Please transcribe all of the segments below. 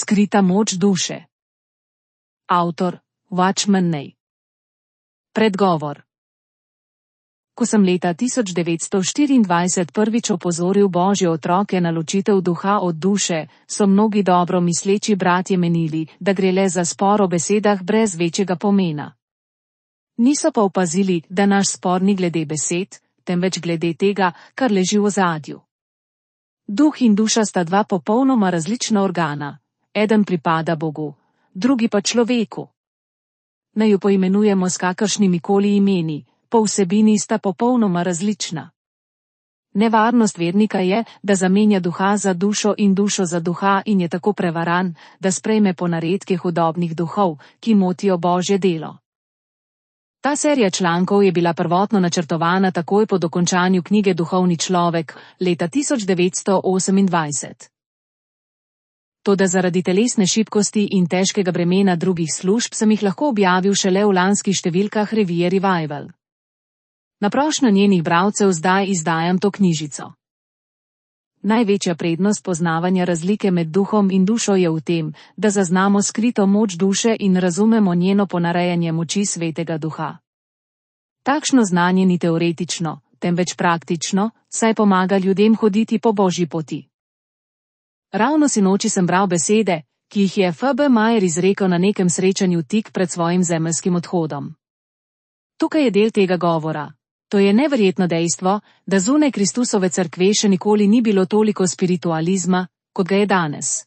Skrita moč duše. Avtor Watchman Nee. Predgovor. Ko sem leta 1924 prvič opozoril Božje otroke na ločitev duha od duše, so mnogi dobro misleči bratje menili, da gre le za spor o besedah brez večjega pomena. Niso pa opazili, da naš spor ni glede besed, temveč glede tega, kar leži v ozadju. Duh in duša sta dva popolnoma različna organa. Eden pripada Bogu, drugi pa človeku. Naj ju poimenujemo s kakršnimi koli imeni, po vsebini sta popolnoma različna. Nevarnost vernika je, da zamenja duha za dušo in dušo za duha in je tako prevaran, da sprejme ponaredke hudobnih duhov, ki motijo Božje delo. Ta serija člankov je bila prvotno načrtovana takoj po dokončanju knjige Duhovni človek, leta 1928. Toda zaradi telesne šibkosti in težkega bremena drugih služb sem jih lahko objavil šele v lanskih številkah revije Revival. Na prošnjo njenih bralcev zdaj izdajam to knjižico. Največja prednost poznavanja razlike med duhom in dušo je v tem, da zaznamo skrito moč duše in razumemo njeno ponarejanje moči svetega duha. Takšno znanje ni teoretično, temveč praktično, saj pomaga ljudem hoditi po Božji poti. Ravno sinoči sem bral besede, ki jih je F.B. Meyer izrekel na nekem srečanju tik pred svojim zemeljskim odhodom. Tukaj je del tega govora. To je neverjetno dejstvo, da zunaj Kristusove cerkve še nikoli ni bilo toliko spiritualizma, kot ga je danes.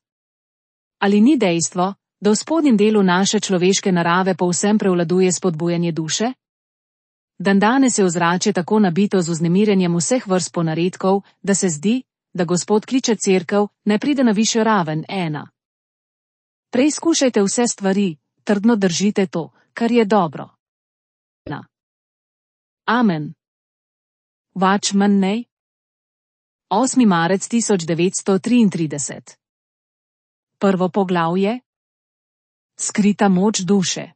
Ali ni dejstvo, da v spodnjem delu naše človeške narave povsem prevladuje spodbujanje duše? Dandanes je ozračje tako nabito z vznemirenjem vseh vrst ponaredkov, da se zdi, da Gospod kliče cerkev, naj pride na višjo raven. 1. Preizkušajte vse stvari, trdno držite to, kar je dobro. Amen. Watchman Nee. 8. marec 1933. Prvo poglavje. Skrita moč duše.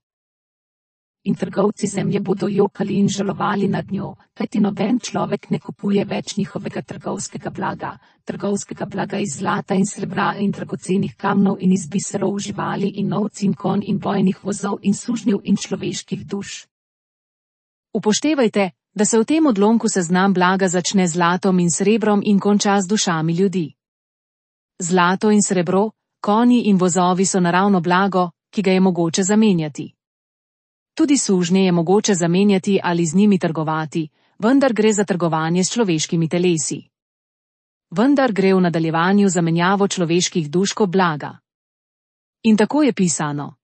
In trgovci zemlje bodo jokali in žalovali nad njo, kajti noben človek ne kupuje več njihovega trgovskega blaga iz zlata in srebra in dragocenih kamnov in iz biserov živali in ovc in konj in bojnih vozov in sužnjev in človeških duš. Upoštevajte, da se v tem odlomku seznam blaga začne z zlatom in srebrom in konča z dušami ljudi. Zlato in srebro, konji in vozovi so naravno blago, ki ga je mogoče zamenjati. Tudi sužnje je mogoče zamenjati ali z njimi trgovati, vendar gre za trgovanje s človeškimi telesi. Vendar gre v nadaljevanju za menjavo človeških duš kot blaga. In tako je pisano.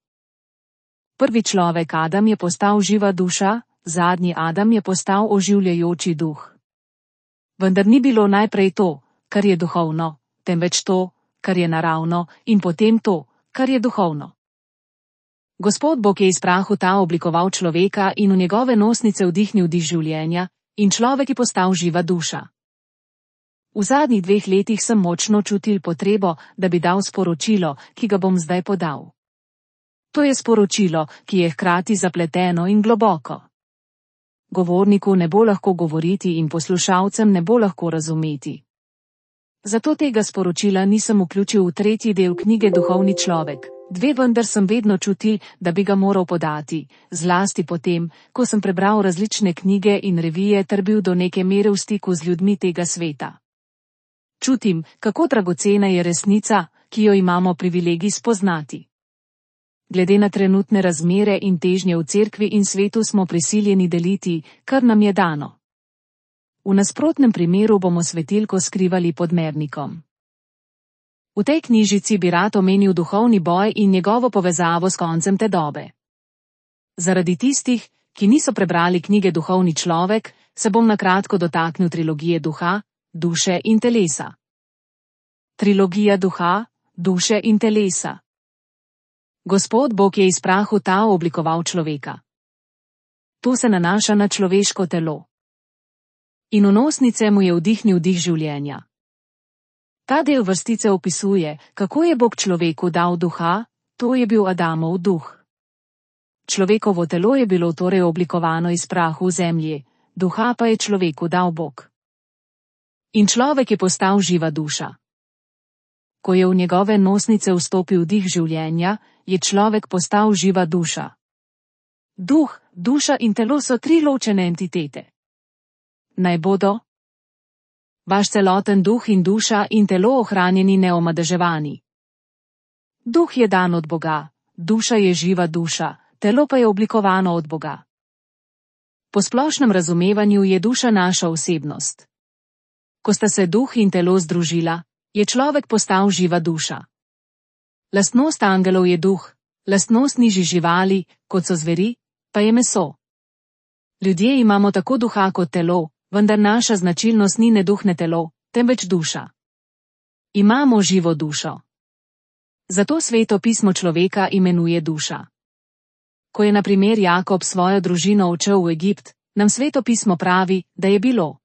Prvi človek Adam je postal živa duša, zadnji Adam je postal oživljajoči duh. Vendar ni bilo najprej to, kar je duhovno, temveč to, kar je naravno, in potem to, kar je duhovno. Gospod Bog je iz prahu ta oblikoval človeka in v njegove nosnice vdihnil dih življenja, in človek je postal živa duša. V zadnjih 2 letih sem močno čutil potrebo, da bi dal sporočilo, ki ga bom zdaj podal. To je sporočilo, ki je hkrati zapleteno in globoko. Govorniku ne bo lahko govoriti in poslušalcem ne bo lahko razumeti. Zato tega sporočila nisem vključil v 3. del knjige Duhovni človek. 2 vendar sem vedno čutil, da bi ga moral podati, zlasti potem, ko sem prebral različne knjige in revije ter bil do neke mere v stiku z ljudmi tega sveta. Čutim, kako dragocena je resnica, ki jo imamo privilegij spoznati. Glede na trenutne razmere in težnje v cerkvi in svetu smo prisiljeni deliti, kar nam je dano. V nasprotnem primeru bomo svetilko skrivali pod mernikom. V tej knjižici bi rad omenil duhovni boj in njegovo povezavo s koncem te dobe. Zaradi tistih, ki niso prebrali knjige Duhovni človek, se bom na kratko dotaknil trilogije duha, duše in telesa. Trilogija duha, duše in telesa. Gospod Bog je iz prahu ta oblikoval človeka. To se nanaša na človeško telo. In v nosnice mu je vdihnil dih življenja. Ta del vrstice opisuje, kako je Bog človeku dal duha, to je bil Adamov duh. Človekovo telo je bilo torej oblikovano iz prahu v zemlji, duha pa je človeku dal Bog. In človek je postal živa duša. ko je v njegove nosnice vstopil dih življenja, je človek postal živa duša. Duh, duša in telo so tri ločene entitete. Naj bodo vaš celoten duh in duša in telo ohranjeni neomadeževani. Duh je dan od Boga, duša je živa duša, telo pa je oblikovano od Boga. Po splošnem razumevanju je duša naša osebnost. Ko sta se duh in telo združila, je človek postal živa duša. Lastnost angelov je duh, lastnost nižjih živali, kot so zveri, pa je meso. Ljudje imamo tako duha kot telo, vendar naša značilnost ni ne duh ne telo, temveč duša. Imamo živo dušo. Zato Sveto pismo človeka imenuje duša. Ko je na primer Jakob svojo družino odšel v Egipt, nam Sveto pismo pravi, da je bilo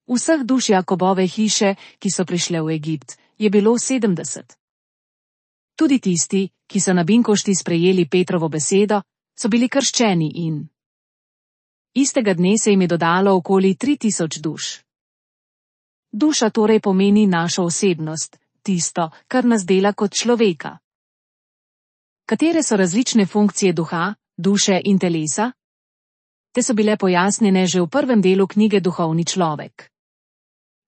vseh duš Jakobove hiše, ki so prišle v Egipt, je bilo 70. Tudi tisti, ki so na binkošti sprejeli Petrovo besedo, so bili krščeni in istega dne se jim je dodalo okoli 3000 duš. Duša torej pomeni našo osebnost, tisto, kar nas dela kot človeka. Katere so različne funkcije duha, duše in telesa? Te so bile pojasnjene že v prvem delu knjige Duhovni človek.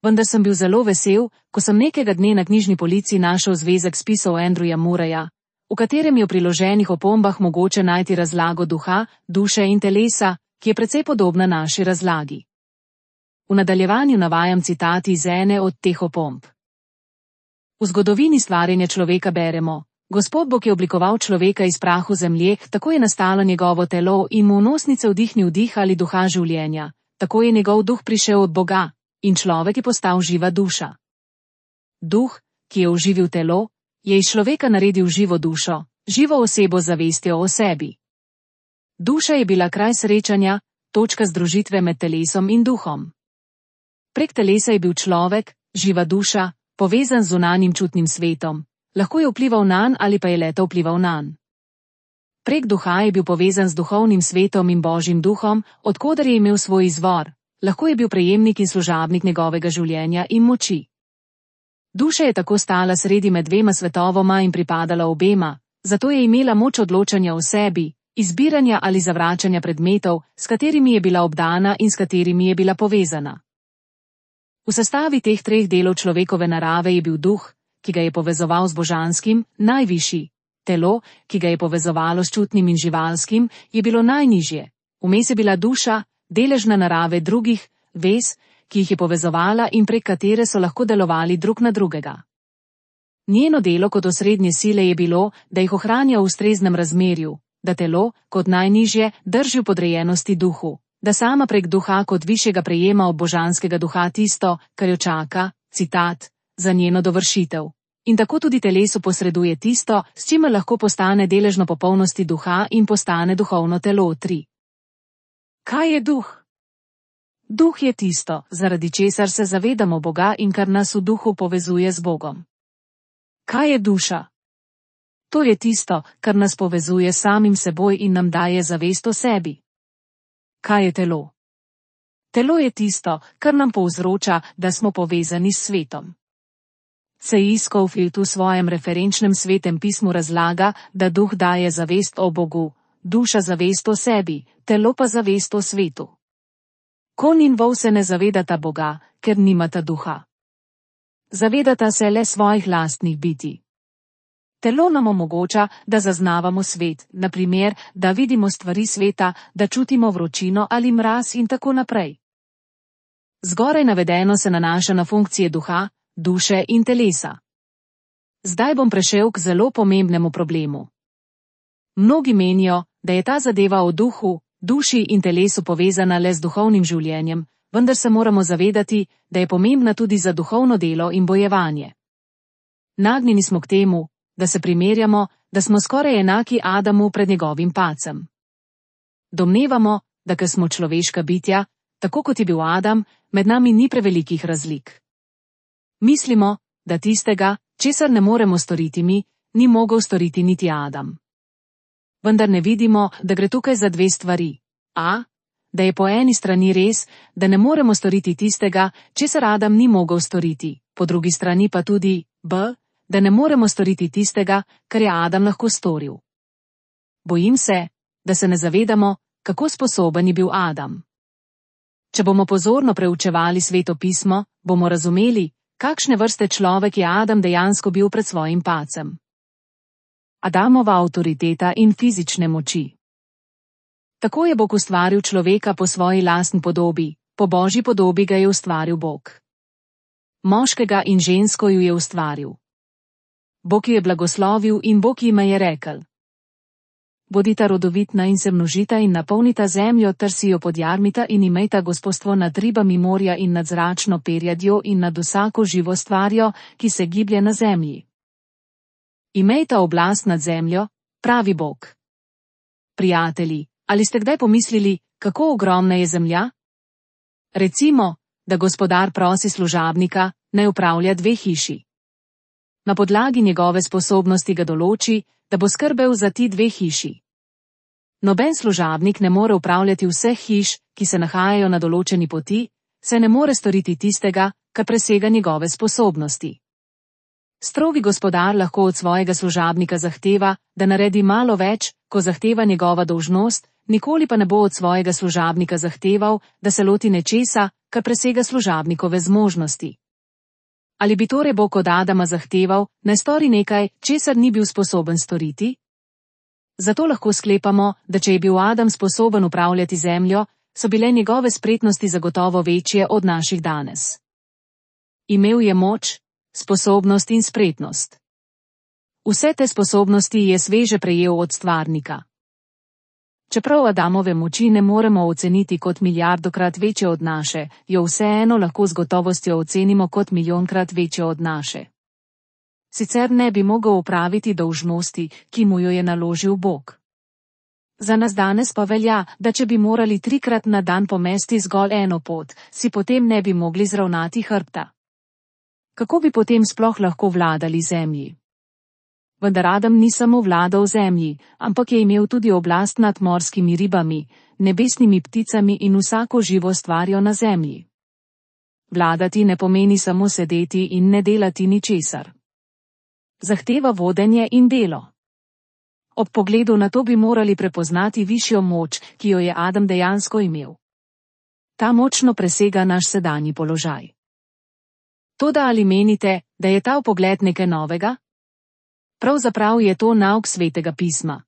Vendar sem bil zelo vesel, ko sem nekega dne na knjižni polici našel zvezek spisov Andrewa Murraya, v katerem je v priloženih opombah mogoče najti razlago duha, duše in telesa, ki je precej podobna naši razlagi. V nadaljevanju navajam citati iz ene od teh opomb. V zgodovini stvarjenja človeka beremo: Gospod Bog je oblikoval človeka iz prahu zemlje, tako je nastalo njegovo telo in mu v nosnice vdihnil dih ali duha življenja, tako je njegov duh prišel od Boga in človek je postal živa duša. Duh, ki je oživil telo, je iz človeka naredil živo dušo, živo osebo z zavestjo o sebi. Duša je bila kraj srečanja, točka združitve med telesom in duhom. Prek telesa je bil človek, živa duša, povezan z zunanjim čutnim svetom, lahko je vplival nanj ali pa je leto vplival nanj. Prek duha je bil povezan z duhovnim svetom in Božjim duhom, od koder je imel svoj izvor, lahko je bil prejemnik in služabnik njegovega življenja in moči. Duša je tako stala sredi med dvema svetovoma in pripadala obema, zato je imela moč odločanja o sebi, izbiranja ali zavračanja predmetov, s katerimi je bila obdana in s katerimi je bila povezana. V sestavi teh treh delov človekove narave je bil duh, ki ga je povezoval z božanskim, najvišji, telo, ki ga je povezovalo s čutnim in živalskim, je bilo najnižje, vmes je bila duša, deležna narave drugih, vez, ki jih je povezovala in prek katere so lahko delovali drug na drugega. Njeno delo kot osrednje sile je bilo, da jih ohranja v ustreznem razmerju, da telo, kot najnižje, drži v podrejenosti duhu, da sama prek duha kot višjega prejema od božanskega duha tisto, kar jo čaka, citat, za njeno dovršitev. In tako tudi telesu posreduje tisto, s čimer lahko postane deležno popolnosti duha in postane duhovno telo 3. Kaj je duh? Duh je tisto, zaradi česar se zavedamo Boga in kar nas v duhu povezuje z Bogom. Kaj je duša? To je tisto, kar nas povezuje s samim seboj in nam daje zavest o sebi. Kaj je telo? Telo je tisto, kar nam povzroča, da smo povezani s svetom. C.I. Scofield v svojem referenčnem svetem pismu razlaga, da duh daje zavest o Bogu, duša zavest o sebi, telo pa zavest o svetu. Konj in vol se ne zavedata Boga, ker nimata duha. Zavedata se le svojih lastnih bitij. Telo nam omogoča, da zaznavamo svet, na primer, da vidimo stvari sveta, da čutimo vročino ali mraz in tako naprej. Zgoraj navedeno se nanaša na funkcije duha, duše in telesa. Zdaj bom prešel k zelo pomembnemu problemu. Mnogi menijo, da je ta zadeva o duhu, duši in telesu povezana le z duhovnim življenjem, vendar se moramo zavedati, da je pomembna tudi za duhovno delo in bojevanje. Nagnjeni smo k temu, da se primerjamo, da smo skoraj enaki Adamu pred njegovim padcem. Domnevamo, da ker smo človeška bitja, tako kot je bil Adam, med nami ni prevelikih razlik. Mislimo, da tistega, česar ne moremo storiti mi, ni mogel storiti niti Adam. Vendar ne vidimo, da gre tukaj za dve stvari. A. da je po eni strani res, da ne moremo storiti tistega, česar Adam ni mogel storiti, po drugi strani pa tudi b, da ne moremo storiti tistega, kar je Adam lahko storil. Bojim se, da se ne zavedamo, kako sposoben je bil Adam. Če bomo pozorno preučevali Sveto pismo, bomo razumeli, kakšne vrste človek je Adam dejansko bil pred svojim padcem. Adamova avtoriteta in fizične moči. Tako je Bog ustvaril človeka po svoji lastni podobi, po Božji podobi ga je ustvaril Bog. Moškega in žensko ju je ustvaril. Bog ju je blagoslovil in Bog jima je rekel: Bodita rodovitna in se množita in napolnita zemljo ter si jo podjarmita in imejta gospodstvo nad ribami morja in nad zračno perjadjo in nad vsako živo stvarjo, ki se giblje na zemlji. Imejta oblast nad zemljo, pravi Bog. Prijatelji, ali ste kdaj pomislili, kako ogromna je zemlja? Recimo, da gospodar prosi služabnika, naj upravlja 2 hiši. Na podlagi njegove sposobnosti ga določi, da bo skrbel za ti 2 hiši. Noben služabnik ne more upravljati vseh hiš, ki se nahajajo na določeni poti, saj ne more storiti tistega, kar presega njegove sposobnosti. Strogi gospodar lahko od svojega služabnika zahteva, da naredi malo več, ko zahteva njegova dolžnost, nikoli pa ne bo od svojega služabnika zahteval, da se loti nečesa, kar presega služabnikove zmožnosti. Ali bi torej Bog od Adama zahteval, naj stori nekaj, česar ni bil sposoben storiti? Zato lahko sklepamo, da če je bil Adam sposoben upravljati zemljo, so bile njegove spretnosti zagotovo večje od naših danes. Imel je moč, sposobnost in spretnost. Vse te sposobnosti je sveže prejel od stvarnika. Čeprav Adamove moči ne moremo oceniti kot milijardokrat večje od naše, jo vseeno lahko z gotovostjo ocenimo kot milijonkrat večje od naše. Sicer ne bi mogel opraviti dolžnosti, ki mu jo je naložil Bog. Za nas danes pa velja, da če bi morali 3-krat na dan pomesti zgolj eno pot, si potem ne bi mogli zravnati hrbta. Kako bi potem sploh lahko vladali zemlji? Vendar Adam ni samo vladal zemlji, ampak je imel tudi oblast nad morskimi ribami, nebesnimi pticami in vsako živo stvarjo na zemlji. Vladati ne pomeni samo sedeti in ne delati ničesar. Zahteva vodenje in delo. Ob pogledu na to bi morali prepoznati višjo moč, ki jo je Adam dejansko imel. Ta močno presega naš sedanji položaj. Toda ali menite, da je ta vpogled nekaj novega? Pravzaprav je to nauk Svetega pisma.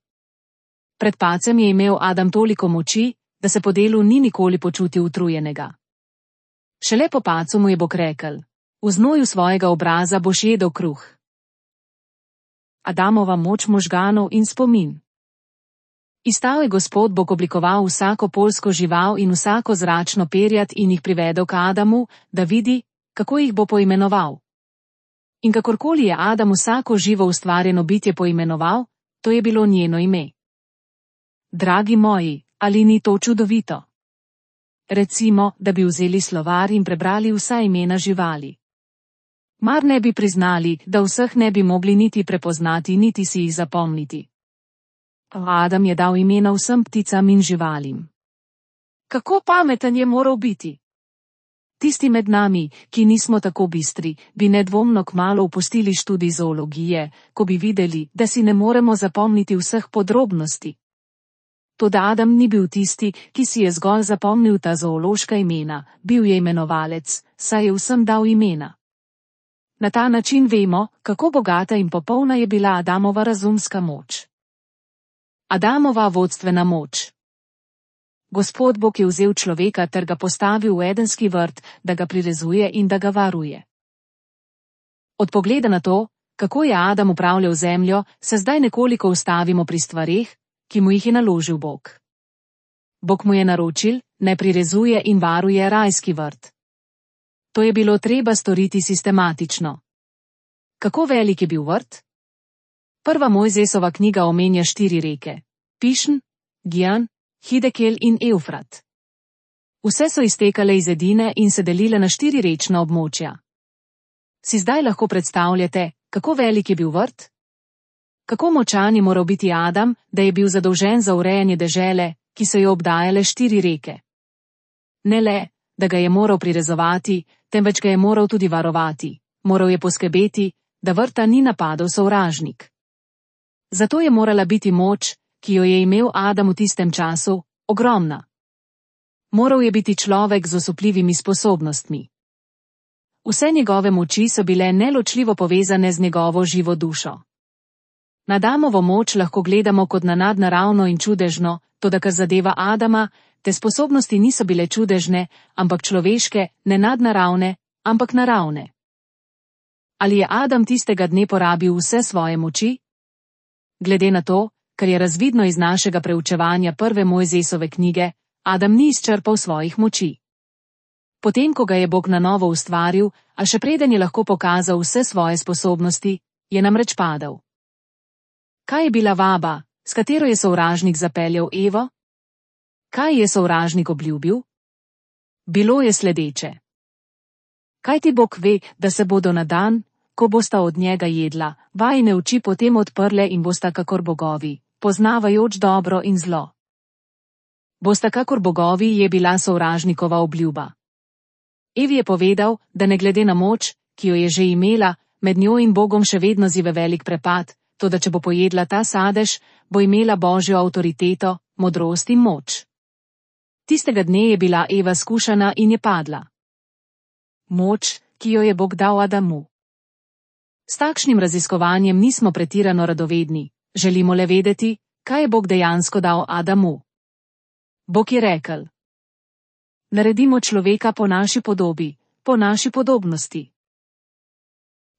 Pred padcem je imel Adam toliko moči, da se po delu ni nikoli počutil utrujenega. Šele po padcu mu je Bog rekel: v znoju svojega obraza boš jedel kruh. Adamova moč možganov in spomin. Izstal je Gospod Bog oblikoval vsako poljsko žival in vsako zračno perjad in jih privedel k Adamu, da vidi, kako jih bo poimenoval. In kakorkoli je Adam vsako živo ustvarjeno bitje poimenoval, to je bilo njeno ime. Dragi moji, ali ni to čudovito? Recimo, da bi vzeli slovar in prebrali vsa imena živali. Mar ne bi priznali, da vseh ne bi mogli niti prepoznati, niti si jih zapomniti. Adam je dal imena vsem pticam in živalim. Kako pameten je moral biti? Tisti med nami, ki nismo tako bistri, bi nedvomno kmalu opustili študij zoologije, ko bi videli, da si ne moremo zapomniti vseh podrobnosti. Toda Adam ni bil tisti, ki si je zgolj zapomnil ta zoološka imena, bil je imenovalec, saj je vsem dal imena. Na ta način vemo, kako bogata in popolna je bila Adamova razumska moč. Adamova vodstvena moč. Gospod Bog je vzel človeka ter ga postavil v edenski vrt, da ga prirezuje in da ga varuje. Od pogleda na to, kako je Adam upravljal zemljo, se zdaj nekoliko ustavimo pri stvareh, ki mu jih je naložil Bog. Bog mu je naročil, naj prirezuje in varuje rajski vrt. To je bilo treba storiti sistematično. Kako velik je bil vrt? Prva Mojzesova knjiga omenja 4 reke: Pišn, Gijan, Hidekel in Evfrat. Vse so iztekale iz edine in se delile na 4 rečna območja. Si zdaj lahko predstavljate, kako velik je bil vrt? Kako močan je moral biti Adam, da je bil zadolžen za urejanje dežele, ki so jo obdajale 4 reke? Ne le, da ga je moral prirezovati, temveč ga je moral tudi varovati. Moral je poskrbeti, da vrta ni napadel sovražnik. Zato je morala biti moč, ki jo je imel Adam v tistem času, ogromna. Moral je biti človek z osupljivimi sposobnostmi. Vse njegove moči so bile neločljivo povezane z njegovo živo dušo. Na Adamovo moč lahko gledamo kot na nadnaravno in čudežno, toda kar zadeva Adama, te sposobnosti niso bile čudežne, ampak človeške, ne nadnaravne, ampak naravne. Ali je Adam tistega dne porabil vse svoje moči? Glede na to, kar je razvidno iz našega preučevanja prve Mojzesove knjige, Adam ni izčrpal svojih moči. Potem, ko ga je Bog na novo ustvaril, a še preden je lahko pokazal vse svoje sposobnosti, je namreč padel. Kaj je bila vaba, s katero je sovražnik zapeljal Evo? Kaj je sovražnik obljubil? Bilo je sledeče. Kaj ti Bog ve, da se bodo na dan, ko bosta od njega jedla, vajine oči potem odprle in bosta kakor bogovi, poznavajoč dobro in zlo. Bosta kakor bogovi je bila sovražnikova obljuba. Evi je povedal, da ne glede na moč, ki jo je že imela, med njo in Bogom še vedno zive velik prepad, toda če bo pojedla ta sadež, bo imela Božjo avtoriteto, modrost in moč. Tistega dne je bila Eva skušana in je padla. Moč, ki jo je Bog dal Adamu. S takšnim raziskovanjem nismo pretirano radovedni, želimo le vedeti, kaj je Bog dejansko dal Adamu. Bog je rekel: naredimo človeka po naši podobi, po naši podobnosti.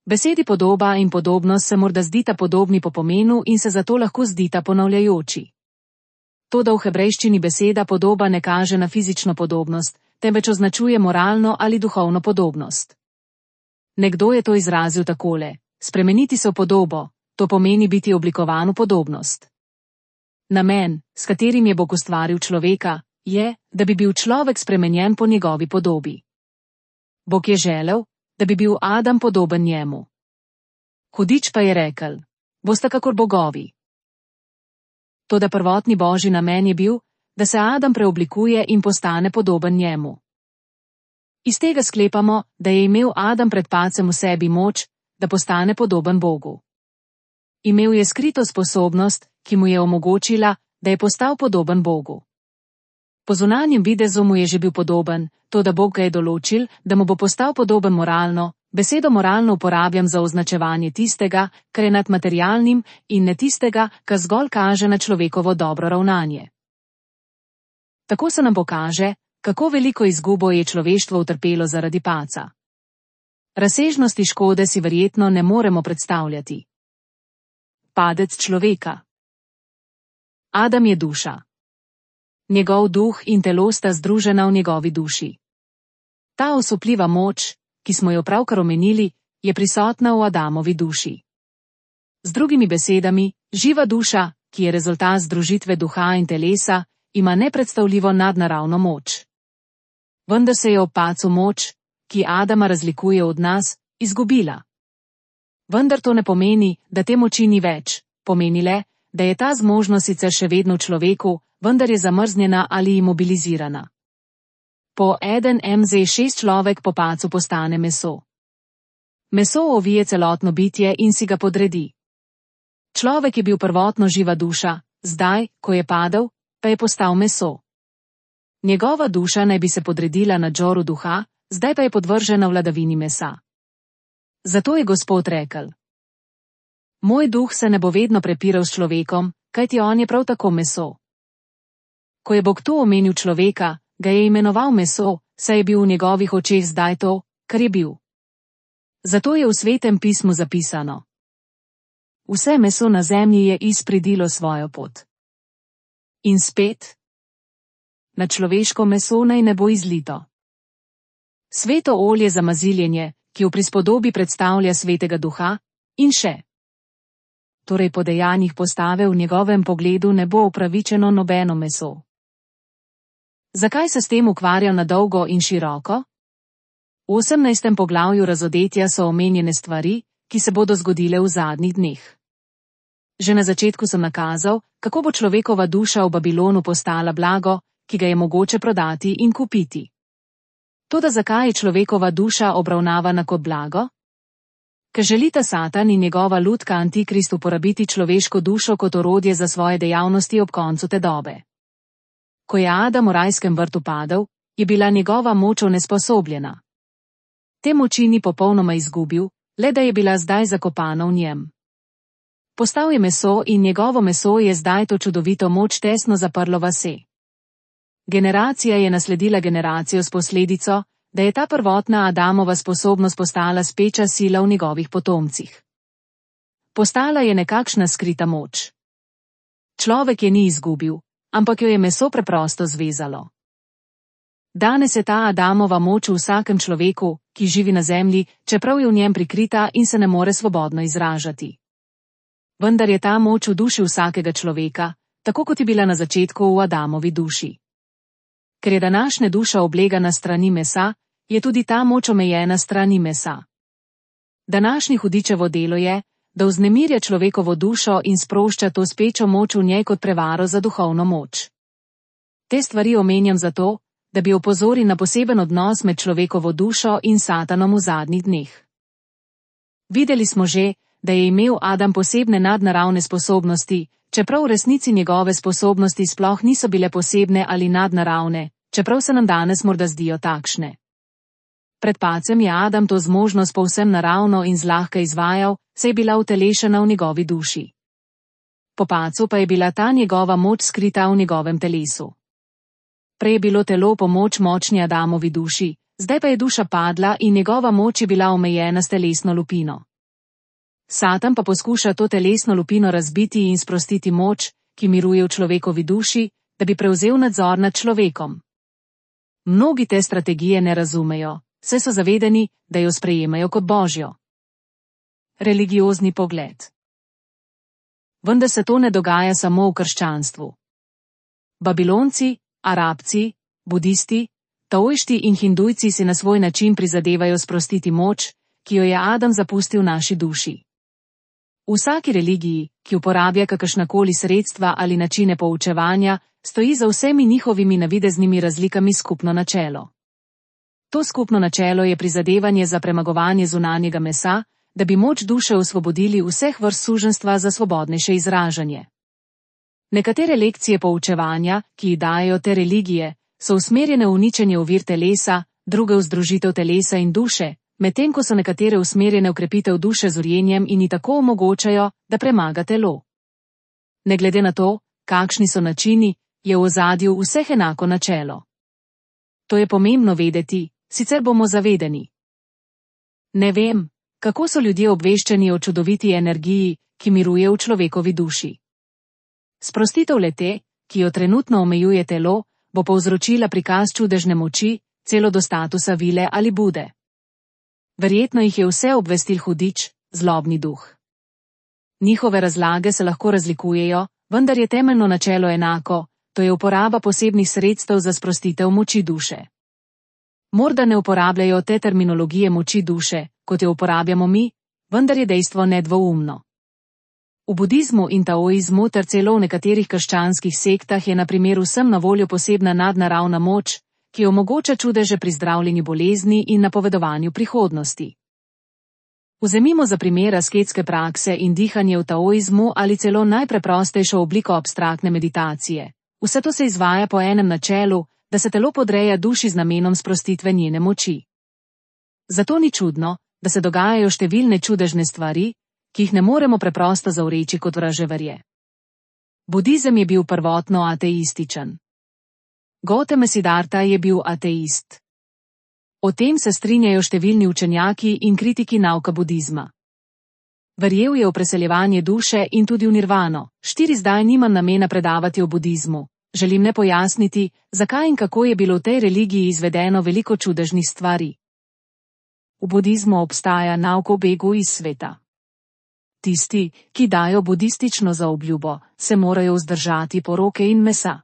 Besedi podoba in podobnost se morda zdita podobni po pomenu in se zato lahko zdita ponavljajoči. Toda v hebrejščini beseda podoba ne kaže na fizično podobnost, temveč označuje moralno ali duhovno podobnost. Nekdo je to izrazil takole: spremeniti se v podobo, to pomeni biti oblikovan v podobnost. Namen, s katerim je Bog ustvaril človeka, je, da bi bil človek spremenjen po njegovi podobi. Bog je želel, da bi bil Adam podoben njemu. Hudič pa je rekel: bosta kakor bogovi. Toda prvotni Božji namen je bil, da se Adam preoblikuje in postane podoben njemu. Iz tega sklepamo, da je imel Adam pred padcem v sebi moč, da postane podoben Bogu. Imel je skrito sposobnost, ki mu je omogočila, da je postal podoben Bogu. Po zunanjem videzu mu je že bil podoben, toda Bog ga je določil, da mu bo postal podoben moralno. Besedo moralno uporabljam za označevanje tistega, kar je nad materialnim, in ne tistega, kar zgolj kaže na človekovo dobro ravnanje. Tako se nam pokaže, kako veliko izgubo je človeštvo utrpelo zaradi padca. Razsežnosti škode si verjetno ne moremo predstavljati. Padec človeka. Adam je duša. Njegov duh in telo sta združena v njegovi duši. Ta osupljiva moč, ki smo jo pravkar omenili, je prisotna v Adamovi duši. Z drugimi besedami, živa duša, ki je rezultat združitve duha in telesa, ima nepredstavljivo nadnaravno moč. Vendar se je ob padcu moč, ki Adama razlikuje od nas, izgubila. Vendar to ne pomeni, da te moči ni več, pomeni le, da je ta zmožnost sicer še vedno v človeku, vendar je zamrznjena ali imobilizirana. Po 1mz6 človek po padcu postane meso. Meso ovije celotno bitje in si ga podredi. Človek je bil prvotno živa duša, zdaj, ko je padel, pa je postal meso. Njegova duša naj bi se podredila nadzoru duha, zdaj pa je podvržena vladavini mesa. Zato je Gospod rekel: moj duh se ne bo vedno prepiral s človekom, kajti on je prav tako meso. Ko je Bog tu omenil človeka, ga je imenoval meso, saj je bil v njegovih očeh zdaj to, kar je bil. Zato je v Svetem pismu zapisano: vse meso na zemlji je izpridilo svojo pot. In spet: na človeško meso naj ne bo izlito. Sveto olje za maziljenje, ki v prispodobi predstavlja svetega duha, in še. Torej po dejanjih postave v njegovem pogledu ne bo upravičeno nobeno meso. Zakaj se s tem ukvarjal na dolgo in široko? V 18. poglavju Razodetja so omenjene stvari, ki se bodo zgodile v zadnjih dneh. Že na začetku sem nakazal, kako bo človekova duša v Babilonu postala blago, ki ga je mogoče prodati in kupiti. Toda zakaj je človekova duša obravnavana kot blago? Ker želita Satan in njegova lutka Antikrist uporabiti človeško dušo kot orodje za svoje dejavnosti ob koncu te dobe. Ko je Adam v rajskem vrtu padel, je bila njegova moč onesposobljena. Te moči ni popolnoma izgubil, le da je bila zdaj zakopana v njem. Postal je meso in njegovo meso je zdaj to čudovito moč tesno zaprlo vase. Generacija je nasledila generacijo s posledico, da je ta prvotna Adamova sposobnost postala speča sila v njegovih potomcih. Postala je nekakšna skrita moč. Človek je ni izgubil, ampak jo je meso preprosto zvezalo. Danes je ta Adamova moč v vsakem človeku, ki živi na zemlji, čeprav je v njem prikrita in se ne more svobodno izražati. Vendar je ta moč v duši vsakega človeka, tako kot je bila na začetku v Adamovi duši. Ker je današnja duša oblegana strani mesa, je tudi ta moč omejena strani mesa. Današnji hudičevo delo je, da vznemirja človekovo dušo in sprošča to spečo moč v njej kot prevaro za duhovno moč. Te stvari omenjam zato, da bi opozoril na poseben odnos med človekovo dušo in Satanom v zadnjih dneh. Videli smo že, da je imel Adam posebne nadnaravne sposobnosti, čeprav v resnici njegove sposobnosti sploh niso bile posebne ali nadnaravne, čeprav se nam danes morda zdijo takšne. Pred padcem je Adam to zmožnost povsem naravno in zlahka izvajal, saj je bila utelešena v njegovi duši. Po padcu pa je bila ta njegova moč skrita v njegovem telesu. Prej je bilo telo pomoč močni Adamovi duši, zdaj pa je duša padla in njegova moč je bila omejena s telesno lupino. Satan pa poskuša to telesno lupino razbiti in sprostiti moč, ki miruje v človekovi duši, da bi prevzel nadzor nad človekom. Mnogi te strategije ne razumejo, saj so zavedeni, da jo sprejemajo kot božjo. Religiozni pogled. Vendar se to ne dogaja samo v krščanstvu. Babilonci, Arabci, budisti, taoišti in hindujci si na svoj način prizadevajo sprostiti moč, ki jo je Adam zapustil v naši duši. V vsaki religiji, ki uporablja kakršnakoli sredstva ali načine poučevanja, stoji za vsemi njihovimi navideznimi razlikami skupno načelo. To skupno načelo je prizadevanje za premagovanje zunanjega mesa, da bi moč duše osvobodili vseh vrst suženjstva za svobodnejše izražanje. Nekatere lekcije poučevanja, ki jih dajejo te religije, so usmerjene v uničenje ovir telesa, druge v združitev telesa in duše, medtem ko so nekatere usmerjene v krepitev duše z urjenjem in ji tako omogočajo, da premaga telo. Ne glede na to, kakšni so načini, je v ozadju vseh enako načelo. To je pomembno vedeti, sicer bomo zavedeni. Ne vem, kako so ljudje obveščeni o čudoviti energiji, ki miruje v človekovi duši. Sprostitev lete, ki jo trenutno omejuje telo, bo povzročila prikaz čudežne moči, celo do statusa vile ali bude. Verjetno jih je vse obvestil hudič, zlobni duh. Njihove razlage se lahko razlikujejo, vendar je temeljno načelo enako, to je uporaba posebnih sredstev za sprostitev moči duše. Morda ne uporabljajo te terminologije moči duše, kot jo uporabljamo mi, vendar je dejstvo nedvoumno. V budizmu in taoizmu ter celo v nekaterih krščanskih sektah je na primer vsem na voljo posebna nadnaravna moč, ki omogoča čudeže pri zdravljenju bolezni in napovedovanju prihodnosti. Vzemimo za primer asketske prakse in dihanje v taoizmu ali celo najpreprostejšo obliko abstraktne meditacije. Vse to se izvaja po enem načelu, da se telo podreja duši z namenom sprostitve njene moči. Zato ni čudno, da se dogajajo številne čudežne stvari, ki jih ne moremo preprosto zavreči kot vraževerje. Budizem je bil prvotno ateističen. Gautama Siddharta je bil ateist. O tem se strinjajo številni učenjaki in kritiki nauka budizma. Verjel je v preseljevanje duše in tudi v nirvano. Zdaj nimam namena predavati o budizmu. Želim le pojasniti, zakaj in kako je bilo v tej religiji izvedeno veliko čudežnih stvari. V budizmu obstaja nauk o begu iz sveta. Tisti, ki dajo budistično zaobljubo, se morajo vzdržati poroke in mesa.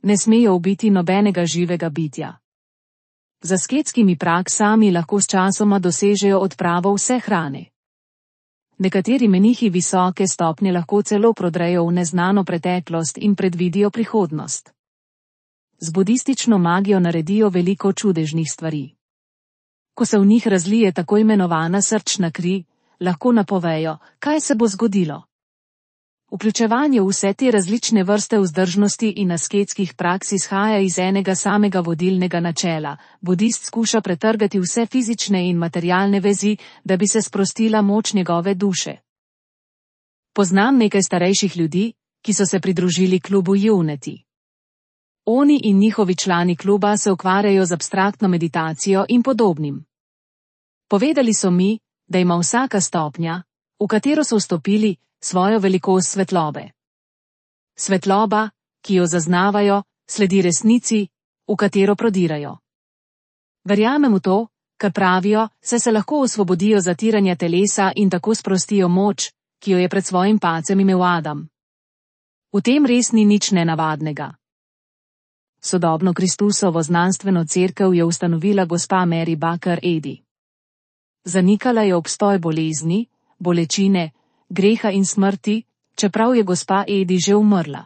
Ne smejo ubiti nobenega živega bitja. Z asketskimi praksami lahko sčasoma dosežejo odpravo vse hrane. Nekateri menihi visoke stopnje lahko celo prodrejo v neznano preteklost in predvidijo prihodnost. z budistično magijo naredijo veliko čudežnih stvari. Ko se v njih razlije tako imenovana srčna kri, lahko napovejo, kaj se bo zgodilo. Vključevanje v vse te različne vrste vzdržnosti in asketskih praks izhaja iz enega samega vodilnega načela. Budist skuša pretrgati vse fizične in materialne vezi, da bi se sprostila moč njegove duše. Poznam nekaj starejših ljudi, ki so se pridružili klubu Unity. Oni in njihovi člani kluba se ukvarjajo z abstraktno meditacijo in podobnim. Povedali so mi, da ima vsaka stopnja, v katero so vstopili, svojo velikost svetlobe. Svetloba, ki jo zaznavajo, sledi resnici, v katero prodirajo. Verjamem v to, kar pravijo, saj se lahko osvobodijo zatiranja telesa in tako sprostijo moč, ki jo je pred svojim padcem imel Adam. V tem res ni nič nenavadnega. Sodobno Kristusovo znanstveno cerkev je ustanovila gospa Mary Baker Eddy. Zanikala je obstoj bolezni, bolečine, greha in smrti, čeprav je gospa Eddy že umrla.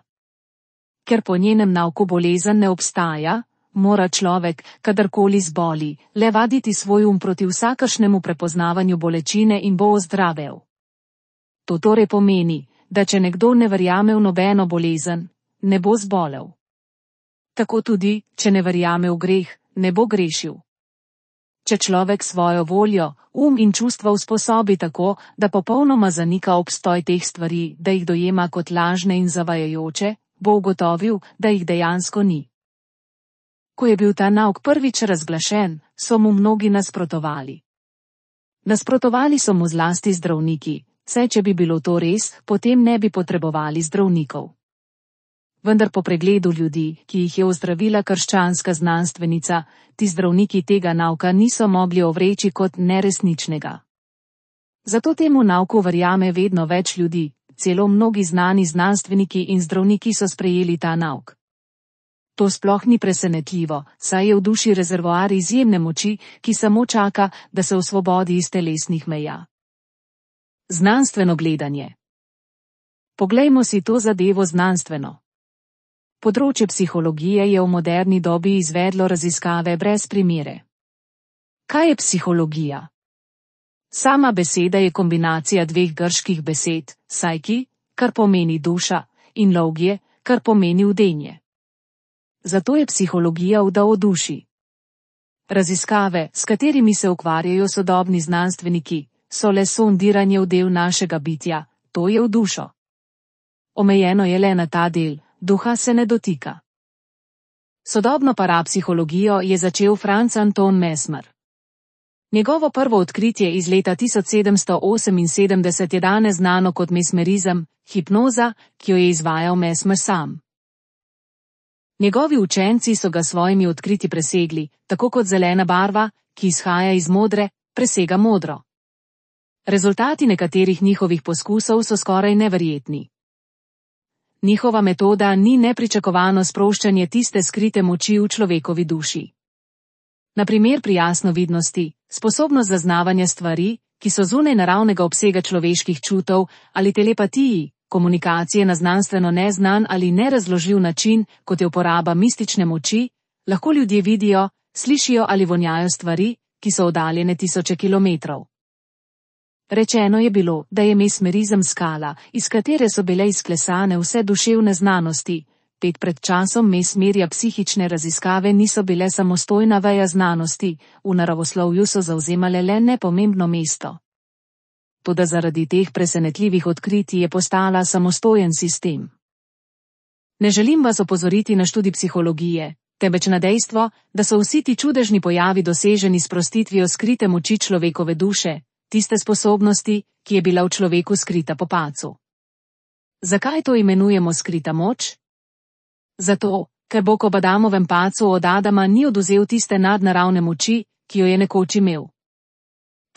Ker po njenem nauku bolezen ne obstaja, mora človek, kadarkoli zboli, le vaditi svoj proti vsakršnemu prepoznavanju bolečine in bo ozdravel. To torej pomeni, da če nekdo ne verjame v nobeno bolezen, ne bo zbolel. Tako tudi, če ne verjame v greh, ne bo grešil. Če človek svojo voljo, in čustva usposobi tako, da popolnoma zanika obstoj teh stvari, da jih dojema kot lažne in zavajajoče, bo ugotovil, da jih dejansko ni. Ko je bil ta nauk prvič razglašen, so mu mnogi nasprotovali. Nasprotovali so mu zlasti zdravniki, saj če bi bilo to res, potem ne bi potrebovali zdravnikov. Vendar po pregledu ljudi, ki jih je ozdravila krščanska znanstvenica, ti zdravniki tega nauka niso mogli ovreči kot neresničnega. Zato temu nauku verjame vedno več ljudi, celo mnogi znani znanstveniki in zdravniki so sprejeli ta nauk. To sploh ni presenetljivo, saj je v duši rezervoar izjemne moči, ki samo čaka, da se osvobodi iz telesnih meja. Znanstveno gledanje. Poglejmo si to zadevo znanstveno. Področje psihologije je v moderni dobi izvedlo raziskave brez primere. Kaj je psihologija? Sama beseda je kombinacija dveh grških besed, psyche, kar pomeni duša, in logije, kar pomeni vdenje. Zato je psihologija vda o duši. Raziskave, s katerimi se ukvarjajo sodobni znanstveniki, so le sondiranje v del našega bitja, to je v dušo. Omejeno je le na ta del. Duha se ne dotika. Sodobno parapsihologijo je začel Franz Anton Mesmer. Njegovo prvo odkritje iz leta 1778 je danes znano kot mesmerizem, hipnoza, ki jo je izvajal Mesmer sam. Njegovi učenci so ga svojimi odkritji presegli, tako kot zelena barva, ki izhaja iz modre, presega modro. Rezultati nekaterih njihovih poskusov so skoraj neverjetni. Njihova metoda ni nepričakovano sproščanje tiste skrite moči v človekovi duši. Na primer pri jasnovidnosti, sposobnost zaznavanja stvari, ki so zunaj naravnega obsega človeških čutov, ali telepatiji, komunikacije na znanstveno neznan ali nerazložljiv način, kot je uporaba mistične moči, lahko ljudje vidijo, slišijo ali vonjajo stvari, ki so oddaljene tisoče kilometrov. Rečeno je bilo, da je mesmerizem skala, iz katere so bile izklesane vse duševne znanosti. Pred časom mesmerja psihične raziskave niso bile samostojna veja znanosti, v naravoslovju so zavzemale le nepomembno mesto. Toda zaradi teh presenetljivih odkritij je postala samostojen sistem. Ne želim vas opozoriti na študij psihologije, temveč na dejstvo, da so vsi ti čudežni pojavi doseženi s sprostitvijo skrite moči človekove duše, tiste sposobnosti, ki je bila v človeku skrita po padcu. Zakaj to imenujemo skrita moč? Zato, ker Bog ob Adamovem padcu od Adama ni oduzel tiste nadnaravne moči, ki jo je nekoč imel.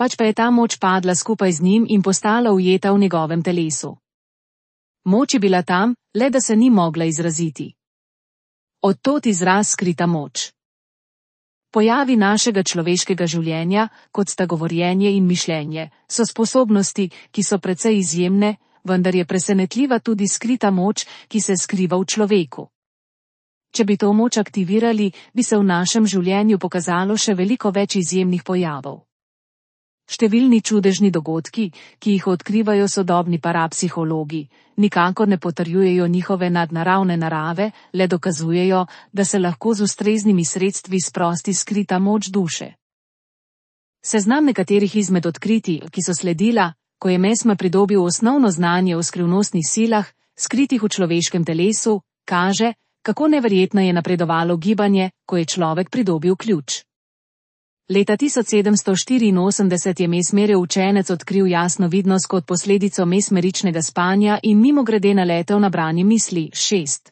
Pač pa je ta moč padla skupaj z njim in postala ujeta v njegovem telesu. Moč je bila tam, le da se ni mogla izraziti. Od tod izraz skrita moč. Pojavi našega človeškega življenja, kot sta govorjenje in mišljenje, so sposobnosti, ki so precej izjemne, vendar je presenetljiva tudi skrita moč, ki se skriva v človeku. Če bi to moč aktivirali, bi se v našem življenju pokazalo še veliko več izjemnih pojavov. Številni čudežni dogodki, ki jih odkrivajo sodobni parapsihologi, nikakor ne potrjujejo njihove nadnaravne narave, le dokazujejo, da se lahko z ustreznimi sredstvi sprosti skrita moč duše. Seznam nekaterih izmed odkritij, ki so sledila, ko je Mesmer pridobil osnovno znanje o skrivnostnih silah, skritih v človeškem telesu, kaže, kako neverjetno je napredovalo gibanje, ko je človek pridobil ključ. Leta 1784 je Mesmerjev učenec odkril jasno vidnost kot posledico mesmeričnega spanja in mimogrede naletel na branje misli. 6.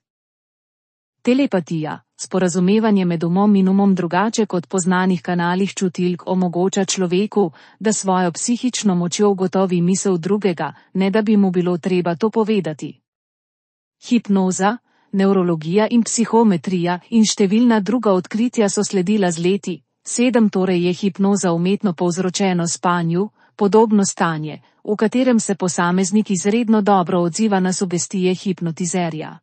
Telepatija, sporazumevanje med umom in umom drugače kot po znanih kanalih čutilk omogoča človeku, da svojo psihično močjo ugotovi misel drugega, ne da bi mu bilo treba to povedati. Hipnoza, nevrologija in psihometrija in številna druga odkritja so sledila z leti. 7. Torej je hipnoza umetno povzročeno spanju, podobno stanje, v katerem se posameznik izredno dobro odziva na sugestije hipnotizerja.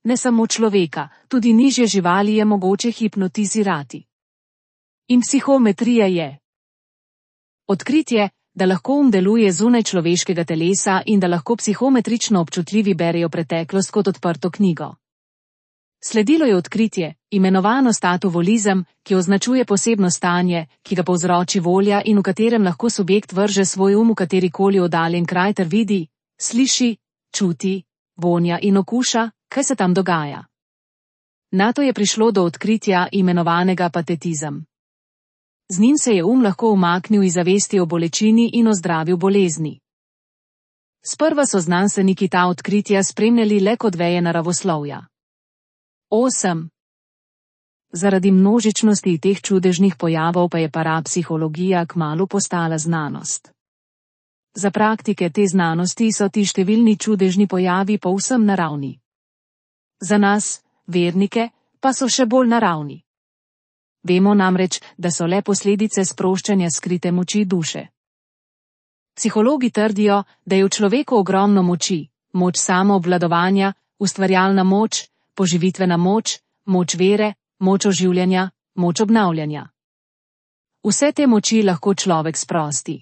Ne samo človeka, tudi nižje živali je mogoče hipnotizirati. In psihometrija je odkritje, da lahko deluje zunaj človeškega telesa in da lahko psihometrično občutljivi berejo preteklost kot odprto knjigo. Sledilo je odkritje, imenovano statovolizem, ki označuje posebno stanje, ki ga povzroči volja in v katerem lahko subjekt vrže svoj v katerikoli oddaljen kraj ter vidi, sliši, čuti, vonja in okuša, kaj se tam dogaja. Nato je prišlo do odkritja, imenovanega patetizem. Z njim se je lahko umaknil iz zavesti o bolečini in ozdravil bolezni. Sprva so znanstveniki ta odkritja spremljali le kot veje naravoslovja. 8. Zaradi množičnosti teh čudežnih pojavov pa je parapsihologija kmalu postala znanost. Za praktike te znanosti so ti številni čudežni pojavi povsem naravni. Za nas, vernike, pa so še bolj naravni. Vemo namreč, da so le posledice sproščanja skrite moči duše. Psihologi trdijo, da je v človeku ogromno moči, moč samoobvladovanja, ustvarjalna moč, poživitvena moč, moč vere, moč oživljanja, moč obnavljanja. Vse te moči lahko človek sprosti.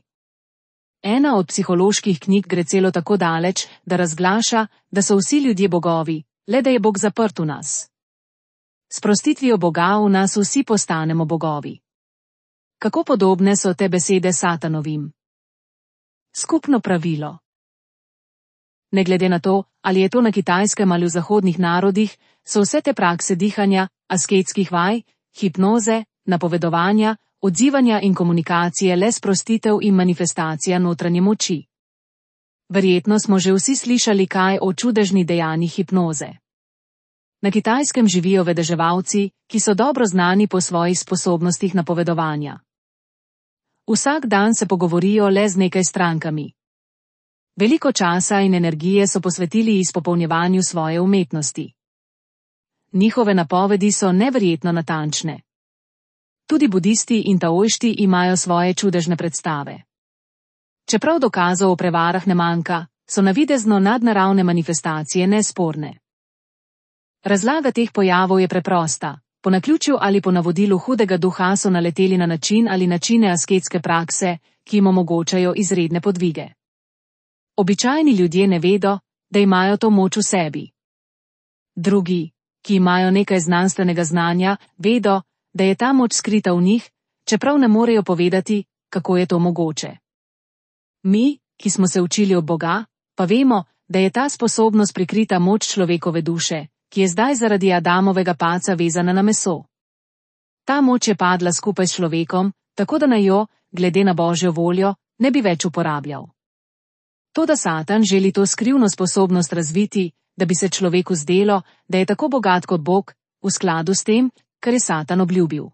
Ena od psiholoških knjig gre celo tako daleč, da razglaša, da so vsi ljudje bogovi, le da je Bog zaprt v nas. S sprostitvijo Boga v nas vsi postanemo bogovi. Kako podobne so te besede Satanovim? Skupno pravilo. Ne glede na to, ali je to na Kitajskem ali v zahodnih narodih, so vse te prakse dihanja, asketskih vaj, hipnoze, napovedovanja, odzivanja in komunikacije le sprostitev in manifestacija notranje moči. Verjetno smo že vsi slišali kaj o čudežni dejanji hipnoze. Na Kitajskem živijo vedeževalci, ki so dobro znani po svojih sposobnostih napovedovanja. Vsak dan se pogovorijo le z nekaj strankami. Veliko časa in energije so posvetili izpopolnjevanju svoje umetnosti. Njihove napovedi so neverjetno natančne. Tudi budisti in taoisti imajo svoje čudežne predstave. Čeprav dokazov o prevarah ne manjka, so navidezno nadnaravne manifestacije nesporne. Razlaga teh pojavov je preprosta. Po naključju ali po navodilu hudega duha so naleteli na način ali načine asketske prakse, ki jim omogočajo izredne podvige. Običajni ljudje ne vedo, da imajo to moč v sebi. Drugi, ki imajo nekaj znanstvenega znanja, vedo, da je ta moč skrita v njih, čeprav ne morejo povedati, kako je to mogoče. Mi, ki smo se učili od Boga, pa vemo, da je ta sposobnost prikrita moč človekove duše, ki je zdaj zaradi Adamovega padca vezana na meso. Ta moč je padla skupaj s človekom, tako da naj jo, glede na Božjo voljo, ne bi več uporabljal. Toda Satan želi to skrivno sposobnost razviti, da bi se človeku zdelo, da je tako bogat kot Bog, v skladu s tem, kar je Satan obljubil.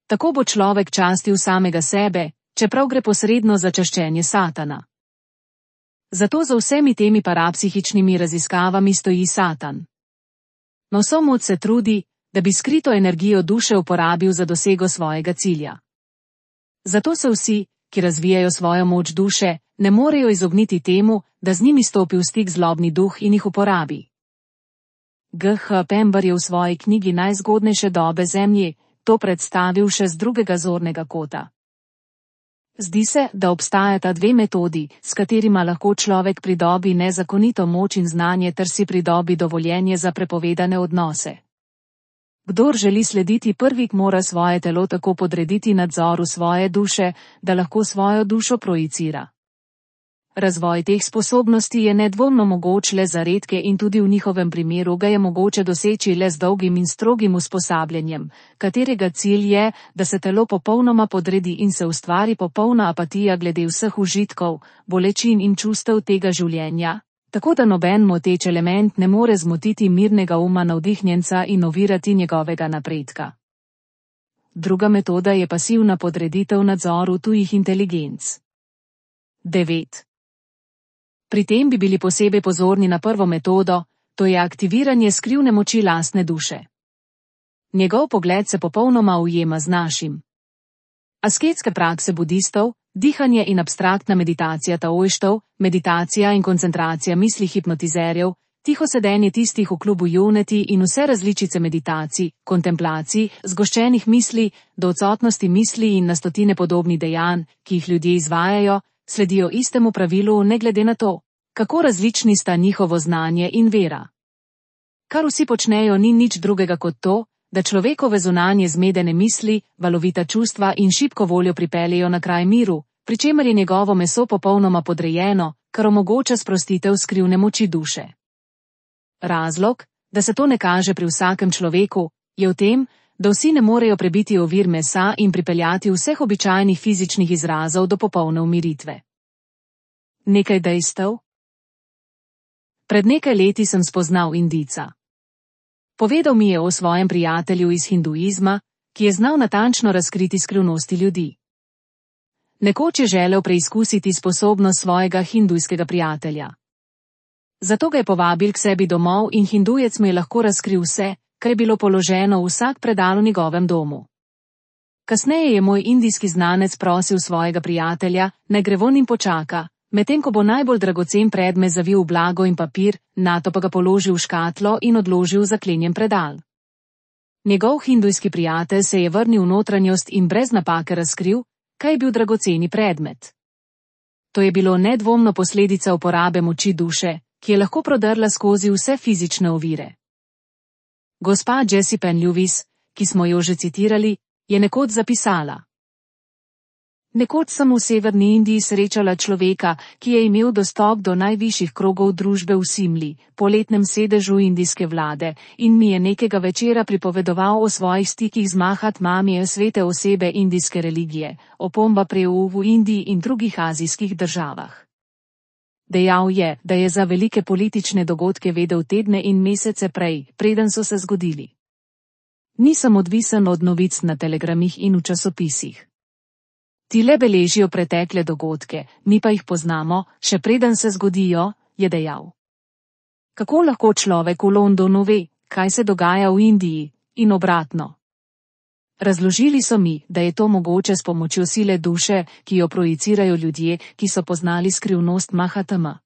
Tako bo človek častil samega sebe, čeprav gre posredno za čaščenje Satana. Zato za vsemi temi parapsihičnimi raziskavami stoji Satan. Na vso moč se trudi, da bi skrito energijo duše uporabil za dosego svojega cilja. Zato se vsi, ki razvijajo svojo moč duše, ne morejo izogniti temu, da z njimi stopi v stik zlobni duh in jih uporabi. G.H. Pember je v svoji knjigi Najzgodnejše dobe Zemlje to predstavil še z drugega zornega kota. Zdi se, da obstajata dve metodi, s katerima lahko človek pridobi nezakonito moč in znanje ter si pridobi dovoljenje za prepovedane odnose. Kdor želi slediti prvi, mora svoje telo tako podrediti nadzoru svoje duše, da lahko svojo dušo projicira. Razvoj teh sposobnosti je nedvomno mogoč le za redke in tudi v njihovem primeru ga je mogoče doseči le z dolgim in strogim usposabljanjem, katerega cilj je, da se telo popolnoma podredi in se ustvari popolna apatija glede vseh užitkov, bolečin in čustev tega življenja, tako da noben moteč element ne more zmotiti mirnega uma navdihnjenca in ovirati njegovega napredka. Druga metoda je pasivna podreditev nadzoru tujih inteligenc. 9. Pri tem bi bili posebej pozorni na prvo metodo, to je aktiviranje skrivne moči lastne duše. Njegov pogled se popolnoma ujema z našim. Asketske prakse budistov, dihanje in abstraktna meditacija taoistov, meditacija in koncentracija misli hipnotizerjev, tiho sedenje tistih v klubu Unity in vse različice meditacij, kontemplacij, zgoščenih misli, do odsotnosti misli in na stotine podobnih dejanj, ki jih ljudje izvajajo, sledijo istemu pravilu ne glede na to, kako različni sta njihovo znanje in vera. Kar vsi počnejo ni nič drugega kot to, da človekove zunanje zmedene misli, valovita čustva in šibko voljo pripeljejo na kraj miru, pri čemer je njegovo meso popolnoma podrejeno, kar omogoča sprostitev skrivne moči duše. Razlog, da se to ne kaže pri vsakem človeku, je v tem, da vsi ne morejo prebiti ovir mesa in pripeljati vseh običajnih fizičnih izrazov do popolne umiritve. Nekaj dejstev. Pred nekaj leti sem spoznal Indijca. Povedal mi je o svojem prijatelju iz hinduizma, ki je znal natančno razkriti skrivnosti ljudi. Nekoč je želel preizkusiti sposobnost svojega hindujskega prijatelja. Zato ga je povabil k sebi domov in hindujec mu je lahko razkril vse, kar je bilo položeno v vsak predal v njegovem domu. Kasneje je moj indijski znanec prosil svojega prijatelja, naj gre von in počaka, medtem ko bo najbolj dragocen predmet zavil v blago in papir, nato pa ga položil v škatlo in odložil v zaklenjen predal. Njegov hindujski prijatelj se je vrnil v notranjost in brez napake razkril, kaj je bil dragoceni predmet. To je bilo nedvomno posledica uporabe moči duše, ki je lahko prodrla skozi vse fizične ovire. Gospa Jessie Penn Lewis, ki smo jo že citirali, je nekoč zapisala: Nekoč sem v severni Indiji srečala človeka, ki je imel dostop do najvišjih krogov družbe v Simli, poletnem sedežu indijske vlade, in mi je nekega večera pripovedoval o svojih stikih z Mahatmamijo, svete osebe indijske religije, opomba preu v Indiji in drugih azijskih državah. Dejal je, da je za velike politične dogodke vedel tedne in mesece prej, preden so se zgodili. Nisem odvisen od novic na telegramih in v časopisih. Ti le beležijo pretekle dogodke, mi pa jih poznamo, še preden se zgodijo, je dejal. Kako lahko človek v Londonu ve, kaj se dogaja v Indiji, in obratno? Razložili so mi, da je to mogoče s pomočjo sile duše, ki jo projicirajo ljudje, ki so poznali skrivnost Mahatma.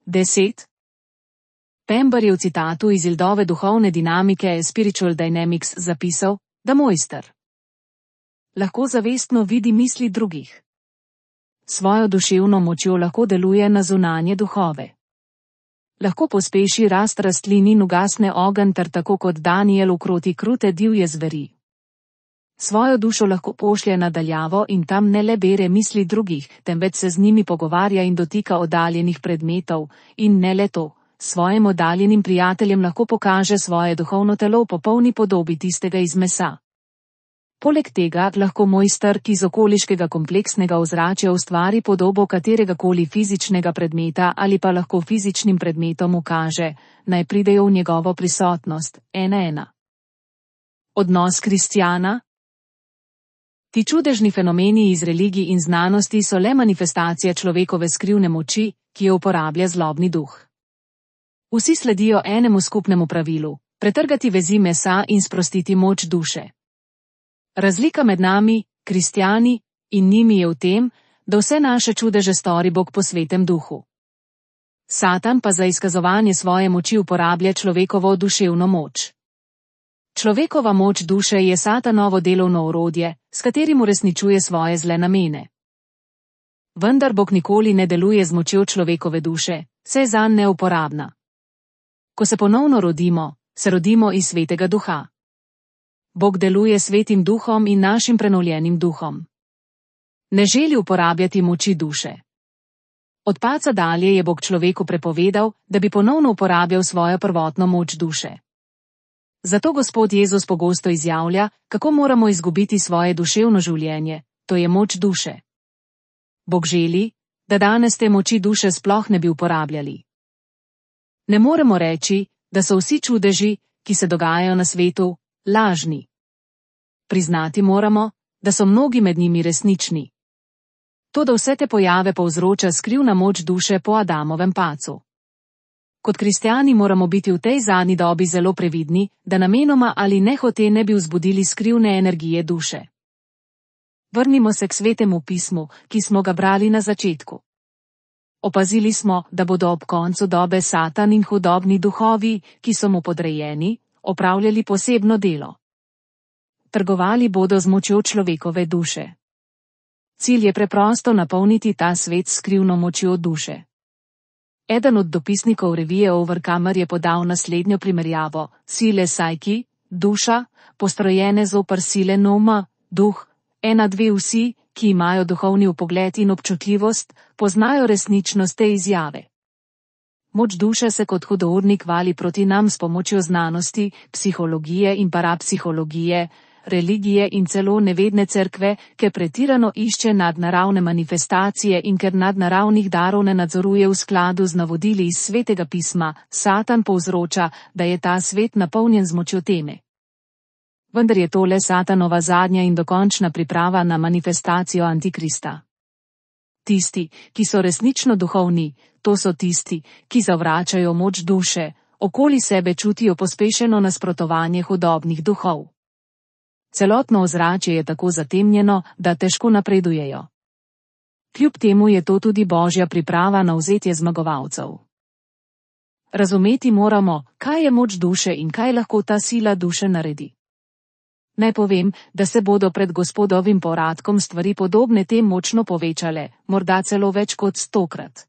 10. Pember je v citatu iz Ildove duhovne dinamike Spiritual Dynamics zapisal, da mojster lahko zavestno vidi misli drugih. Svojo duševno močjo lahko deluje na zunanje duhove. Lahko pospeši rast rastlin in ugasne ogenj ter tako kot Daniel ukroti krute divje zveri. Svojo dušo lahko pošlje nadaljavo in tam ne le bere misli drugih, temveč se z njimi pogovarja in dotika oddaljenih predmetov, in ne le to, svojim oddaljenim prijateljem lahko pokaže svoje duhovno telo v popolni podobi tistega iz mesa. Poleg tega lahko mojster, ki iz okoliškega kompleksnega ozračja ustvari podobo kateregakoli fizičnega predmeta ali pa lahko fizičnim predmetom ukaže, naj pridejo v njegovo prisotnost, 1:1. Odnos kristjana. Ti čudežni fenomeni iz religij in znanosti so le manifestacija človekove skrivne moči, ki jo uporablja zlobni duh. Vsi sledijo enemu skupnemu pravilu: pretrgati vezi mesa in sprostiti moč duše. Razlika med nami, kristjani, in njimi je v tem, da vse naše čudeže stori Bog po svetem duhu. Satan pa za izkazovanje svoje moči uporablja človekovo duševno moč. Človekova moč duše je Satanovo delovno orodje, s katerim uresničuje svoje zle namene. Vendar Bog nikoli ne deluje z močjo človekove duše, saj je zanj neuporabna. Ko se ponovno rodimo, se rodimo iz Svetega Duha. Bog deluje s Svetim Duhom in našim prenovljenim duhom. Ne želi uporabljati moči duše. Od padca dalje je Bog človeku prepovedal, da bi ponovno uporabljal svojo prvotno moč duše. Zato Gospod Jezus pogosto izjavlja, kako moramo izgubiti svoje duševno življenje, to je moč duše. Bog želi, da danes te moči duše sploh ne bi uporabljali. Ne moremo reči, da so vsi čudeži, ki se dogajajo na svetu, lažni. Priznati moramo, da so mnogi med njimi resnični. Toda vse te pojave povzroča skrivna moč duše po Adamovem padcu. Kot kristjani moramo biti v tej zadnji dobi zelo previdni, da namenoma ali nehote ne bi vzbudili skrivne energije duše. Vrnimo se k Svetemu pismu, ki smo ga brali na začetku. Opazili smo, da bodo ob koncu dobe Satan in hudobni duhovi, ki so mu podrejeni, opravljali posebno delo. Trgovali bodo z močjo človekove duše. Cilj je preprosto napolniti ta svet s skrivno močjo duše. Eden od dopisnikov revije Overcomer je podal naslednjo primerjavo: sile Psyche, duša, postrojene zoper sile Noma, duh, vsi, ki imajo duhovni vpogled in občutljivost, poznajo resničnost te izjave. Moč duše se kot hudournik vali proti nam s pomočjo znanosti, psihologije in parapsihologije, religije in celo nevedne cerkve, ker pretirano išče nadnaravne manifestacije in ker nadnaravnih darov ne nadzoruje v skladu z navodili iz Svetega pisma, Satan povzroča, da je ta svet napolnjen z močjo teme. Vendar je to le Satanova zadnja in dokončna priprava na manifestacijo Antikrista. Tisti, ki so resnično duhovni, to so tisti, ki zavračajo moč duše, okoli sebe čutijo pospešeno nasprotovanje hudobnih duhov. Celotno ozračje je tako zatemnjeno, da težko napredujejo. Kljub temu je to tudi Božja priprava na vzetje zmagovalcev. Razumeti moramo, kaj je moč duše in kaj lahko ta sila duše naredi. Naj povem, da se bodo pred Gospodovim povratkom stvari podobne tem močno povečale, morda celo več kot 100-krat.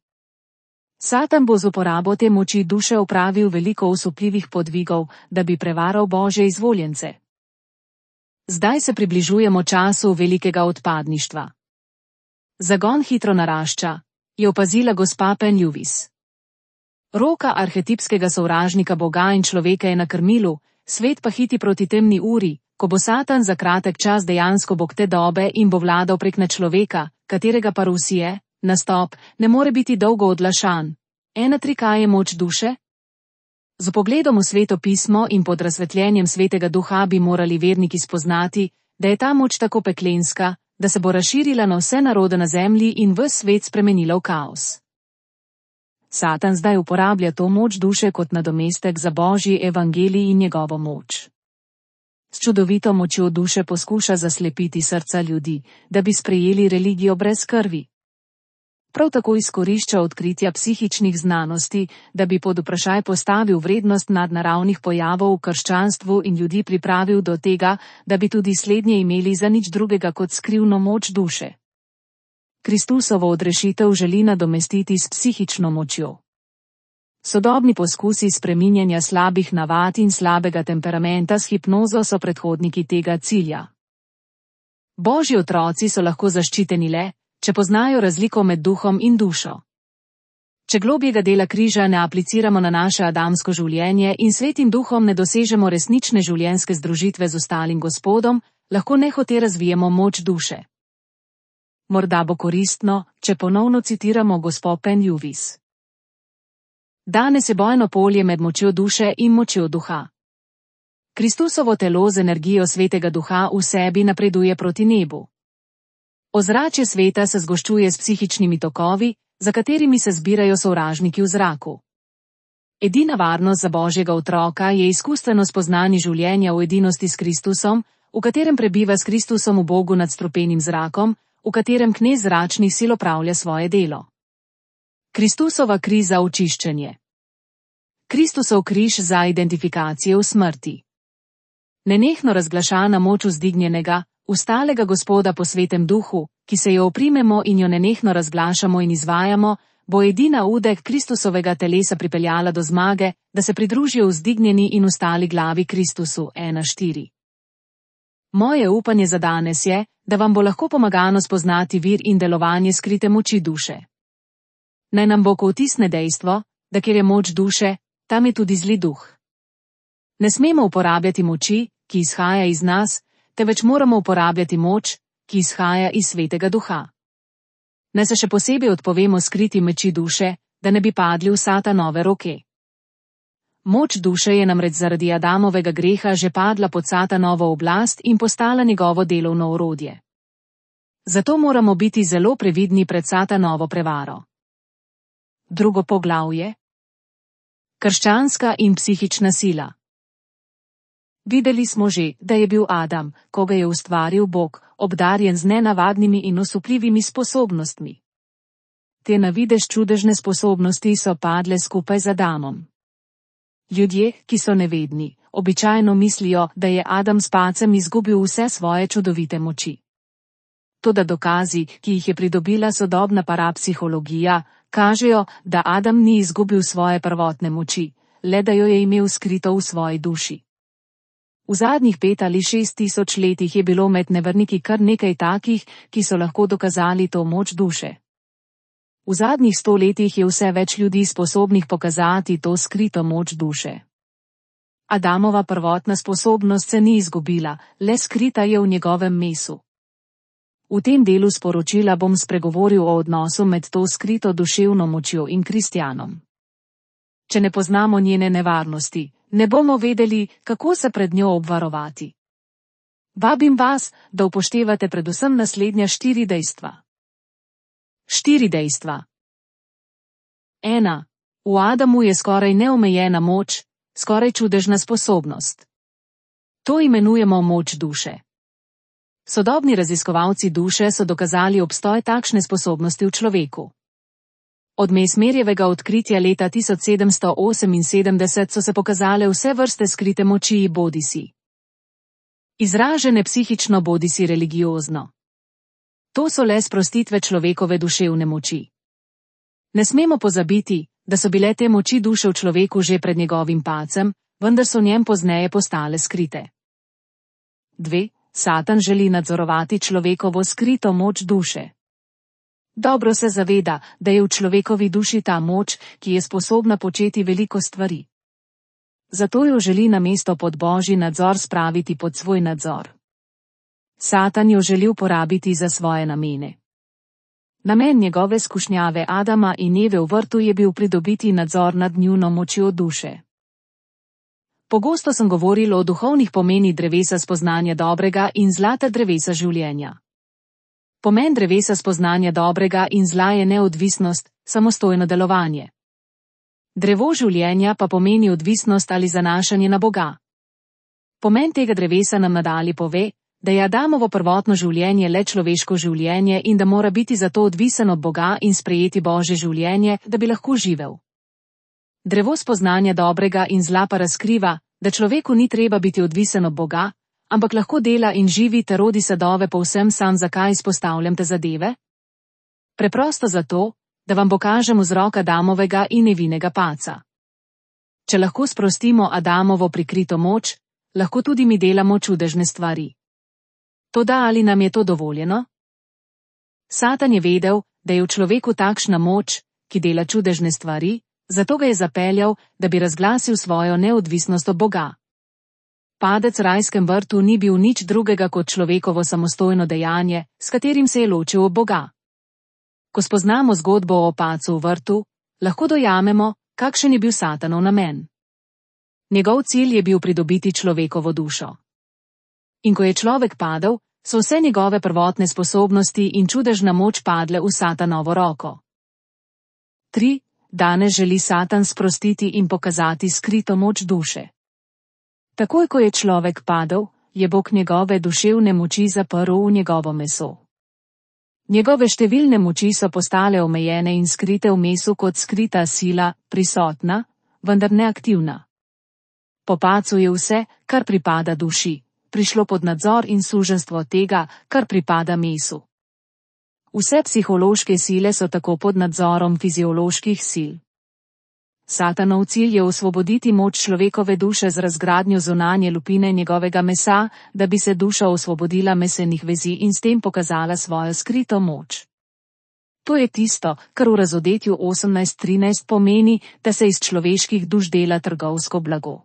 Satan bo z uporabo te moči duše opravil veliko osupljivih podvigov, da bi prevaral Božje izvoljence. Zdaj se približujemo času velikega odpadništva. Zagon hitro narašča, je opazila gospa Penn Lewis. Roka arhetipskega sovražnika Boga in človeka je na krmilu, svet pa hiti proti temni uri, ko bo Satan za kratek čas dejansko bog te dobe in bo vladal prek človeka, katerega parusije, nastop, ne more biti dolgo odlašan. Kaj je moč duše? Z pogledom v Sveto pismo in pod razsvetljenjem Svetega Duha bi morali verniki spoznati, da je ta moč tako peklenska, da se bo razširila na vse narode na zemlji in ves svet spremenila v kaos. Satan zdaj uporablja to moč duše kot nadomestek za Božji evangelij in njegovo moč. S čudovito močjo duše poskuša zaslepiti srca ljudi, da bi sprejeli religijo brez krvi. Prav tako izkorišča odkritja psihičnih znanosti, da bi pod vprašaj postavil vrednost nadnaravnih pojavov v krščanstvu in ljudi pripravil do tega, da bi tudi slednje imeli za nič drugega kot skrivno moč duše. Kristusovo odrešitev želi nadomestiti s psihično močjo. Sodobni poskusi spreminjanja slabih navad in slabega temperamenta s hipnozo so predhodniki tega cilja. Božji otroci so lahko zaščiteni le, če poznajo razliko med duhom in dušo. Če globjega dela križa ne apliciramo na naše adamsko življenje in Svetim Duhom ne dosežemo resnične življenjske združitve z ostalim Gospodom, lahko nehote razvijemo moč duše. Morda bo koristno, če ponovno citiramo gospo Penn Lewis. Danes je bojno polje med močjo duše in močjo duha. Kristusovo telo z energijo Svetega Duha v sebi napreduje proti nebu. Ozračje sveta se zgoščuje s psihičnimi tokovi, za katerimi se zbirajo sovražniki v zraku. Edina varnost za Božjega otroka je izkustveno spoznanje življenja v edinosti s Kristusom, v katerem prebiva s Kristusom v Bogu nad strupenim zrakom, v katerem knez zračnih sil opravlja svoje delo. Kristusova kri za očiščenje. Kristusov križ za identifikacijo v smrti. Nenehno razglašana moč vzdignjenega, ustalega Gospoda po Svetem Duhu, ki se jo oprimemo in jo nenehno razglašamo in izvajamo, bo edina udek Kristusovega telesa pripeljala do zmage, da se pridružijo vzdignjeni in ustali glavi Kristusu. 1:4. Moje upanje za danes je, da vam bo lahko pomagano spoznati vir in delovanje skrite moči duše. Naj nam bo vtisne dejstvo, da kjer je moč duše, tam je tudi zli duh. Ne smemo uporabljati moči, ki izhaja iz nas, temveč moramo uporabljati moč, ki izhaja iz Svetega Duha. Naj se še posebej odpovemo skriti moči duše, da ne bi padli v Satanove roke. Moč duše je namreč zaradi Adamovega greha že padla pod Satanovo oblast in postala njegovo delovno orodje. Zato moramo biti zelo previdni pred Satanovo prevaro. Drugo poglavje. Krščanska in psihična sila. Videli smo že, da je bil Adam, ko ga je ustvaril Bog, obdarjen z nenavadnimi in osupljivimi sposobnostmi. Te na videz čudežne sposobnosti so padle skupaj z Adamom. Ljudje, ki so nevedni, običajno mislijo, da je Adam s padcem izgubil vse svoje čudovite moči. Toda dokazi, ki jih je pridobila sodobna parapsihologija, kažejo, da Adam ni izgubil svoje prvotne moči, le da jo je imel skrito v svoji duši. V zadnjih 5 ali 6 tisoč letih je bilo med neverniki kar nekaj takih, ki so lahko dokazali to moč duše. V zadnjih 100 letih je vse več ljudi sposobnih pokazati to skrito moč duše. Adamova prvotna sposobnost se ni izgubila, le skrita je v njegovem mesu. V tem delu sporočila bom spregovoril o odnosu med to skrito duševno močjo in kristjanom. Če ne poznamo njene nevarnosti, ne bomo vedeli, kako se pred njo obvarovati. Vabim vas, da upoštevate predvsem naslednja 4 dejstva. 4 dejstva. 1. V Adamu je skoraj neomejena moč, skoraj čudežna sposobnost. To imenujemo moč duše. Sodobni raziskovalci duše so dokazali obstoj takšne sposobnosti v človeku. Od Mesmerjevega odkritja leta 1778 so se pokazale vse vrste skrite moči bodisi izražene psihično bodisi religiozno. To so le sprostitve človekove duševne moči. Ne smemo pozabiti, da so bile te moči duše v človeku že pred njegovim padcem, vendar so v njem pozneje postale skrite. 2. Satan želi nadzorovati človekovo skrito moč duše. Dobro se zaveda, da je v človekovi duši ta moč, ki je sposobna početi veliko stvari. Zato jo želi namesto pod Božji nadzor spraviti pod svoj nadzor. Satan jo želi uporabiti za svoje namene. Namen njegove skušnjave Adama in Eve v vrtu je bil pridobiti nadzor nad njuno močjo duše. Pogosto sem govoril o duhovnih pomenih drevesa spoznanja dobrega in zla ter drevesa življenja. Pomen drevesa spoznanja dobrega in zla je neodvisnost, samostojno delovanje. Drevo življenja pa pomeni odvisnost ali zanašanje na Boga. Pomen tega drevesa nam nadalje pove, da je Adamovo prvotno življenje le človeško življenje in da mora biti zato odvisen od Boga in sprejeti Božje življenje, da bi lahko živel. Drevo spoznanja dobrega in zla pa razkriva, da človeku ni treba biti odvisen od Boga, ampak lahko dela in živi ter rodi sadove povsem sam. Zakaj izpostavljam te zadeve? Preprosto zato, da vam pokažem vzrok Adamovega in Evinega padca. Če lahko sprostimo Adamovo prikrito moč, lahko tudi mi delamo čudežne stvari. Toda ali nam je to dovoljeno? Satan je vedel, da je v človeku takšna moč, ki dela čudežne stvari, zato ga je zapeljal, da bi razglasil svojo neodvisnost od Boga. Padec v rajskem vrtu ni bil nič drugega kot človekovo samostojno dejanje, s katerim se je ločil od Boga. Ko spoznamo zgodbo o padcu v vrtu, lahko dojamemo, kakšen je bil Satanov namen. Njegov cilj je bil pridobiti človekovo dušo. In ko je človek padel, so vse njegove prvotne sposobnosti in čudežna moč padle v Satanovo roko. 3. Danes želi Satan sprostiti in pokazati skrito moč duše. Takoj ko je človek padel, je Bog njegove duševne moči zaprl v njegovo meso. Njegove številne moči so postale omejene in skrite v mesu kot skrita sila, prisotna, vendar neaktivna. Po padcu je vse, kar pripada duši, prišlo pod nadzor in suženjstvo tega, kar pripada mesu. Vse psihološke sile so tako pod nadzorom fizioloških sil. Satanov cilj je osvoboditi moč človekove duše z razgradnjo zunanje lupine njegovega mesa, da bi se duša osvobodila mesenih vezi in s tem pokazala svojo skrito moč. To je tisto, kar v Razodetju 18:13 pomeni, da se iz človeških duš dela trgovsko blago.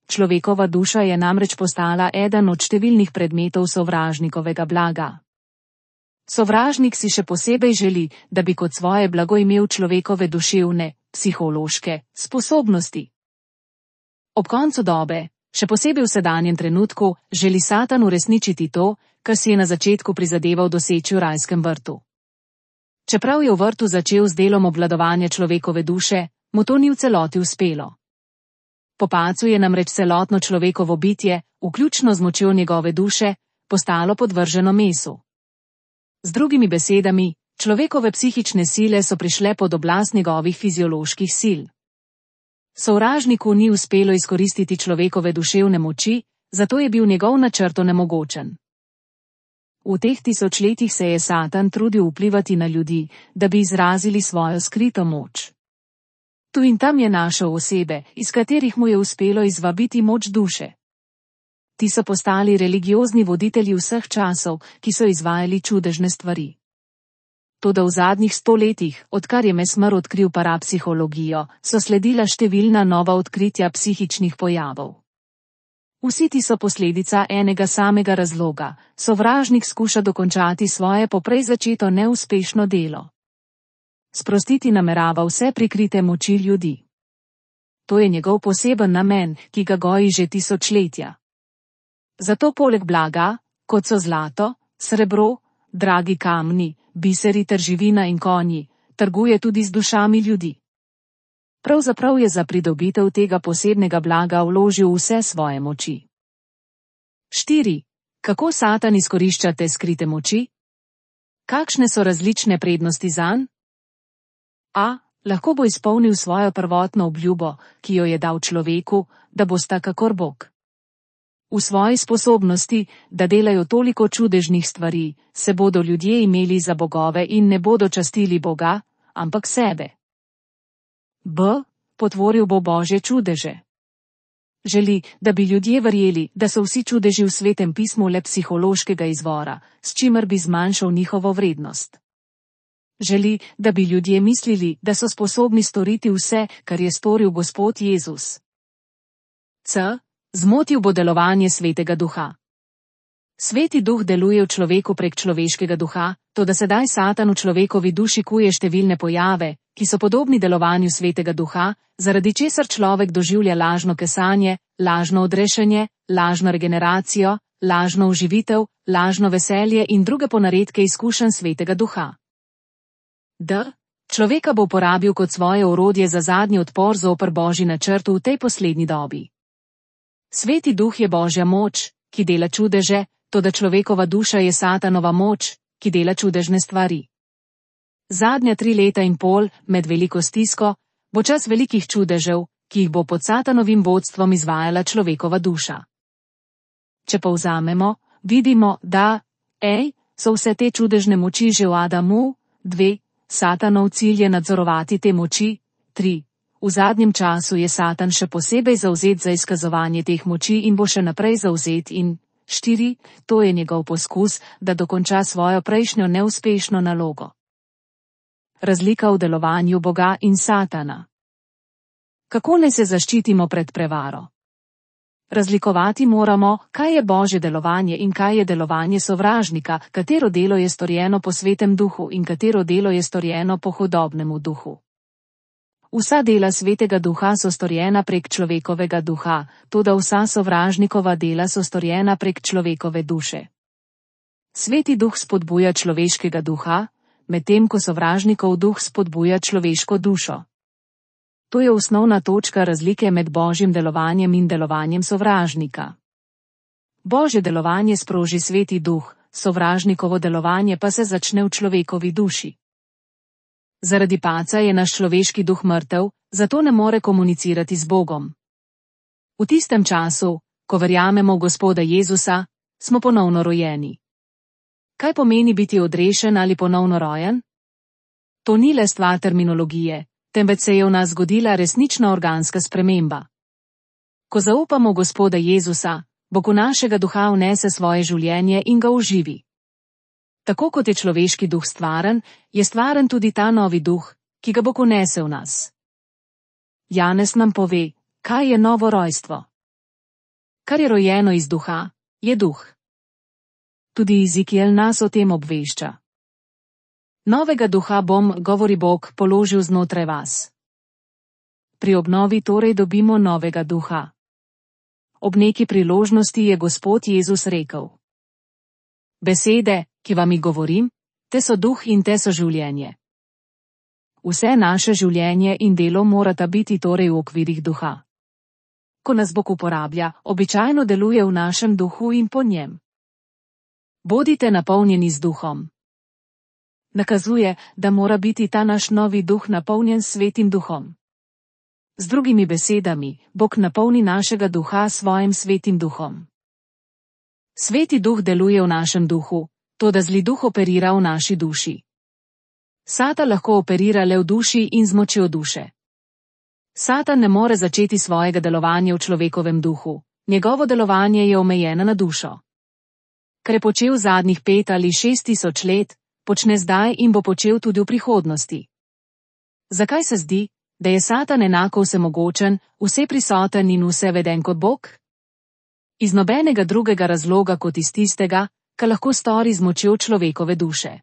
Človekova duša je namreč postala eden od številnih predmetov sovražnikovega blaga. Sovražnik si še posebej želi, da bi kot svoje blago imel človekove duševne, psihološke sposobnosti. Ob koncu dobe, še posebej v sedanjem trenutku, želi Satan uresničiti to, kar si je na začetku prizadeval doseči v rajskem vrtu. Čeprav je v vrtu začel z delom obvladovanja človekove duše, mu to ni v celoti uspelo. Po padcu je namreč celotno človekovo bitje, vključno z močjo njegove duše, postalo podvrženo mesu. Z drugimi besedami, človekove psihične sile so prišle pod oblast njegovih fizioloških sil. Sovražniku ni uspelo izkoristiti človekove duševne moči, zato je bil njegov načrt onemogočen. V teh tisočletjih se je Satan trudil vplivati na ljudi, da bi izrazili svojo skrito moč. Tu in tam je našel osebe, iz katerih mu je uspelo izvabiti moč duše. Ti so postali religiozni voditelji vseh časov, ki so izvajali čudežne stvari. Toda v zadnjih 100 letih, odkar je Mesmer odkril parapsihologijo, so sledila številna nova odkritja psihičnih pojavov. Vsi ti so posledica enega samega razloga: sovražnik skuša dokončati svoje poprej začeto neuspešno delo. Sprostiti namerava vse prikrite moči ljudi. To je njegov poseben namen, ki ga goji že tisočletja. Zato poleg blaga, kot so zlato, srebro, dragi kamni, biseri ter živina in konji, trguje tudi z dušami ljudi. Pravzaprav je za pridobitev tega posebnega blaga vložil vse svoje moči. 4. Kako Satan izkorišča te skrite moči? Kakšne so različne prednosti zanj? A. Lahko bo izpolnil svojo prvotno obljubo, ki jo je dal človeku, da bosta kakor Bog. V svoji sposobnosti, da delajo toliko čudežnih stvari, se bodo ljudje imeli za bogove in ne bodo častili Boga, ampak sebe. B. Potvoril bo Božje čudeže. Želi, da bi ljudje verjeli, da so vsi čudeži v Svetem pismu le psihološkega izvora, s čimer bi zmanjšal njihovo vrednost. Želi, da bi ljudje mislili, da so sposobni storiti vse, kar je storil Gospod Jezus. C. Zmotil bo delovanje Svetega Duha. Sveti Duh deluje v človeku prek človeškega duha, toda sedaj Satan v človekovi duši kuje številne pojave, ki so podobni delovanju Svetega Duha, zaradi česar človek doživlja lažno kesanje, lažno odrešenje, lažno regeneracijo, lažno oživitev, lažno veselje in druge ponaredke izkušenj Svetega Duha. D. Človeka bo uporabil kot svoje orodje za zadnji odpor zoper Božji načrt v tej poslednji dobi. Sveti Duh je Božja moč, ki dela čudeže, toda človekova duša je Satanova moč, ki dela čudežne stvari. Zadnja 3,5 leta med veliko stisko bo čas velikih čudežev, ki jih bo pod Satanovim vodstvom izvajala človekova duša. Če povzamemo, vidimo, da so vse te čudežne moči že v Adamu, 2. Satanov cilj je nadzorovati te moči, 3. V zadnjem času je Satan še posebej zavzet za izkazovanje teh moči in bo še naprej zavzet in 4. To je njegov poskus, da dokonča svojo prejšnjo neuspešno nalogo. Razlika v delovanju Boga in Satana. Kako naj se zaščitimo pred prevaro? Razlikovati moramo, kaj je Božje delovanje in kaj je delovanje sovražnika, katero delo je storjeno po Svetem Duhu in katero delo je storjeno po hudobnemu duhu. Vsa dela Svetega Duha so storjena prek človekovega duha, toda vsa sovražnikova dela so storjena prek človekove duše. Sveti Duh spodbuja človeškega duha, medtem ko sovražnikov duh spodbuja človeško dušo. To je osnovna točka razlike med Božjim delovanjem in delovanjem sovražnika. Božje delovanje sproži Sveti Duh, sovražnikovo delovanje pa se začne v človekovi duši. Zaradi paca je naš človeški duh mrtev, zato ne more komunicirati z Bogom. V tistem času, ko verjamemo v Gospoda Jezusa, smo ponovno rojeni. Kaj pomeni biti odrešen ali ponovno rojen? To ni le stvar terminologije, temveč se je v nas zgodila resnična organska sprememba. Ko zaupamo v Gospoda Jezusa, Bog v našega duha vnese svoje življenje in ga oživi. Tako kot je človeški duh stvaren, je stvaren tudi ta novi duh, ki ga Bog vnese v nas. Janez nam pove, kaj je novo rojstvo. Kar je rojeno iz duha, je duh. Tudi Ezekiel nas o tem obvešča. Novega duha bom, govori Bog, položil znotraj vas. Pri obnovi torej dobimo novega duha. Ob neki priložnosti je Gospod Jezus rekel: Besede, ki vam jih govorim, te so duh in te so življenje. Vse naše življenje in delo morata biti torej v okvirih duha. Ko nas Bog uporablja, običajno deluje v našem duhu in po njem. Bodite napolnjeni z duhom. Nakazuje, da mora biti ta naš novi duh napolnjen s Svetim duhom. Z drugimi besedami, Bog napolni našega duha s svojim Svetim duhom. Sveti duh deluje v našem duhu, toda zli duh operira v naši duši. Satan lahko operira le v duši in z močjo duše. Satan ne more začeti svojega delovanja v človekovem duhu, njegovo delovanje je omejeno na dušo. Kar je počel zadnjih 5 ali 6 tisoč let, počne zdaj in bo počel tudi v prihodnosti. Zakaj se zdi, da je Satan enako vsemogočen, vseprisoten in vseveden kot Bog? Iz nobenega drugega razloga kot iz tistega, kar lahko stori z močjo človekove duše.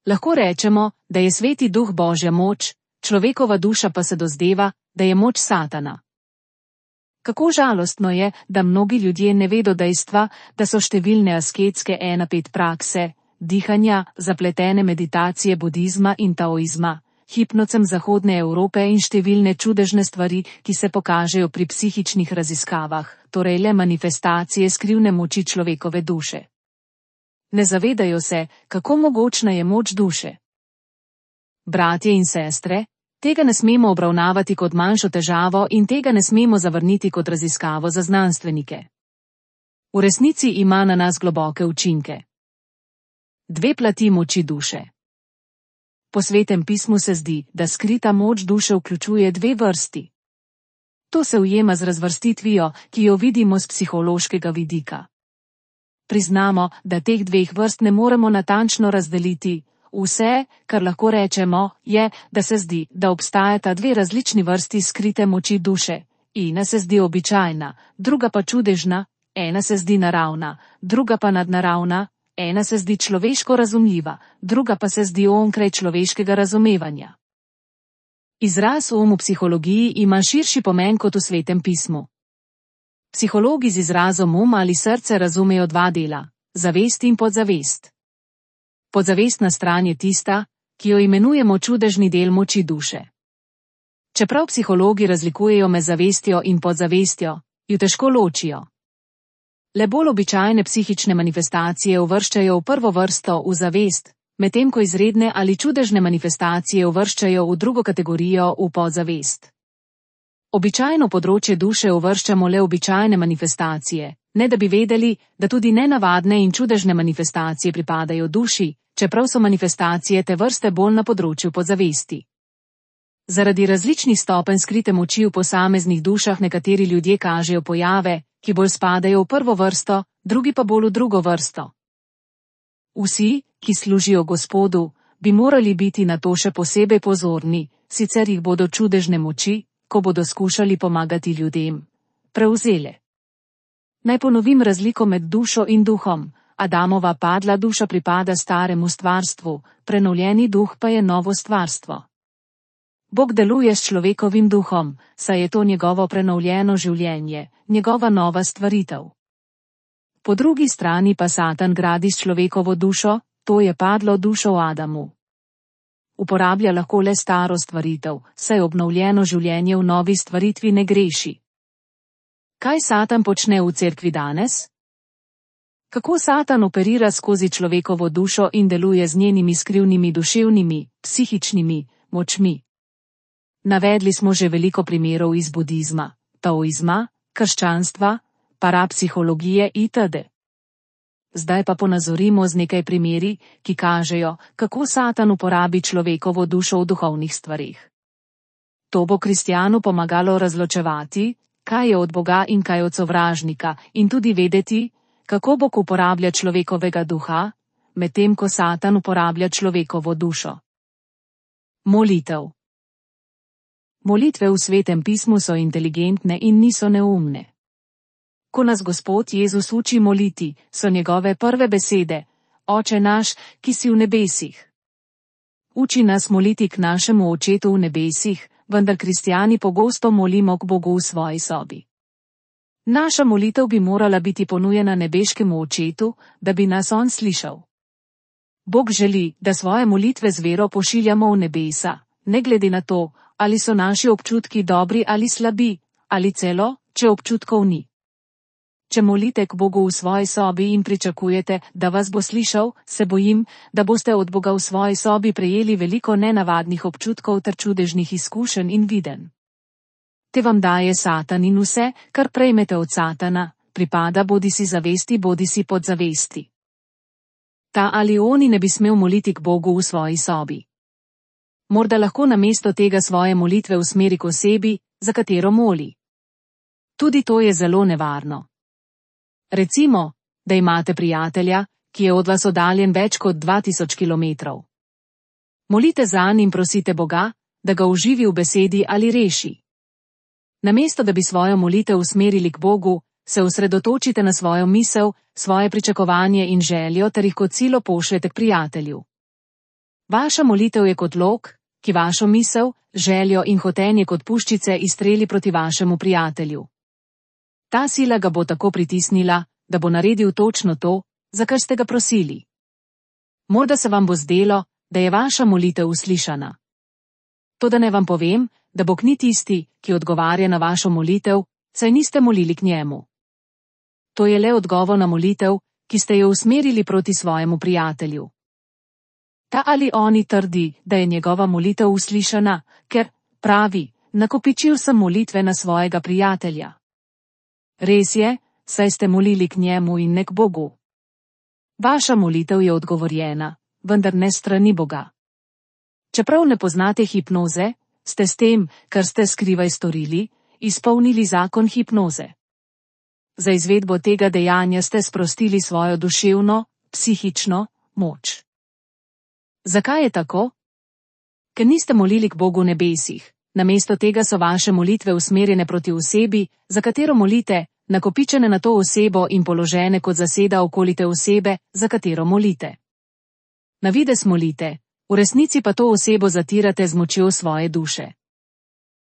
Lahko rečemo, da je Sveti duh Božja moč, človekova duša pa se dozdeva, da je moč Satana. Kako žalostno je, da mnogi ljudje ne vedo dejstva, da so številne asketske 1-5 prakse, dihanja, zapletene meditacije budizma in taoizma, hipnocem zahodne Evrope in številne čudežne stvari, ki se pokažejo pri psihičnih raziskavah, torej le manifestacije skrivne moči človekove duše. Ne zavedajo se, kako mogočna je moč duše. Bratje in sestre, tega ne smemo obravnavati kot manjšo težavo in tega ne smemo zavrniti kot raziskavo za znanstvenike. V resnici ima na nas globoke učinke. 2 plati moči duše. Po Svetem pismu se zdi, da skrita moč duše vključuje 2 vrsti. To se ujema z razvrstitvijo, ki jo vidimo z psihološkega vidika. Priznamo, da teh 2 vrst ne moremo natančno razdeliti. Vse, kar lahko rečemo, je, da se zdi, da obstajata 2 različni vrsti skrite moči duše. Ena se zdi običajna, druga pa čudežna, ena se zdi naravna, druga pa nadnaravna, ena se zdi človeško razumljiva, druga pa se zdi onkraj človeškega razumevanja. Izraz v psihologiji ima širši pomen kot v Svetem pismu. Psihologi z izrazom ali srce razumejo 2 dela, zavest in podzavest. Podzavestna stran je tista, ki jo imenujemo čudežni del moči duše. Čeprav psihologi razlikujejo med zavestjo in podzavestjo, ju težko ločijo. Le bolj običajne psihične manifestacije uvrščajo v prvo vrsto v zavest, medtem ko izredne ali čudežne manifestacije uvrščajo v drugo kategorijo v podzavest. Običajno področje duše uvrščamo le običajne manifestacije, ne da bi vedeli, da tudi nenavadne in čudežne manifestacije pripadajo duši, čeprav so manifestacije te vrste bolj na področju podzavesti. Zaradi različnih stopenj skrite moči v posameznih dušah nekateri ljudje kažejo pojave, ki bolj spadajo v prvo vrsto, drugi pa bolj v drugo vrsto. Vsi, ki služijo Gospodu, bi morali biti na to še posebej pozorni, sicer jih bodo čudežne moči, ko bodo skušali pomagati ljudem, prevzele. Naj ponovim razliko med dušo in duhom. Adamova padla duša pripada staremu stvarstvu, prenovljeni duh pa je novo stvarstvo. Bog deluje s človekovim duhom, saj je to njegovo prenovljeno življenje, njegova nova stvaritev. Po drugi strani pa Satan gradi s človekovo dušo, to je padlo dušo v Adamu. Uporablja lahko le staro stvaritev, saj obnovljeno življenje v novi stvaritvi ne greši. Kaj Satan počne v cerkvi danes? Kako Satan operira skozi človekovo dušo in deluje z njenimi skrivnimi duševnimi, psihičnimi močmi. Navedli smo že veliko primerov iz budizma, taoizma, krščanstva, parapsihologije itd. Zdaj pa ponazorimo z nekaj primeri, ki kažejo, kako Satan uporabi človekovo dušo v duhovnih stvareh. To bo kristjanu pomagalo razločevati, kaj je od Boga in kaj od sovražnika, in tudi vedeti, kako Bog uporablja človekovega duha, medtem ko Satan uporablja človekovo dušo. Molitev. Molitve v Svetem pismu so inteligentne in niso neumne. Ko nas Gospod Jezus uči moliti, so njegove prve besede: Oče naš, ki si v nebesih. Uči nas moliti k našemu Očetu v nebesih, vendar kristjani pogosto molimo k Bogu v svoji sobi. Naša molitev bi morala biti ponujena nebeškemu Očetu, da bi nas on slišal. Bog želi, da svoje molitve z vero pošiljamo v nebesa, ne glede na to, ali so naši občutki dobri ali slabi, ali celo, če občutkov ni. Če molite k Bogu v svoji sobi in pričakujete, da vas bo slišal, se bojim, da boste od Boga v svoji sobi prejeli veliko nenavadnih občutkov ter čudežnih izkušenj in videnj. Te vam daje Satan in vse, kar prejmete od Satana, pripada bodisi zavesti bodisi podzavesti. Ta ali oni ne bi smel moliti k Bogu v svoji sobi. Morda lahko namesto tega svoje molitve usmeri k osebi, za katero moli. Tudi to je zelo nevarno. Recimo, da imate prijatelja, ki je od vas oddaljen več kot 2000 kilometrov. Molite zanj in prosite Boga, da ga oživi v besedi ali reši. Namesto da bi svojo molitev usmerili k Bogu, se osredotočite na svojo misel, svoje pričakovanje in željo ter jih kot silo pošljete k prijatelju. Vaša molitev je kot lok, ki vašo misel, željo in hotenje kot puščice izstreli proti vašemu prijatelju. Ta sila ga bo tako pritisnila, da bo naredil točno to, za kar ste ga prosili. Morda se vam bo zdelo, da je vaša molitev uslišana. Toda ne vam povem, da Bog ni tisti, ki odgovarja na vašo molitev, saj niste molili k njemu. To je le odgovor na molitev, ki ste jo usmerili proti svojemu prijatelju. Ta ali oni trdi, da je njegova molitev uslišana, ker, pravi, nakopičil sem molitve na svojega prijatelja. Res je, saj ste molili k njemu in ne k Bogu. Vaša molitev je odgovorjena, vendar ne strani Boga. Čeprav ne poznate hipnoze, ste s tem, kar ste skrivaj storili, izpolnili zakon hipnoze. Za izvedbo tega dejanja ste sprostili svojo duševno, psihično moč. Zakaj je tako? Ker niste molili k Bogu v nebesih. Namesto tega so vaše molitve usmerjene proti osebi, za katero molite, nakopičene na to osebo in položene kot zaseda okoli te osebe, za katero molite. Na videz molite, v resnici pa to osebo zatirate z močjo svoje duše.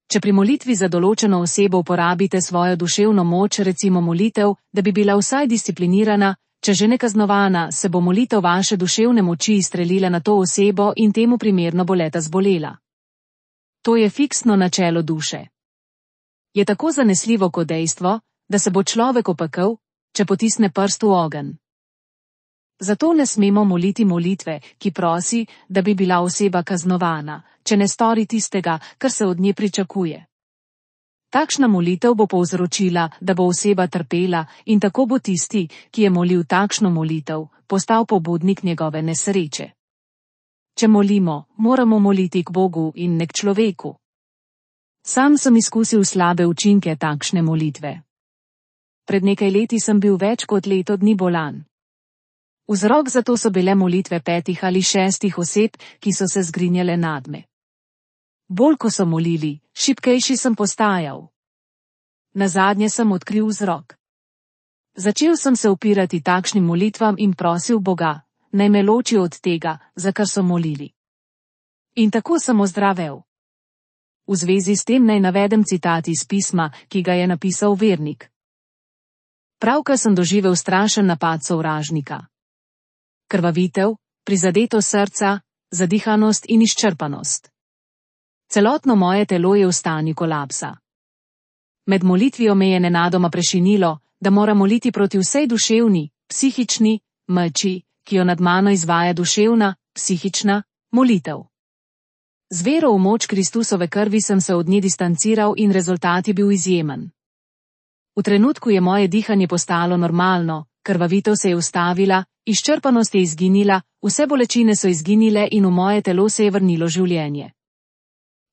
Če pri molitvi za določeno osebo uporabite svojo duševno moč, recimo molitev, da bi bila vsaj disciplinirana, če že ne kaznovana, se bo molitev vaše duševne moči izstrelila na to osebo in temu primerno bo leta zbolela. To je fiksno načelo duše. Je tako zanesljivo kot dejstvo, da se bo človek opekel, če potisne prst v ogenj. Zato ne smemo moliti molitve, ki prosi, da bi bila oseba kaznovana, če ne stori tistega, kar se od nje pričakuje. Takšna molitev bo povzročila, da bo oseba trpela in tako bo tisti, ki je molil takšno molitev, postal pobudnik njegove nesreče. Če molimo, moramo moliti k Bogu in ne k človeku. Sam sem izkusil slabe učinke takšne molitve. Pred nekaj leti sem bil več kot leto dni bolan. Vzrok za to so bile molitve 5 ali 6 oseb, ki so se zgrinjale nadme. Bolj ko so molili, šibkejši sem postajal. Nazadnje sem odkril vzrok. Začel sem se upirati takšnim molitvam in prosil Boga, naj me loči od tega, za kar so molili. In tako sem ozdravel. V zvezi s tem naj navedem citat iz pisma, ki ga je napisal vernik. Pravkar sem doživel strašen napad sovražnika. Krvavitev, prizadeto srca, zadihanost in izčrpanost. Celotno moje telo je v stanju kolapsa. Med molitvijo me je nenadoma prešinilo, da moram moliti proti vsej duševni, psihični, moči, ki jo nad mano izvaja duševna, psihična molitev. Z vero v moč Kristusove krvi sem se od nje distanciral in rezultat je bil izjemen. V trenutku je moje dihanje postalo normalno, krvavitev se je ustavila, izčrpanost je izginila, vse bolečine so izginile in v moje telo se je vrnilo življenje.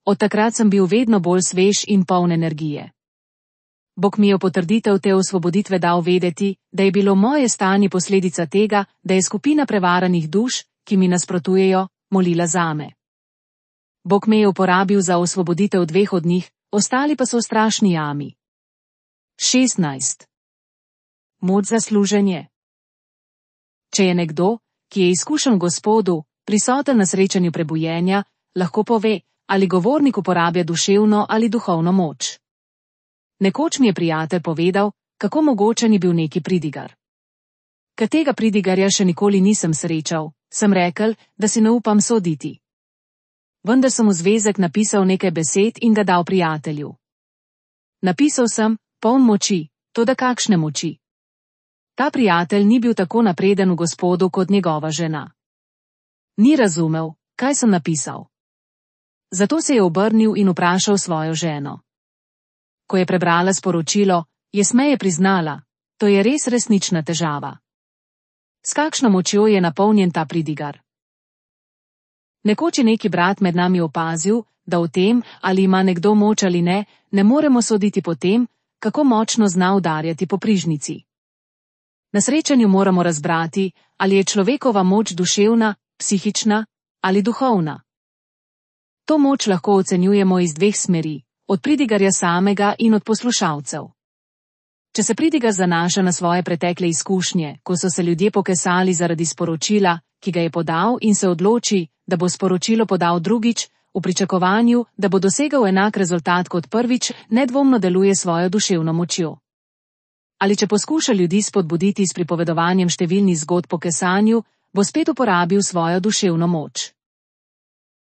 Od takrat sem bil vedno bolj svež in poln energije. Bog mi je v potrditev te osvoboditve dal vedeti, da je bilo moje stanje posledica tega, da je skupina prevaranih duš, ki mi nasprotujejo, molila zame. Bog me je uporabil za osvoboditev 2 od njih, ostali pa so v strašni jami. 16. Moč za služenje. Če je nekdo, ki je izkušen Gospodu, prisoten na srečanju prebujenja, lahko pove, ali govornik uporablja duševno ali duhovno moč. Nekoč mi je prijatelj povedal, kako mogočen je bil neki pridigar. Ker tega pridigarja še nikoli nisem srečal, sem rekel, da si ne upam soditi. Vendar sem v zvezek napisal nekaj besed in ga dal prijatelju. Napisal sem, poln moči, toda kakšne moči. Ta prijatelj ni bil tako napreden v Gospodu kot njegova žena. Ni razumel, kaj sem napisal. Zato se je obrnil in vprašal svojo ženo. Ko je prebrala sporočilo, je smeje priznala, to je res resnična težava. S kakšno močjo je napolnjen ta pridigar? Nekoč je neki brat med nami opazil, da o tem, ali ima nekdo moč ali ne, ne moremo soditi po tem, kako močno zna udarjati po prižnici. Na srečanju moramo razbrati, ali je človekova moč duševna, psihična ali duhovna. To moč lahko ocenjujemo iz 2 smeri, od pridigarja samega in od poslušalcev. Če se pridigar zanaša na svoje pretekle izkušnje, ko so se ljudje pokesali zaradi sporočila, ki ga je podal in se odloči, da bo sporočilo podal drugič, v pričakovanju, da bo dosegel enak rezultat kot prvič, nedvomno deluje svojo duševno močjo. Ali če poskuša ljudi spodbuditi s pripovedovanjem številnih zgodb po kesanju, bo spet uporabil svojo duševno moč.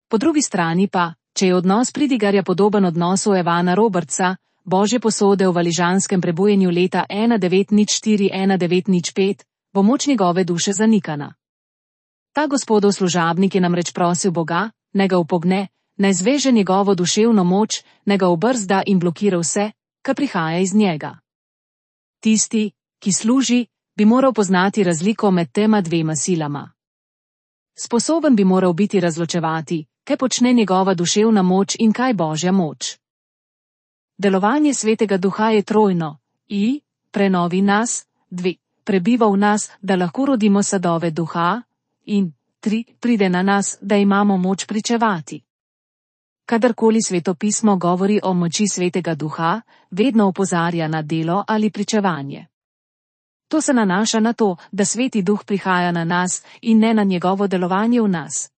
Po drugi strani pa, če je odnos pridigarja podoben odnosu Evana Robertsa, Božje posode v valižanskem prebujenju leta 1904-1905, bo moč njegove duše zanikana. Ta Gospodov služabnik je namreč prosil Boga, naj ga upogne, naj zveže njegovo duševno moč, naj ga obrzda in blokira vse, kar prihaja iz njega. Tisti, ki služi, bi moral poznati razliko med tema 2 silama. Sposoben bi moral biti razločevati, kaj počne njegova duševna moč in kaj Božja moč. Delovanje Svetega Duha je trojno, I, prenovi nas, 2, prebiva v nas, da lahko rodimo sadove duha, in 3, pride na nas, da imamo moč pričevati. Kadarkoli Svetopismo govori o moči Svetega Duha, vedno opozarja na delo ali pričevanje. To se nanaša na to, da Sveti Duh prihaja na nas in ne na njegovo delovanje v nas.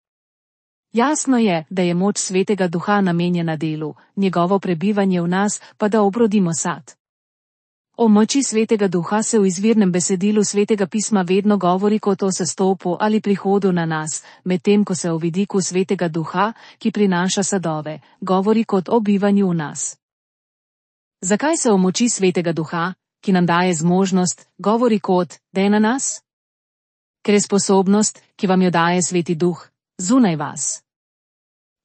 Jasno je, da je moč Svetega Duha namenjena delu, njegovo prebivanje v nas pa da obrodimo sad. O moči Svetega Duha se v izvirnem besedilu Svetega pisma vedno govori kot o sestopu ali prihodu na nas, medtem ko se o vidiku Svetega Duha, ki prinaša sadove, govori kot o bivanju v nas. Zakaj se o moči Svetega Duha, ki nam daje zmožnost, govori kot, da je na nas? Ker je sposobnost, ki vam jo daje Sveti Duh, zunaj vas.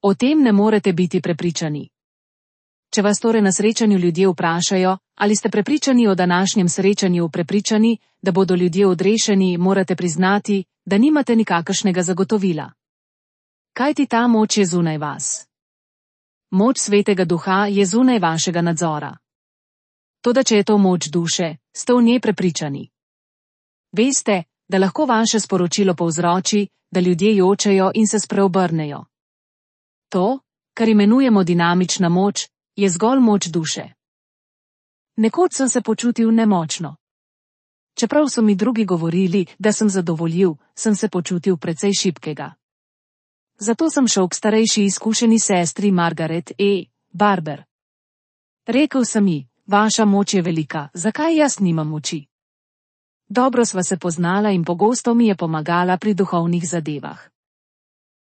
O tem ne morete biti prepričani. Če vas torej na srečanju ljudje vprašajo, ali ste prepričani o današnjem srečanju, prepričani, da bodo ljudje odrešeni, morate priznati, da nimate nikakršnega zagotovila. Kajti ta moč je zunaj vas. Moč Svetega Duha je zunaj vašega nadzora. Toda če je to moč duše, ste v njej prepričani. Veste, da lahko vaše sporočilo povzroči, da ljudje jočejo in se spreobrnejo. To, kar imenujemo dinamična moč, je zgolj moč duše. Nekoč sem se počutil nemočno. Čeprav so mi drugi govorili, da sem zadovoljiv, sem se počutil precej šibkega. Zato sem šel k starejši izkušeni sestri Margaret Barber. Rekel sem ji, vaša moč je velika, zakaj jaz nimam moči? Dobro sva se poznala in pogosto mi je pomagala pri duhovnih zadevah.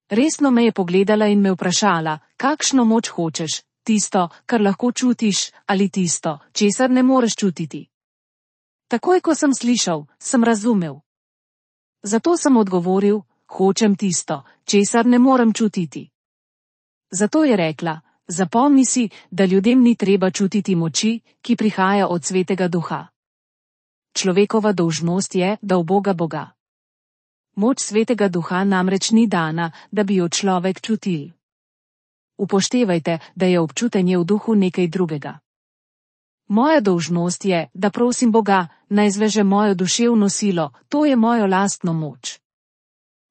Resno me je pogledala in me vprašala, kakšno moč hočeš, tisto, kar lahko čutiš, ali tisto, česar ne moreš čutiti. Takoj, ko sem slišal, sem razumel. Zato sem odgovoril, hočem tisto, česar ne morem čutiti. Zato je rekla, zapomni si, da ljudem ni treba čutiti moči, ki prihaja od Svetega Duha. Človekova dolžnost je, da uboga Boga. Moč Svetega Duha namreč ni dana, da bi jo človek čutil. Upoštevajte, da je občutenje v duhu nekaj drugega. Moja dolžnost je, da prosim Boga, naj zveže mojo duševno silo, to je mojo lastno moč.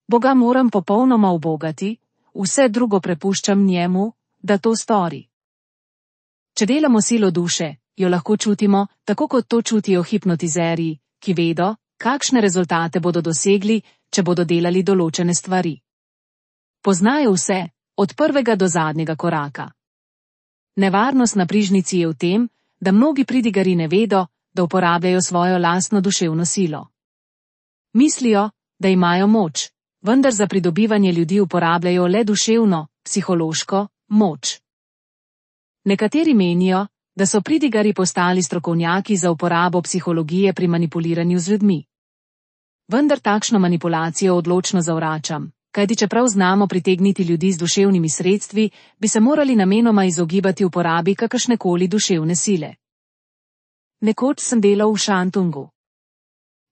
Boga moram popolnoma ubogati, vse drugo prepuščam njemu, da to stori. Če delamo silo duše, jo lahko čutimo, tako kot to čutijo hipnotizerji, ki vedo, kakšne rezultate bodo dosegli, če bodo delali določene stvari. Poznajo vse, od prvega do zadnjega koraka. Nevarnost na prižnici je v tem, da mnogi pridigari ne vedo, da uporabljajo svojo lastno duševno silo. Mislijo, da imajo moč, vendar za pridobivanje ljudi uporabljajo le duševno, psihološko moč. Nekateri menijo, da so pridigari postali strokovnjaki za uporabo psihologije pri manipuliranju z ljudmi. Vendar takšno manipulacijo odločno zavračam, kajti čeprav znamo pritegniti ljudi z duševnimi sredstvi, bi se morali namenoma izogibati uporabi kakršnekoli duševne sile. Nekoč sem delal v Šantungu.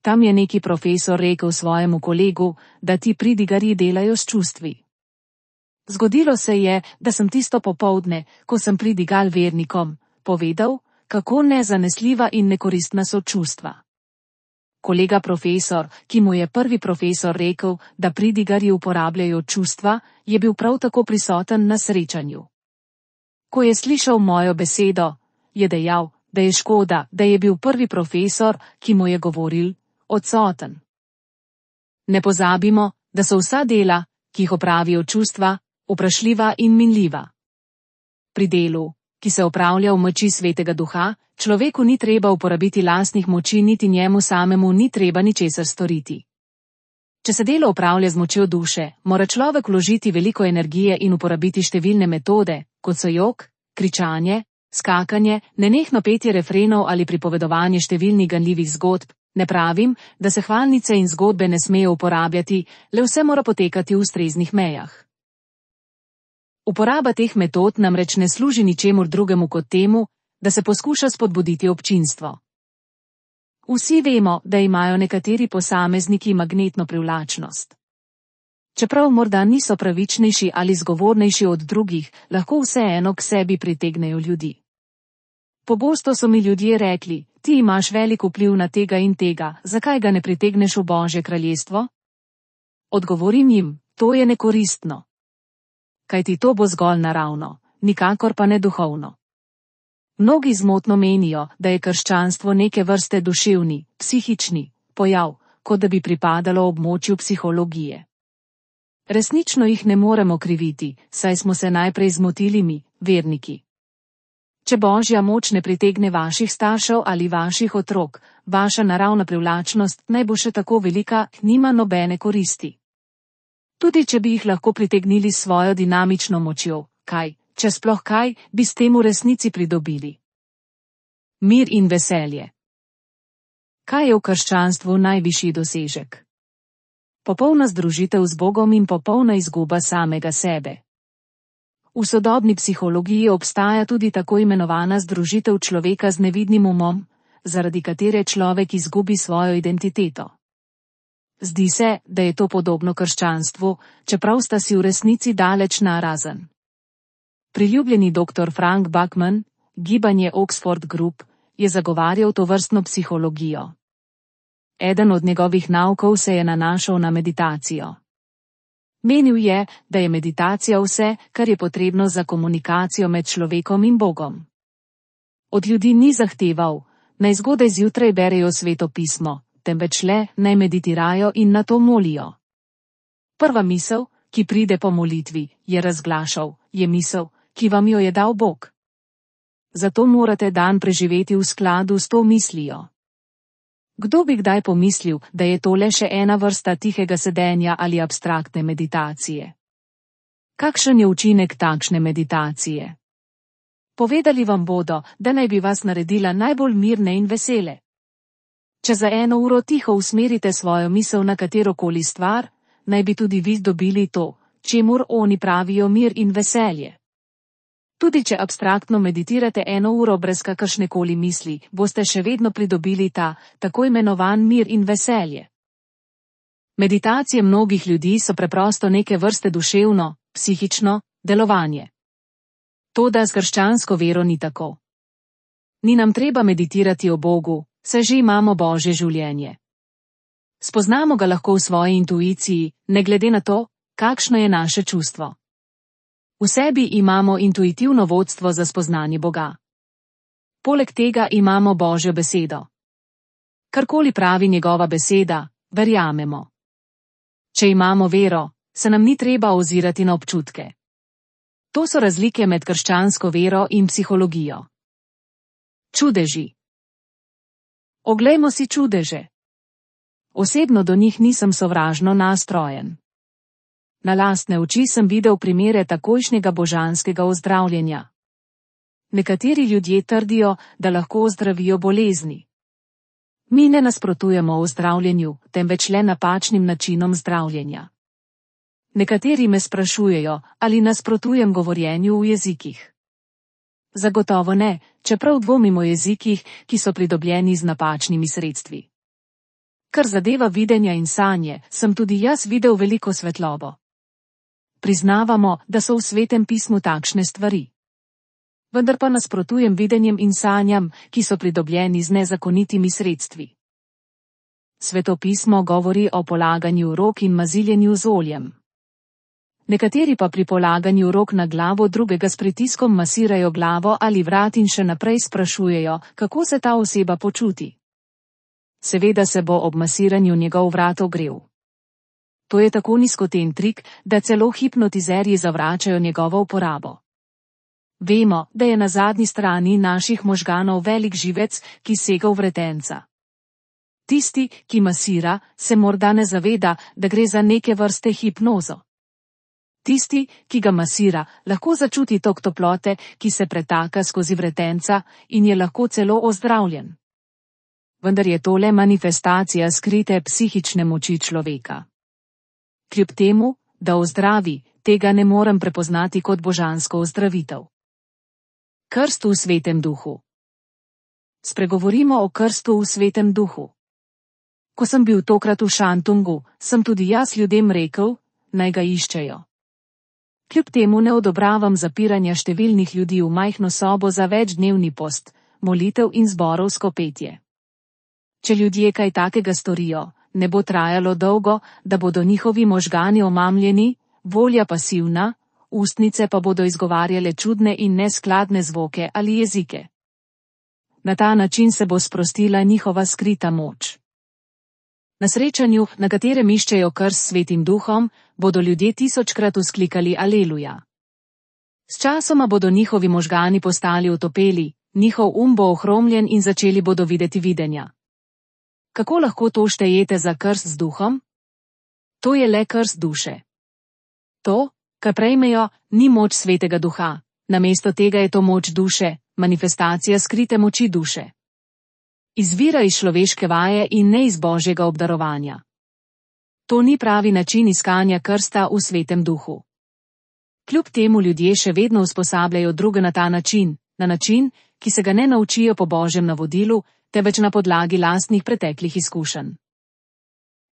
Tam je neki profesor rekel svojemu kolegu, da ti pridigarji delajo s čustvi. Zgodilo se je, da sem tisto popoldne, ko sem pridigal vernikom, povedal, kako nezanesljiva in nekoristna so čustva. Kolega profesor, ki mu je prvi profesor rekel, da pridigarji uporabljajo čustva, je bil prav tako prisoten na srečanju. Ko je slišal mojo besedo, je dejal, da je škoda, da je bil prvi profesor, ki mu je govoril, odsoten. Ne pozabimo, da so vsa dela, ki jih opravijo čustva, vprašljiva in minljiva. Pri delu, ki se opravlja v moči Svetega Duha, človeku ni treba uporabiti lastnih moči, niti njemu samemu ni treba ničesar storiti. Če se delo opravlja z močjo duše, mora človek vložiti veliko energije in uporabiti številne metode, kot so jok, kričanje, skakanje, nenehno petje refrenov ali pripovedovanje številnih ganljivih zgodb. Ne pravim, da se hvalnice in zgodbe ne smejo uporabljati, le vse mora potekati v ustreznih mejah. Uporaba teh metod namreč ne služi ničemur drugemu kot temu, da se poskuša spodbuditi občinstvo. Vsi vemo, da imajo nekateri posamezniki magnetno privlačnost. Čeprav morda niso pravičnejši ali zgovornejši od drugih, lahko vseeno k sebi pritegnejo ljudi. Pogosto so mi ljudje rekli, ti imaš velik vpliv na tega in tega, zakaj ga ne pritegneš v Božje kraljestvo? Odgovorim jim, to je nekoristno. Kajti to bo zgolj naravno, nikakor pa ne duhovno. Mnogi zmotno menijo, da je krščanstvo neke vrste duševni, psihični pojav, kot da bi pripadalo območju psihologije. Resnično jih ne moremo kriviti, saj smo se najprej zmotili mi, verniki. Če Božja moč ne pritegne vaših staršev ali vaših otrok, vaša naravna privlačnost naj bo še tako velika, nima nobene koristi. Tudi če bi jih lahko pritegnili s svojo dinamično močjo, kaj, če sploh kaj, bi s tem v resnici pridobili? Mir in veselje. Kaj je v krščanstvu najvišji dosežek? Popolna združitev z Bogom in popolna izguba samega sebe. V sodobni psihologiji obstaja tudi tako imenovana združitev človeka z nevidnim umom, zaradi katere človek izgubi svojo identiteto. Zdi se, da je to podobno krščanstvu, čeprav sta si v resnici daleč narazen. Priljubljeni dr. Frank Buckman, gibanje Oxford Group, je zagovarjal tovrstno psihologijo. Eden od njegovih naukov se je nanašal na meditacijo. Menil je, da je meditacija vse, kar je potrebno za komunikacijo med človekom in Bogom. Od ljudi ni zahteval, naj zgodaj zjutraj berejo Sveto pismo, temveč le, naj meditirajo in na to molijo. Prva misel, ki pride po molitvi, je razglašal, je misel, ki vam jo je dal Bog. Zato morate dan preživeti v skladu s to mislijo. Kdo bi kdaj pomislil, da je to le še ena vrsta tihega sedenja ali abstraktne meditacije? Kakšen je učinek takšne meditacije? Povedali vam bodo, da naj bi vas naredila najbolj mirne in vesele. Če za 1 uro tiho usmerite svojo misel na katerokoli stvar, naj bi tudi vi dobili to, čemur oni pravijo mir in veselje. Tudi če abstraktno meditirate 1 uro brez kakršnekoli misli, boste še vedno pridobili ta, tako imenovan mir in veselje. Meditacije mnogih ljudi so preprosto neke vrste duševno, psihično delovanje. Toda s krščansko vero ni tako. Ni nam treba meditirati o Bogu, saj že imamo Božje življenje. Spoznamo ga lahko v svoji intuiciji, ne glede na to, kakšno je naše čustvo. V sebi imamo intuitivno vodstvo za spoznanje Boga. Poleg tega imamo Božjo besedo. Karkoli pravi njegova beseda, verjamemo. Če imamo vero, se nam ni treba ozirati na občutke. To so razlike med krščansko vero in psihologijo. Čudeži. Oglejmo si čudeže. Osebno do njih nisem sovražno nastrojen. Na lastne oči sem videl primere takojšnjega božanskega ozdravljenja. Nekateri ljudje trdijo, da lahko ozdravijo bolezni. Mi ne nasprotujemo ozdravljenju, temveč le napačnim načinom zdravljenja. Nekateri me sprašujejo, ali nasprotujem govorjenju v jezikih. Zagotovo ne, čeprav dvomim o jezikih, ki so pridobljeni z napačnimi sredstvi. Kar zadeva videnja in sanje, sem tudi jaz videl veliko svetlobo. Priznavamo, da so v Svetem pismu takšne stvari. Vendar pa nasprotujem videnjem in sanjam, ki so pridobljeni z nezakonitimi sredstvi. Sveto pismo govori o polaganju rok in maziljenju z oljem. Nekateri pa pri polaganju rok na glavo drugega s pritiskom masirajo glavo ali vrat in še naprej sprašujejo, kako se ta oseba počuti. Seveda se bo ob masiranju njegov vrat ogrel. To je tako nizkoten trik, da celo hipnotizerji zavračajo njegovo uporabo. Vemo, da je na zadnji strani naših možganov velik živec, ki sega v vretenca. Tisti, ki masira, se morda ne zaveda, da gre za neke vrste hipnozo. Tisti, ki ga masira, lahko začuti tok toplote, ki se pretaka skozi vretenca in je lahko celo ozdravljen. Vendar je to le manifestacija skrite psihične moči človeka. Kljub temu, da ozdravi, tega ne morem prepoznati kot božansko ozdravitev. Krst v Svetem duhu. Spregovorimo o krstu v Svetem duhu. Ko sem bil tokrat v Šantungu, sem tudi jaz ljudem rekel, naj ga iščejo. Kljub temu ne odobravam zapiranja številnih ljudi v majhno sobo za večdnevni post, molitev in zborovsko petje. Če ljudje kaj takega storijo, ne bo trajalo dolgo, da bodo njihovi možgani omamljeni, volja pasivna, ustnice pa bodo izgovarjale čudne in neskladne zvoke ali jezike. Na ta način se bo sprostila njihova skrita moč. Na srečanju, na katerem iščejo krst s Svetim duhom, bodo ljudje 1000-krat vzklikali Aleluja. S časoma bodo njihovi možgani postali otopeli, njihov bo ohromljen in začeli bodo videti videnja. Kako lahko to štejete za krst z duhom? To je le krst duše. To, kar prejmejo, ni moč Svetega duha, namesto tega je to moč duše, manifestacija skrite moči duše. Izvira iz človeške vaje in ne iz Božjega obdarovanja. To ni pravi način iskanja krsta v Svetem duhu. Kljub temu ljudje še vedno usposabljajo druge na ta način, ki se ga ne naučijo po Božjem navodilu, temveč na podlagi lastnih preteklih izkušenj.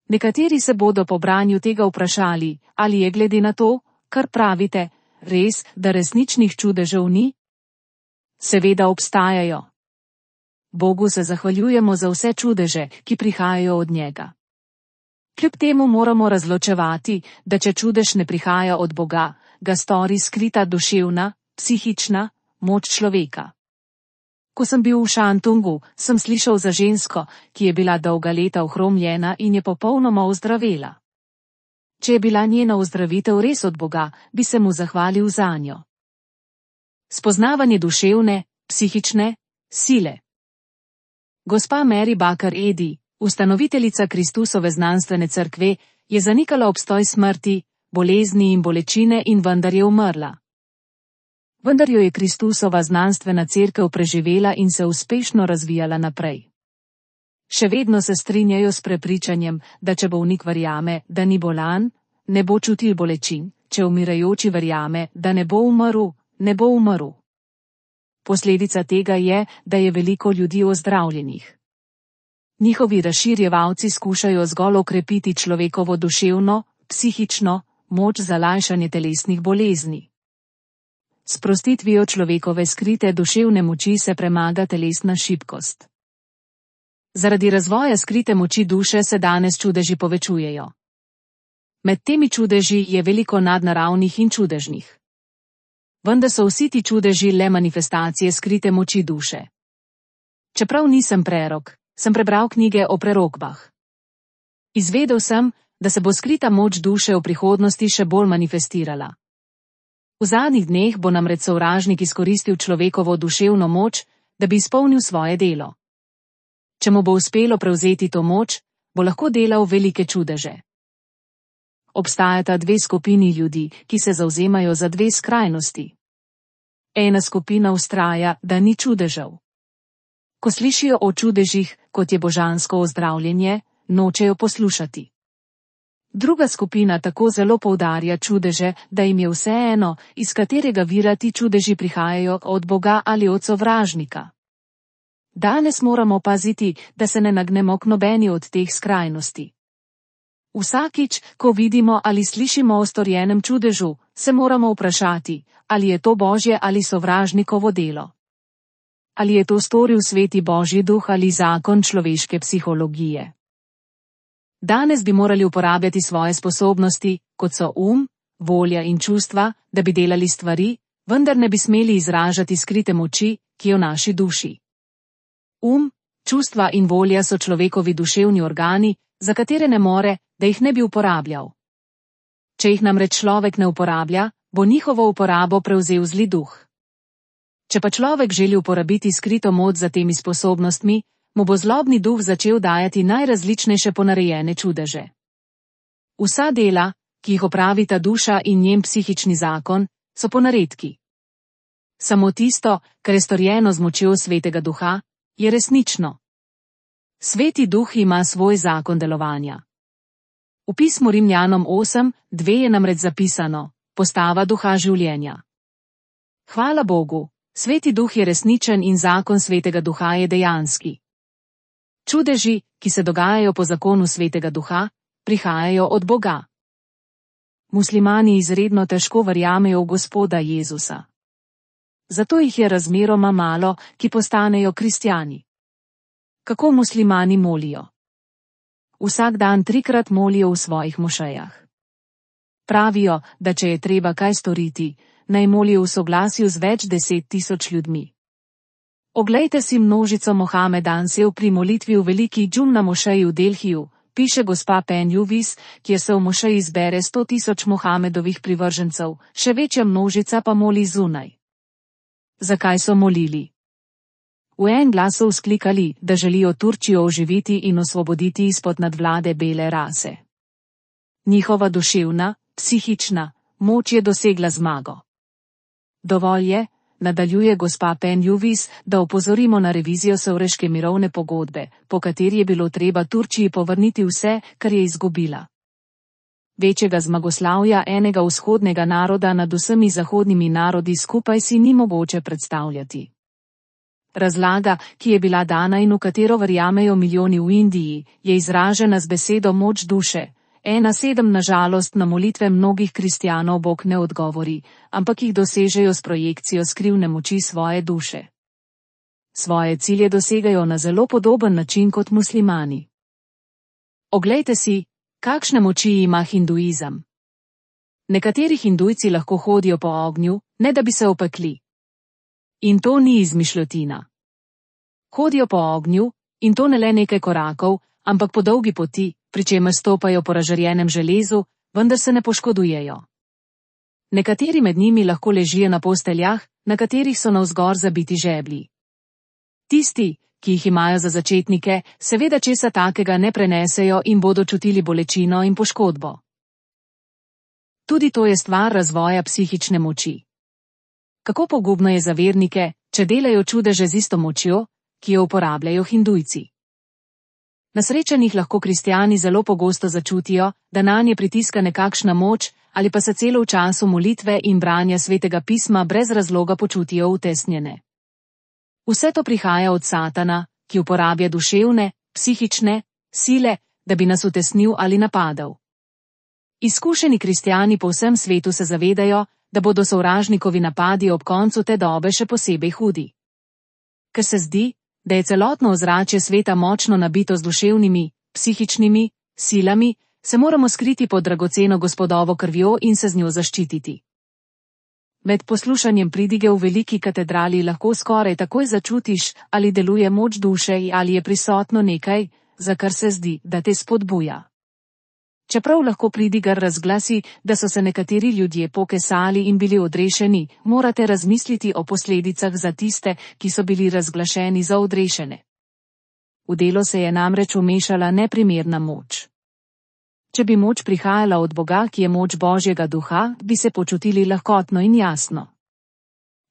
Nekateri se bodo po branju tega vprašali, ali je glede na to, kar pravite, res, da resničnih čudežev ni? Seveda obstajajo. Bogu se zahvaljujemo za vse čudeže, ki prihajajo od njega. Kljub temu moramo razločevati, da če čudež ne prihaja od Boga, ga stori skrita duševna, psihična moč človeka. Ko sem bil v Šantungu, sem slišal za žensko, ki je bila dolga leta ohromljena in je popolnoma ozdravela. Če je bila njena ozdravitev res od Boga, bi se mu zahvalil zanjo. Spoznavanje duševne, psihične sile. Gospa Mary Baker Eddy, ustanoviteljica Kristusove znanstvene cerkve, je zanikala obstoj smrti, bolezni in bolečine in vendar je umrla. Vendar jo je Kristusova znanstvena cerkev preživela in se uspešno razvijala naprej. Še vedno se strinjajo s prepričanjem, da če bolnik verjame, da ni bolan, ne bo čutil bolečin, če umirajoči verjame, da ne bo umrl, ne bo umrl. Posledica tega je, da je veliko ljudi ozdravljenih. Njihovi razširjevalci skušajo zgolj okrepiti človekovo duševno, psihično moč za lajšanje telesnih bolezni. S sprostitvijo človekove skrite duševne moči se premaga telesna šibkost. Zaradi razvoja skrite moči duše se danes čudeži povečujejo. Med temi čudeži je veliko nadnaravnih in čudežnih. Vendar so vsi ti čudeži le manifestacije skrite moči duše. Čeprav nisem prerok, sem prebral knjige o prerokbah. Izvedel sem, da se bo skrita moč duše v prihodnosti še bolj manifestirala. V zadnjih dneh bo namreč sovražnik izkoristil človekovo duševno moč, da bi izpolnil svoje delo. Če mu bo uspelo prevzeti to moč, bo lahko delal velike čudeže. Obstajata dve skupini ljudi, ki se zavzemajo za dve skrajnosti. Ena skupina vztraja, da ni čudežev. Ko slišijo o čudežih, kot je božansko ozdravljenje, nočejo poslušati. Druga skupina tako zelo poudarja čudeže, da jim je vseeno, iz katerega vira ti čudeži prihajajo, od Boga ali od sovražnika. Danes moramo paziti, da se ne nagnemo k nobeni od teh skrajnosti. Vsakič, ko vidimo ali slišimo o storjenem čudežu, se moramo vprašati, ali je to Božje ali sovražnikovo delo. Ali je to storil sveti Božji duh ali zakon človeške psihologije. Danes bi morali uporabljati svoje sposobnosti, kot so volja in čustva, da bi delali stvari, vendar ne bi smeli izražati skrite moči, ki je v naši duši. Čustva in volja so človekovi duševni organi, za katere ne more, da jih ne bi uporabljal. Če jih namreč človek ne uporablja, bo njihovo uporabo prevzel zli duh. Če pa človek želi uporabiti skrito moč za temi sposobnostmi, mu bo zlobni duh začel dajati najrazličnejše ponarejene čudeže. Vsa dela, ki jih opravita duša in njen psihični zakon, so ponaredki. Samo tisto, kar je storjeno z močjo svetega duha, je resnično. Sveti duh ima svoj zakon delovanja. V pismu Rimljanom 8:2 je namreč zapisano: postava duha življenja. Hvala Bogu, sveti duh je resničen in zakon svetega duha je dejanski. Čudeži, ki se dogajajo po zakonu svetega duha, prihajajo od Boga. Muslimani izredno težko verjamejo v Gospoda Jezusa. Zato jih je razmeroma malo, ki postanejo kristjani. Kako muslimani molijo? Vsak dan 3-krat molijo v svojih mošejah. Pravijo, da če je treba kaj storiti, naj molijo v soglasju z več 10.000 ljudmi. Oglejte si množico Mohamedancev pri molitvi v veliki džumna mošeji v Delhiju, piše gospa Penjuvis, kjer se v mošeji zbere 100.000 Mohamedovih privržencev, še večja množica pa moli zunaj. Zakaj so molili? V en glas so vzklikali, da želijo Turčijo oživiti in osvoboditi izpod nadvlade bele rase. Njihova duševna, psihična moč je dosegla zmago. Dovolj je, nadaljuje gospa Penjuvis, da opozorimo na revizijo Sevreške mirovne pogodbe, po kateri je bilo treba Turčiji povrniti vse, kar je izgubila. Večjega zmagoslavja enega vzhodnega naroda nad vsemi zahodnimi narodi skupaj si ni mogoče predstavljati. Razlaga, ki je bila dana in v katero verjamejo milijoni v Indiji, je izražena z besedo moč duše. 1:7 na žalost na molitve mnogih kristjanov Bog ne odgovori, ampak jih dosežejo s projekcijo skrivne moči svoje duše. Svoje cilje dosegajo na zelo podoben način kot muslimani. Oglejte si, kakšne moči ima hinduizem. Nekateri hindujci lahko hodijo po ognju, ne da bi se opekli. In to ni izmišljotina. Hodijo po ognju, in to ne le nekaj korakov, ampak po dolgi poti, pri čemer stopajo po razžarjenem železu, vendar se ne poškodujejo. Nekateri med njimi lahko ležijo na posteljah, na katerih so navzgor zabiti žeblji. Tisti, ki jih imajo za začetnike, seveda česa takega ne prenesejo in bodo čutili bolečino in poškodbo. Tudi to je stvar razvoja psihične moči. Kako pogubno je za vernike, če delajo čudeže z isto močjo, ki jo uporabljajo hindujci. Na srečanjih lahko kristjani zelo pogosto začutijo, da nanje pritiska nekakšna moč, ali pa se celo v času molitve in branja svetega pisma brez razloga počutijo utesnjene. Vse to prihaja od Satana, ki uporablja duševne, psihične sile, da bi nas utesnil ali napadel. Izkušeni kristjani po vsem svetu se zavedajo, da bodo sovražnikovi napadi ob koncu te dobe še posebej hudi. Ker se zdi, da je celotno ozračje sveta močno nabito z duševnimi, psihičnimi silami, se moramo skriti pod dragoceno Gospodovo krvjo in se z njo zaščititi. Med poslušanjem pridige v veliki katedrali lahko skoraj takoj začutiš, ali deluje moč duše ali je prisotno nekaj, za kar se zdi, da te spodbuja. Čeprav lahko pridigar razglasi, da so se nekateri ljudje pokesali in bili odrešeni, morate razmisliti o posledicah za tiste, ki so bili razglašeni za odrešene. V delo se je namreč vmešala neprimerna moč. Če bi moč prihajala od Boga, ki je moč Božjega duha, bi se počutili lahkotno in jasno.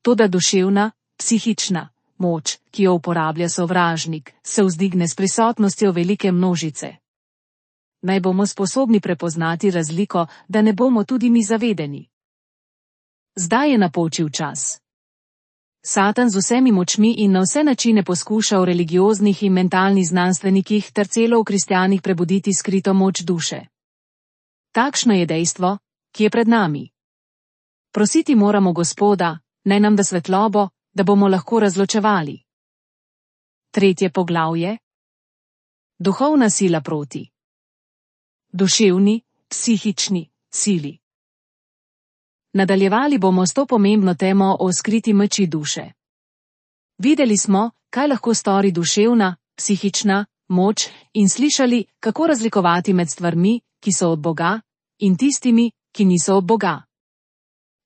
Toda duševna, psihična moč, ki jo uporablja sovražnik, se vzdigne s prisotnostjo velike množice. Naj bomo sposobni prepoznati razliko, da ne bomo tudi mi zavedeni. Zdaj je napočil čas. Satan z vsemi močmi in na vse načine poskuša v religioznih in mentalnih znanstvenikih ter celo v kristjanih prebuditi skrito moč duše. Takšno je dejstvo, ki je pred nami. Prositi moramo Gospoda, naj nam da svetlobo, da bomo lahko razločevali. 3. poglavje. Duhovna sila proti duševni, psihični sili. Nadaljevali bomo s to pomembno temo o skriti moči duše. Videli smo, kaj lahko stori duševna, psihična moč in slišali, kako razlikovati med stvarmi, ki so od Boga, in tistimi, ki niso od Boga.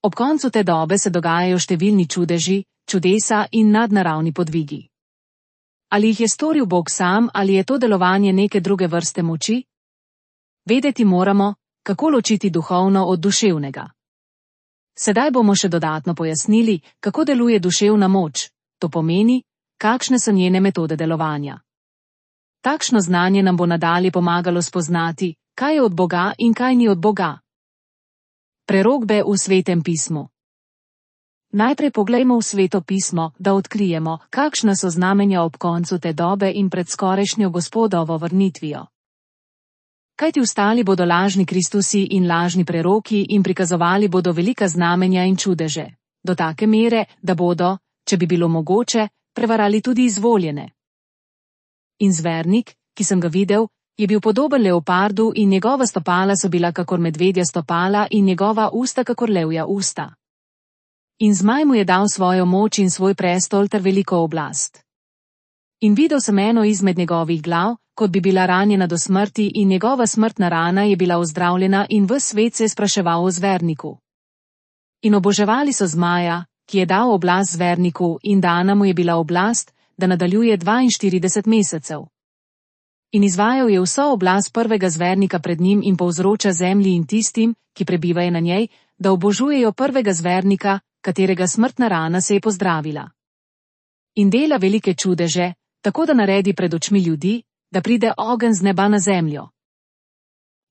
Ob koncu te dobe se dogajajo številni čudeži, čudesa in nadnaravni podvigi. Ali jih je storil Bog sam ali je to delovanje neke druge vrste moči? Vedeti moramo, kako ločiti duhovno od duševnega. Sedaj bomo še dodatno pojasnili, kako deluje duševna moč, to pomeni, kakšne so njene metode delovanja. Takšno znanje nam bo nadalje pomagalo spoznati, kaj je od Boga in kaj ni od Boga. Prerokbe v Svetem pismu. Najprej poglejmo v Sveto pismo, da odkrijemo, kakšna so znamenja ob koncu te dobe in pred skorajšnjo Gospodovo vrnitvijo. Kajti vstali bodo lažni Kristusi in lažni preroki in prikazovali bodo velika znamenja in čudeže, do take mere, da bodo, če bi bilo mogoče, prevarali tudi izvoljene. In zvernik, ki sem ga videl, je bil podoben leopardu in njegova stopala so bila kakor medvedja stopala in njegova usta kakor levja usta. In zmaj mu je dal svojo moč in svoj prestol ter veliko oblast. In videl sem eno izmed njegovih glav, kot bi bila ranjena do smrti in njegova smrtna rana je bila ozdravljena in ves svet se je spraševal o zverniku. In oboževali so zmaja, ki je dal oblast zverniku in dana mu je bila oblast, da nadaljuje 42 mesecev. In izvajal je vso oblast prvega zvernika pred njim in povzroča zemlji in tistim, ki prebivajo na njej, da obožujejo prvega zvernika, katerega smrtna rana se je pozdravila. In dela velike čudeže, tako da naredi pred očmi ljudi, da pride ogenj z neba na zemljo.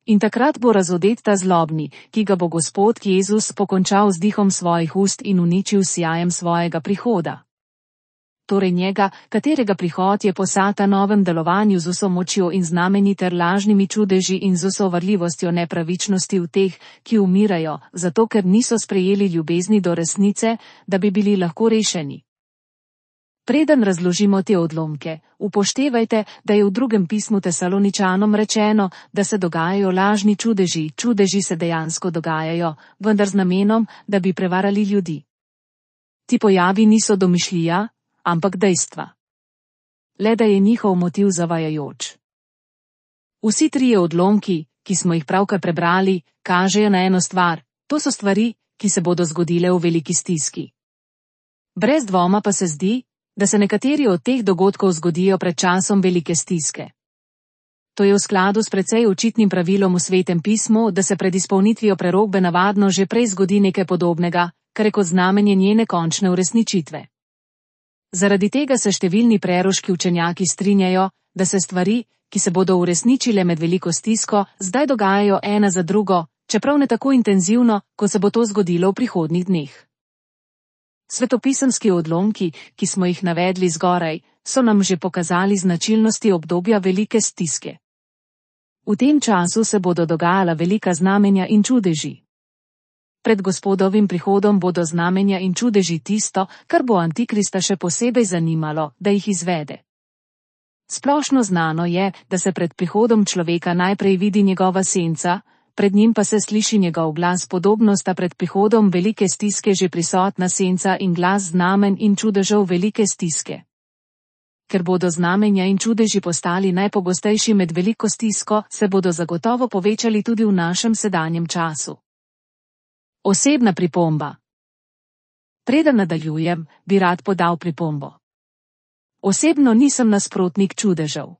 In takrat bo razodet ta zlobni, ki ga bo Gospod Jezus pokončal z dihom svojih ust in uničil s sijajem svojega prihoda. Torej njega, katerega prihod je po Satanovem delovanju z vso močjo in znamenji ter lažnimi čudeži in z vso varljivostjo nepravičnosti v teh, ki umirajo, zato ker niso sprejeli ljubezni do resnice, da bi bili lahko rešeni. Preden razložimo te odlomke, upoštevajte, da je v drugem pismu Tesaloničanom rečeno, da se dogajajo lažni čudeži, čudeži se dejansko dogajajo, vendar z namenom, da bi prevarali ljudi. Ti pojavi niso domišljija, ampak dejstva. Le da je njihov motiv zavajajoč. Vsi trije odlomki, ki smo jih pravkar prebrali, kažejo na eno stvar, to so stvari, ki se bodo zgodile v veliki stiski. Brez dvoma pa se zdi, da se nekateri od teh dogodkov zgodijo pred časom velike stiske. To je v skladu s precej očitnim pravilom v Svetem pismu, da se pred izpolnitvijo prerokbe navadno že prej zgodi nekaj podobnega, kar je kot znamenje njene končne uresničitve. Zaradi tega se številni preroški učenjaki strinjajo, da se stvari, ki se bodo uresničile med veliko stisko, zdaj dogajajo ena za drugo, čeprav ne tako intenzivno, kot se bo to zgodilo v prihodnjih dneh. Svetopisemski odlomki, ki smo jih navedli zgoraj, so nam že pokazali značilnosti obdobja velike stiske. V tem času se bodo dogajala velika znamenja in čudeži. Pred Gospodovim prihodom bodo znamenja in čudeži tisto, kar bo Antikrista še posebej zanimalo, da jih izvede. Splošno znano je, da se pred prihodom človeka najprej vidi njegova senca, pred njim pa se sliši njegov glas. Podobno sta pred prihodom velike stiske že prisotna senca in glas znamen in čudežev velike stiske. Ker bodo znamenja in čudeži postali najpogostejši med veliko stisko, se bodo zagotovo povečali tudi v našem sedanjem času. Osebna pripomba. Preden nadaljujem, bi rad podal pripombo. Osebno nisem nasprotnik čudežev.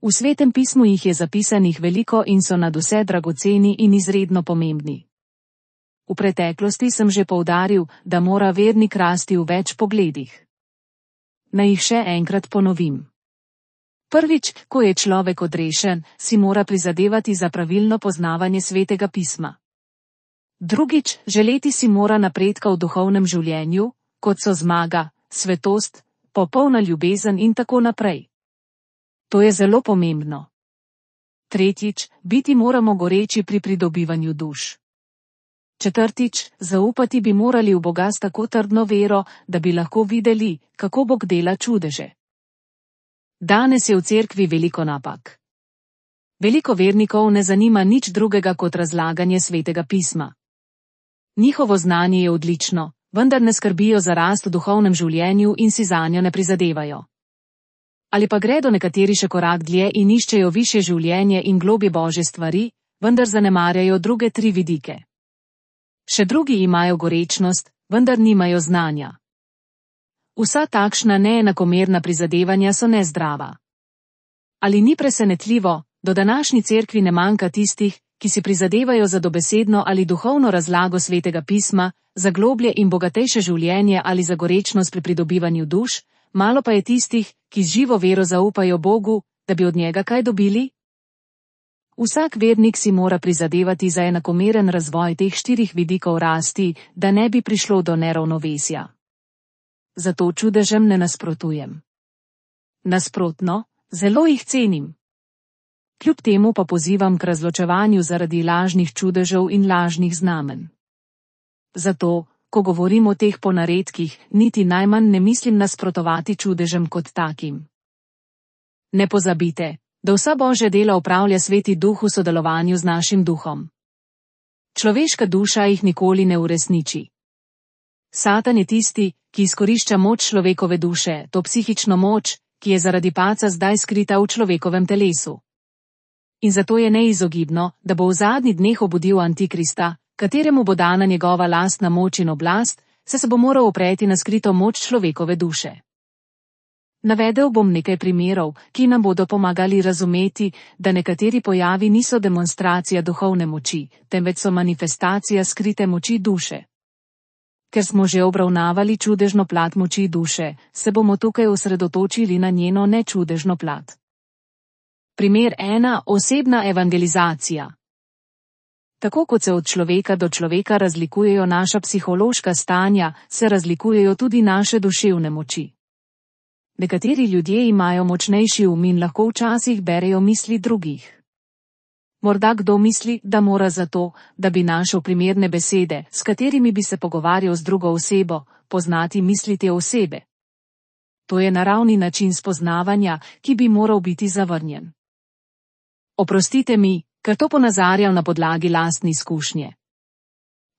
V Svetem pismu jih je zapisanih veliko in so nadvse dragoceni in izredno pomembni. V preteklosti sem že poudaril, da mora vernik rasti v več pogledih. Naj jih še enkrat ponovim. Prvič, ko je človek odrešen, si mora prizadevati za pravilno poznavanje Svetega pisma. Drugič, želeti si mora napredka v duhovnem življenju, kot so zmaga, svetost, popolna ljubezen in tako naprej. To je zelo pomembno. Tretjič, biti moramo goreči pri pridobivanju duš. Četrtič, zaupati bi morali v Boga s tako trdno vero, da bi lahko videli, kako Bog dela čudeže. Danes je v cerkvi veliko napak. Veliko vernikov ne zanima nič drugega kot razlaganje Svetega pisma. Njihovo znanje je odlično, vendar ne skrbijo za rast v duhovnem življenju in si zanjo ne prizadevajo. Ali pa gredo nekateri še korak dlje in iščejo višje življenje in globje Božje stvari, vendar zanemarjajo druge tri vidike. Še drugi imajo gorečnost, vendar nimajo znanja. Vsa takšna neenakomerna prizadevanja so nezdrava. Ali ni presenetljivo, do današnji cerkvi ne manjka tistih, ki si prizadevajo za dobesedno ali duhovno razlago Svetega pisma, za globlje in bogatejše življenje ali za gorečnost pri pridobivanju duš, malo pa je tistih, ki z živo vero zaupajo Bogu, da bi od njega kaj dobili? Vsak vernik si mora prizadevati za enakomeren razvoj teh štirih vidikov rasti, da ne bi prišlo do neravnovesja. Zato čudežem ne nasprotujem. Nasprotno, zelo jih cenim. Kljub temu pa pozivam k razločevanju zaradi lažnih čudežev in lažnih znamen. Zato, ko govorim o teh ponaredkih, niti najmanj ne mislim nasprotovati čudežem kot takim. Ne pozabite, da vsa Božja dela opravlja Sveti Duh v sodelovanju z našim duhom. Človeška duša jih nikoli ne uresniči. Satan je tisti, ki izkorišča moč človekove duše, to psihično moč, ki je zaradi paca zdaj skrita v človekovem telesu. In zato je neizogibno, da bo v zadnjih dneh obudil Antikrista, kateremu bo dana njegova lastna moč in oblast, se bo moral opreti na skrito moč človekove duše. Navedel bom nekaj primerov, ki nam bodo pomagali razumeti, da nekateri pojavi niso demonstracija duhovne moči, temveč so manifestacija skrite moči duše. Ker smo že obravnavali čudežno plat moči duše, se bomo tukaj osredotočili na njeno nečudežno plat. Primer 1. Osebna evangelizacija. Tako kot se od človeka do človeka razlikujejo naša psihološka stanja, se razlikujejo tudi naše duševne moči. Nekateri ljudje imajo močnejši um in lahko včasih berejo misli drugih. Morda kdo misli, da mora zato, da bi našel primerne besede, s katerimi bi se pogovarjal z drugo osebo, poznati misli te osebe. To je naravni način spoznavanja, ki bi moral biti zavrnjen. Oprostite mi, ker to ponazarjam na podlagi lastne izkušnje.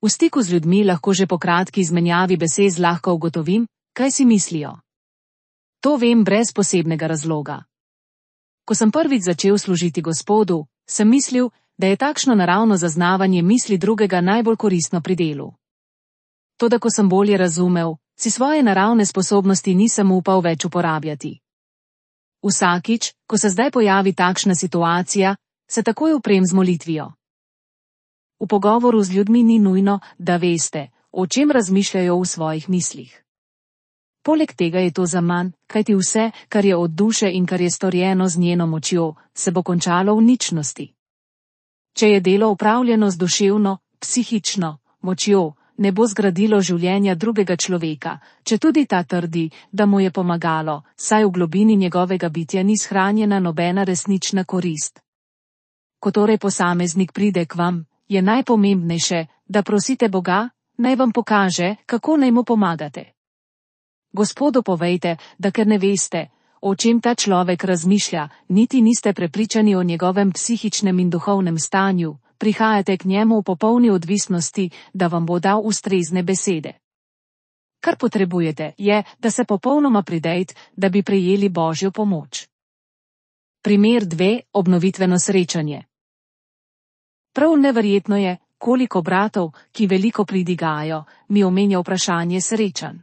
V stiku z ljudmi lahko že po kratki izmenjavi besed zlahka ugotovim, kaj si mislijo. To vem brez posebnega razloga. Ko sem prvič začel služiti Gospodu, sem mislil, da je takšno naravno zaznavanje misli drugega najbolj koristno pri delu. Toda ko sem bolje razumel, si svoje naravne sposobnosti nisem upal več uporabljati. Vsakič, ko se zdaj pojavi takšna situacija, se takoj uprem z molitvijo. V pogovoru z ljudmi ni nujno, da veste, o čem razmišljajo v svojih mislih. Poleg tega je to zaman, kajti vse, kar je od duše in kar je storjeno z njeno močjo, se bo končalo v ničnosti. Če je delo upravljeno z duševno, psihično močjo, ne bo zgradilo življenja drugega človeka, četudi ta trdi, da mu je pomagalo, saj v globini njegovega bitja ni shranjena nobena resnična korist. Ko torej posameznik pride k vam, je najpomembnejše, da prosite Boga, naj vam pokaže, kako naj mu pomagate. Gospodu povejte, da ker ne veste, o čem ta človek razmišlja, niti niste prepričani o njegovem psihičnem in duhovnem stanju, prihajate k njemu v popolni odvisnosti, da vam bo dal ustrezne besede. Kar potrebujete, je, da se popolnoma pridejte, da bi prejeli Božjo pomoč. Primer 2. Obnovitveno srečanje. Prav neverjetno je, koliko bratov, ki veliko pridigajo, mi omenja vprašanje srečanj.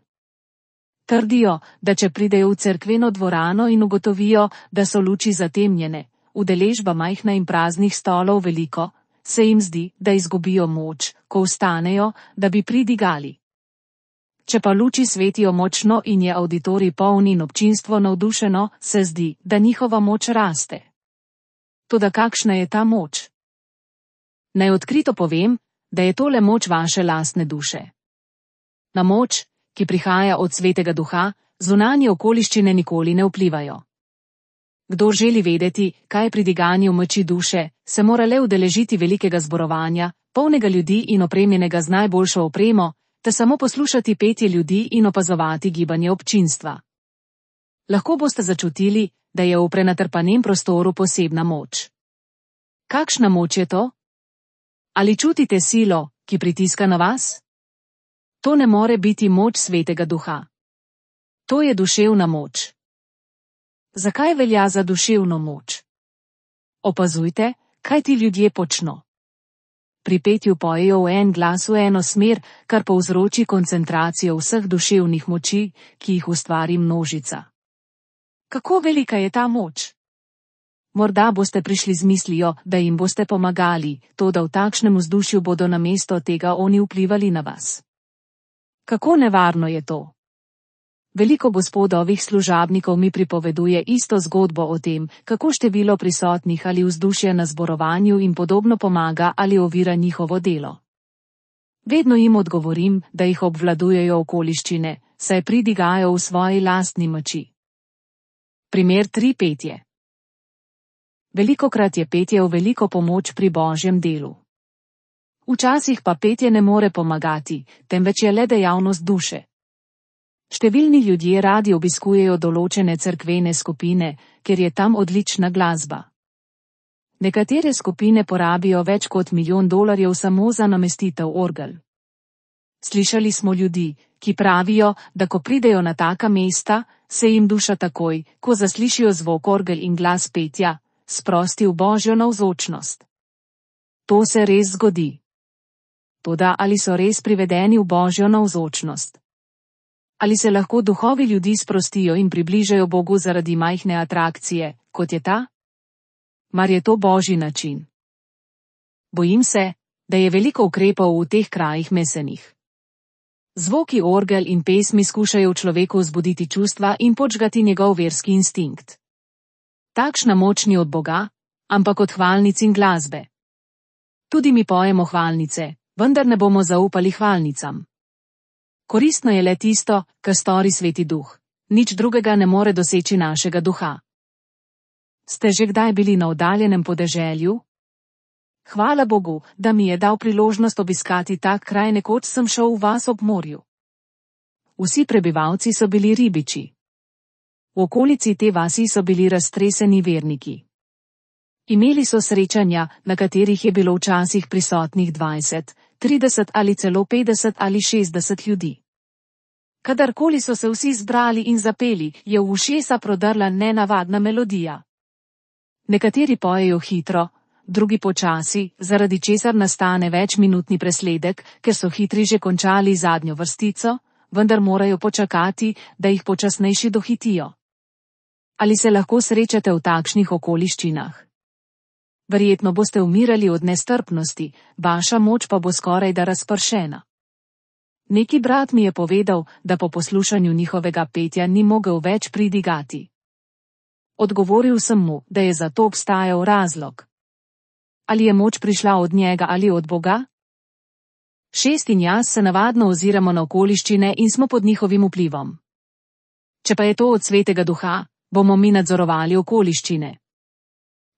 Trdijo, da če pridejo v cerkveno dvorano in ugotovijo, da so luči zatemnjene, udeležba majhna in praznih stolov veliko, se jim zdi, da izgubijo moč, ko vstanejo, da bi pridigali. Če pa luči svetijo močno in je avditorij poln in občinstvo navdušeno, se zdi, da njihova moč raste. Toda kakšna je ta moč? Naj odkrito povem, da je tole moč vaše lastne duše. Na moč, ki prihaja od Svetega Duha, zunanje okoliščine nikoli ne vplivajo. Kdor želi vedeti, kaj je pridiganje v moči duše, se mora le udeležiti velikega zborovanja, polnega ljudi in opremljenega z najboljšo opremo, te samo poslušati petje ljudi in opazovati gibanje občinstva. Lahko boste začutili, da je v prenatrpanem prostoru posebna moč. Kakšna moč je to? Ali čutite silo, ki pritiska na vas? To ne more biti moč Svetega Duha. To je duševna moč. Zakaj velja za duševno moč? Opazujte, kaj ti ljudje počno. Pri petju pojejo v en glas v eno smer, kar povzroči koncentracijo vseh duševnih moči, ki jih ustvari množica. Kako velika je ta moč? Morda boste prišli z mislijo, da jim boste pomagali, toda v takšnem vzdušju bodo namesto tega oni vplivali na vas. Kako nevarno je to? Veliko gospodovih služabnikov mi pripoveduje isto zgodbo o tem, kako število prisotnih ali vzdušje na zborovanju in podobno pomaga ali ovira njihovo delo. Vedno jim odgovorim, da jih obvladujejo okoliščine, saj pridigajo v svoji lastni moči. Primer 3. Petje. Velikokrat je petje v veliko pomoč pri Božjem delu. Včasih pa petje ne more pomagati, temveč je le dejavnost duše. Številni ljudje radi obiskujejo določene cerkvene skupine, ker je tam odlična glasba. Nekatere skupine porabijo več kot $1 milijon samo za namestitev orgel. Slišali smo ljudi, ki pravijo, da ko pridejo na taka mesta, se jim duša takoj, ko zaslišijo zvok orgel in glas petja, sprosti v Božjo navzočnost. To se res zgodi. Toda ali so res privedeni v Božjo navzočnost? Ali se lahko duhovi ljudi sprostijo in približajo Bogu zaradi majhne atrakcije, kot je ta? Mar je to Božji način? Bojim se, da je veliko ukrepov v teh krajih mesenih. Zvoki orgel in pesmi skušajo v človeku vzbuditi čustva in podžgati njegov verski instinkt. Takšna moč ni od Boga, ampak od hvalnic in glasbe. Tudi mi pojemo hvalnice, vendar ne bomo zaupali hvalnicam. Koristno je le tisto, kar stori Sveti Duh. Nič drugega ne more doseči našega duha. Ste že kdaj bili na oddaljenem podeželju? Hvala Bogu, da mi je dal priložnost obiskati tak kraj, nekoč sem šel v vas ob morju. Vsi prebivalci so bili ribiči. V okolici te vasi so bili raztreseni verniki. Imeli so srečanja, na katerih je bilo včasih prisotnih 20, 30 ali celo 50 ali 60 ljudi. Kadarkoli so se vsi zbrali in zapeli, je v ušesa prodrla nenavadna melodija. Nekateri pojejo hitro, drugi počasi, zaradi česar nastane večminutni presledek, ker so hitri že končali zadnjo vrstico, vendar morajo počakati, da jih počasnejši dohitijo. Ali se lahko srečate v takšnih okoliščinah? Verjetno boste umirali od nestrpnosti, vaša moč pa bo skoraj da razpršena. Neki brat mi je povedal, da po poslušanju njihovega petja ni mogel več pridigati. Odgovoril sem mu, da je za to obstajal razlog. Ali je moč prišla od njega ali od Boga? 6 in jaz se navadno oziramo na okoliščine in smo pod njihovim vplivom. Če pa je to od Svetega Duha, bomo mi nadzorovali okoliščine.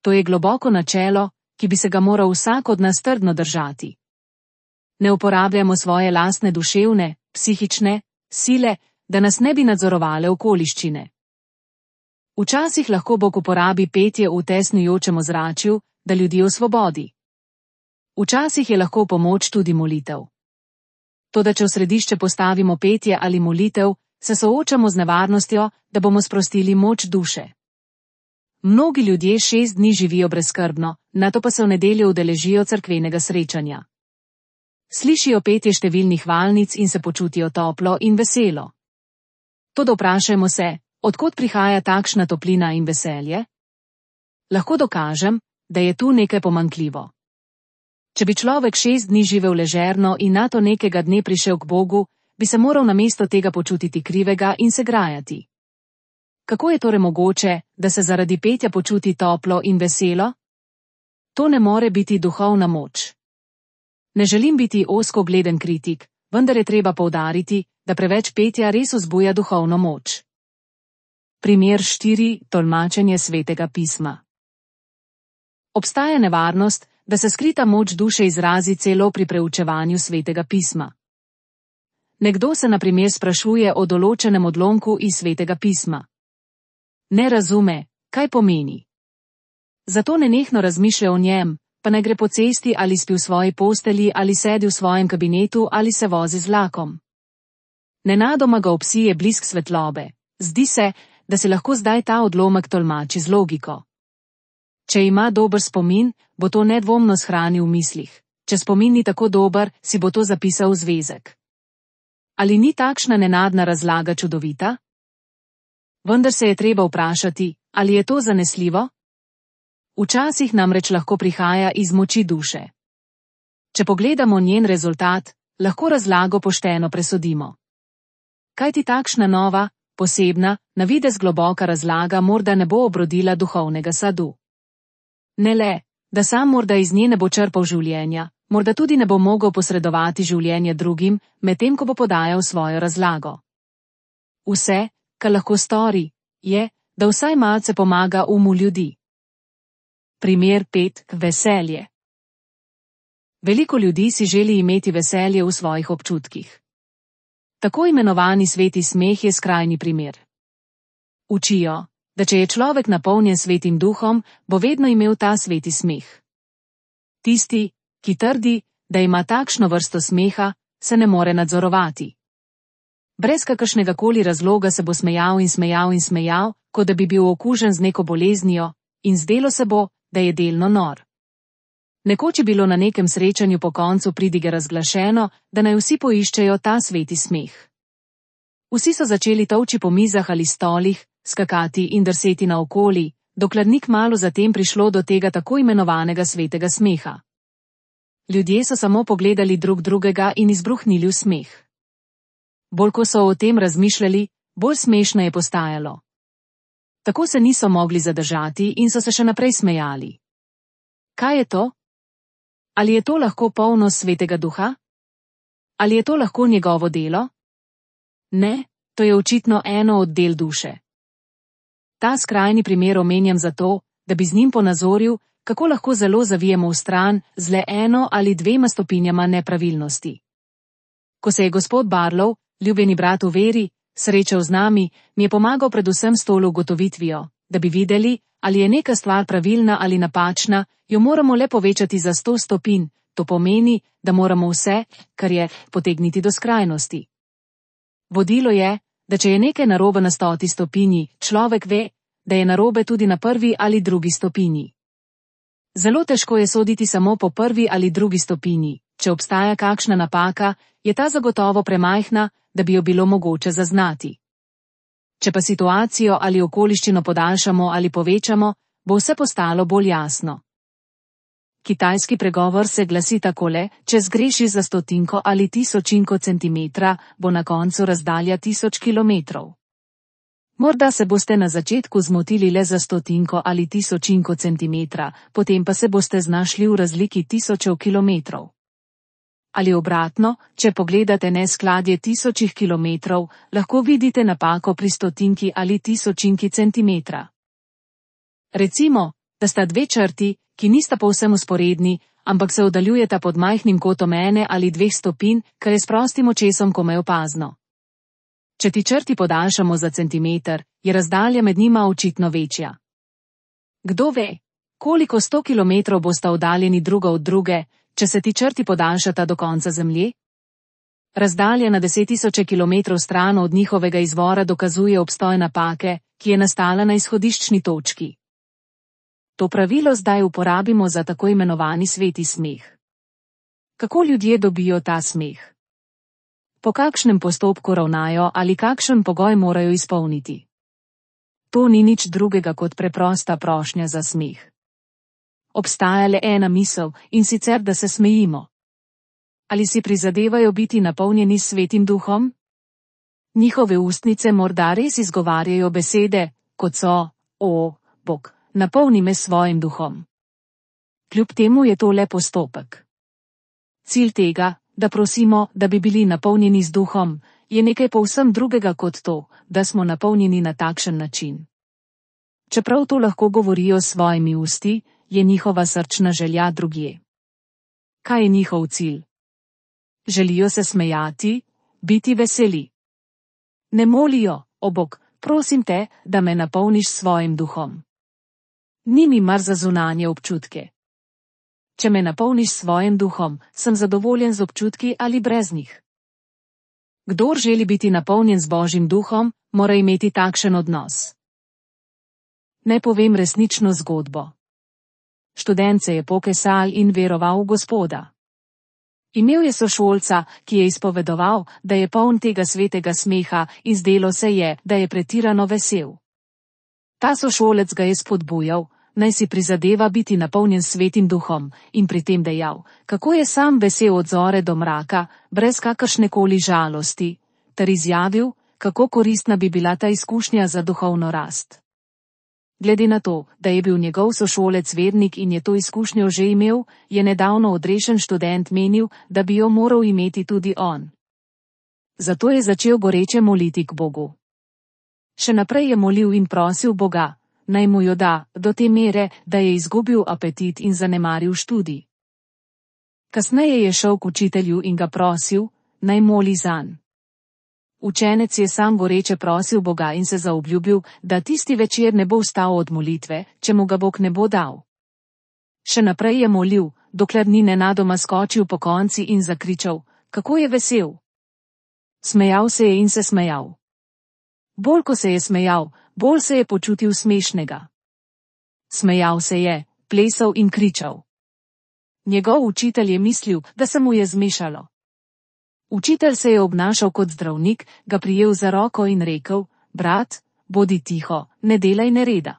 To je globoko načelo, ki bi se ga moral vsak od nas trdno držati. Ne uporabljamo svoje lastne duševne, psihične sile, da nas ne bi nadzorovale okoliščine. Včasih lahko Bog uporabi petje v tesnujočem ozračju, da ljudi osvobodi. Včasih je lahko pomoč tudi molitev. Toda če v središče postavimo petje ali molitev, se soočamo z nevarnostjo, da bomo sprostili moč duše. Mnogi ljudje 6 dni živijo brezskrbno, nato pa se v nedeljo udeležijo cerkvenega srečanja. Slišijo petje številnih valnic in se počutijo toplo in veselo. Toda vprašajmo se, od kod prihaja takšna toplina in veselje? Lahko dokažem, da je tu nekaj pomanjkljivo. Če bi človek 6 dni živel ležerno in nato nekega dne prišel k Bogu, bi se moral namesto tega počutiti krivega in se grajati. Kako je torej mogoče, da se zaradi petja počuti toplo in veselo? To ne more biti duhovna moč. Ne želim biti ozkogleden kritik, vendar je treba poudariti, da preveč petja res vzbuja duhovno moč. Primer 4. Tolmačenje Svetega pisma. Obstaja nevarnost, da se skrita moč duše izrazi celo pri preučevanju Svetega pisma. Nekdo se na primer sprašuje o določenem odlomku iz Svetega pisma. Ne razume, kaj pomeni. Zato nenehno razmišlja o njem, pa ne gre po cesti ali spi v svoji postelji ali sedi v svojem kabinetu ali se vozi z vlakom. Nenadoma ga obsije blisk svetlobe. Zdi se, da si lahko zdaj ta odlomek tolmači z logiko. Če ima dober spomin, bo to nedvomno shranil v mislih. Če spomin ni tako dober, si bo to zapisal v zvezek. Ali ni takšna nenadna razlaga čudovita? Vendar se je treba vprašati, ali je to zanesljivo? Včasih namreč lahko prihaja iz moči duše. Če pogledamo njen rezultat, lahko razlago pošteno presodimo. Kajti takšna nova, posebna, na videz globoka razlaga morda ne bo obrodila duhovnega sadu. Ne le, da sam morda iz nje ne bo črpal življenja, morda tudi ne bo mogel posredovati življenje drugim, medtem ko bo podajal svojo razlago. Vse, kar lahko stori, je, da vsaj malce pomaga umu ljudi. Primer 5. Veselje. Veliko ljudi si želi imeti veselje v svojih občutkih. Tako imenovani sveti smeh je skrajni primer. Učijo, da če je človek napolnjen svetim duhom, bo vedno imel ta sveti smeh. Tisti, ki trdi, da ima takšno vrsto smeha, se ne more nadzorovati. Brez kakršnega koli razloga se bo smejal in smejal in smejal, kot da bi bil okužen z neko boleznijo, in zdelo se bo, da je delno nor. Nekoč je bilo na nekem srečanju po koncu pridige razglašeno, da naj vsi poiščejo ta sveti smeh. Vsi so začeli tolči po mizah ali stolih, skakati in drseti naokoli, dokler ni kmalu zatem prišlo do tega tako imenovanega svetega smeha. Ljudje so samo pogledali drug drugega in izbruhnili v smeh. Bolj ko so o tem razmišljali, bolj smešno je postajalo. Tako se niso mogli zadržati in so se še naprej smejali. Kaj je to? Ali je to lahko polnost Svetega Duha? Ali je to lahko njegovo delo? Ne, to je očitno eno od del duše. Ta skrajni primer omenjam zato, da bi z njim ponazoril, kako lahko zelo zavijemo v stran z le 1 ali 2 stopinjama nepravilnosti. Ko se je gospod Barlow, ljubljeni brat v veri, srečal z nami, mi je pomagal predvsem s tolo ugotovitvijo, da bi videli, ali je neka stvar pravilna ali napačna, jo moramo le povečati za 100 stopinj, to pomeni, da moramo vse, kar je, potegniti do skrajnosti. Vodilo je, da če je nekaj narobe na 100 stopinji, človek ve, da je narobe tudi na 1. ali 2. stopinji. Zelo težko je soditi samo po 1. ali 2. stopinji, če obstaja kakšna napaka, je ta zagotovo premajhna, da bi jo bilo mogoče zaznati. Če pa situacijo ali okoliščino podaljšamo ali povečamo, bo vse postalo bolj jasno. Kitajski pregovor se glasi takole: če zgrešiš za stotinko ali tisočinko centimetra, bo na koncu razdalja 1000 kilometrov. Morda se boste na začetku zmotili le za stotinko ali tisočinko centimetra, potem pa se boste znašli v razliki tisočev kilometrov. Ali obratno, če pogledate neskladje tisočih kilometrov, lahko vidite napako pri stotinki ali tisočinki centimetra. Recimo, da sta dve črti, ki nista povsem vzporedni, ampak se oddaljujeta pod majhnim kotom 1 ali 2 stopinj, kar je s prostim očesom komaj opazno. Če ti črti podaljšamo za centimeter, je razdalja med njima očitno večja. Kdo ve, koliko 100 kilometrov bosta oddaljeni druga od druge, če se ti črti podaljšata do konca Zemlje? Razdalja na 10.000 kilometrov stran od njihovega izvora dokazuje obstoj napake, ki je nastala na izhodiščni točki. To pravilo zdaj uporabimo za tako imenovani sveti smeh. Kako ljudje dobijo ta smeh? Po kakšnem postopku ravnajo ali kakšen pogoj morajo izpolniti? To ni nič drugega kot preprosta prošnja za smeh. Obstaja le ena misel, in sicer, da se smejimo. Ali si prizadevajo biti napolnjeni s Svetim Duhom? Njihove ustnice morda res izgovarjajo besede, kot so: O, Bog, napolni me s svojim duhom. Kljub temu je to le postopek. Cilj tega, da prosimo, da bi bili napolnjeni z duhom, je nekaj povsem drugega kot to, da smo napolnjeni na takšen način. Čeprav to lahko govorijo s svojimi usti, je njihova srčna želja drugje. Kaj je njihov cilj? Želijo se smejati, biti veseli. Ne molijo: O Bog, prosim te, da me napolniš s svojim duhom. Ni mi mar za zunanje občutke. Če me napolniš s svojim duhom, sem zadovoljen z občutki ali brez njih. Kdor želi biti napolnjen z Božjim duhom, mora imeti takšen odnos. Naj povem resnično zgodbo. Študent se je pokesal in veroval v Gospoda. Imel je sošolca, ki je izpovedoval, da je poln tega svetega smeha, in zdelo se je, da je pretirano vesel. Ta sošolec ga je spodbujal, naj si prizadeva biti napolnjen s Svetim Duhom, in pri tem dejal, kako je sam vesel od zore do mraka, brez kakršnekoli žalosti, ter izjavil, kako koristna bi bila ta izkušnja za duhovno rast. Glede na to, da je bil njegov sošolec vernik in je to izkušnjo že imel, je nedavno odrešen študent menil, da bi jo moral imeti tudi on. Zato je začel goreče moliti k Bogu. Še naprej je molil in prosil Boga, naj mu jo da, do te mere, da je izgubil apetit in zanemaril študij. Kasneje je šel k učitelju in ga prosil, naj moli zanj. Učenec je sam goreče prosil Boga in se zaobljubil, da tisti večer ne bo vstal od molitve, če mu ga Bog ne bo dal. Še naprej je molil, dokler ni nenadoma skočil pokonci in zakričal, kako je vesel. Smejal se je in se smejal. Bolj ko se je smejal, bolj se je počutil smešnega. Smejal se je, plesal in kričal. Njegov učitelj je mislil, da se mu je zmešalo. Učitelj se je obnašal kot zdravnik, ga prijel za roko in rekel, brat, bodi tiho, ne delaj nereda.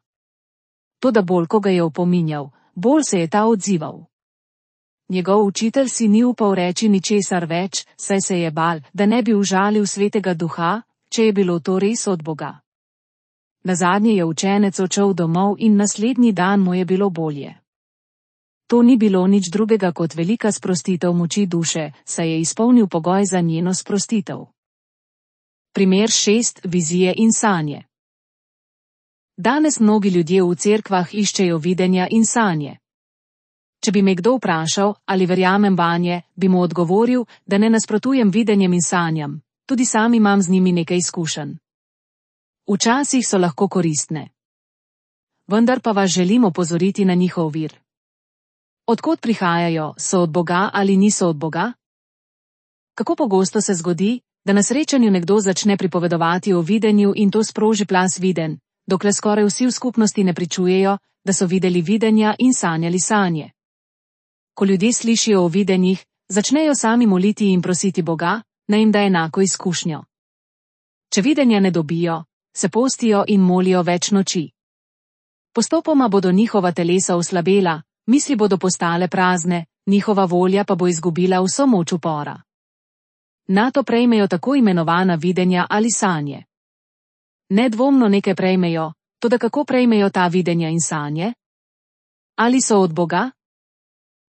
Toda bolj ko ga je opominjal, bolj se je ta odzival. Njegov učitelj si ni upal reči ničesar več, saj se je bal, da ne bi užalil Svetega Duha, če je bilo to res od Boga. Nazadnje je učenec odšel domov in naslednji dan mu je bilo bolje. To ni bilo nič drugega kot velika sprostitev moči duše, saj je izpolnil pogoj za njeno sprostitev. Primer 6. Vizije in sanje. Danes mnogi ljudje v cerkvah iščejo videnja in sanje. Če bi me kdo vprašal, ali verjamem vanje, bi mu odgovoril, da ne nasprotujem videnjem in sanjam, tudi sam imam z njimi nekaj izkušenj. Včasih so lahko koristne. Vendar pa vas želim opozoriti na njihov vir. Odkot prihajajo, so od Boga ali niso od Boga? Kako pogosto se zgodi, da na srečanju nekdo začne pripovedovati o videnju in to sproži plaz videnj, dokler skoraj vsi v skupnosti ne pričujejo, da so videli videnja in sanjali sanje. Ko ljudje slišijo o videnjih, začnejo sami moliti in prositi Boga, naj jim da enako izkušnjo. Če videnja ne dobijo, se postijo in molijo več noči. Postopoma bodo njihova telesa oslabela, Misli bodo postale prazne, njihova volja pa bo izgubila vso moč upora. Nato prejmejo tako imenovana videnja ali sanje. Nedvomno nekaj prejmejo, toda kako prejmejo ta videnja in sanje? Ali so od Boga?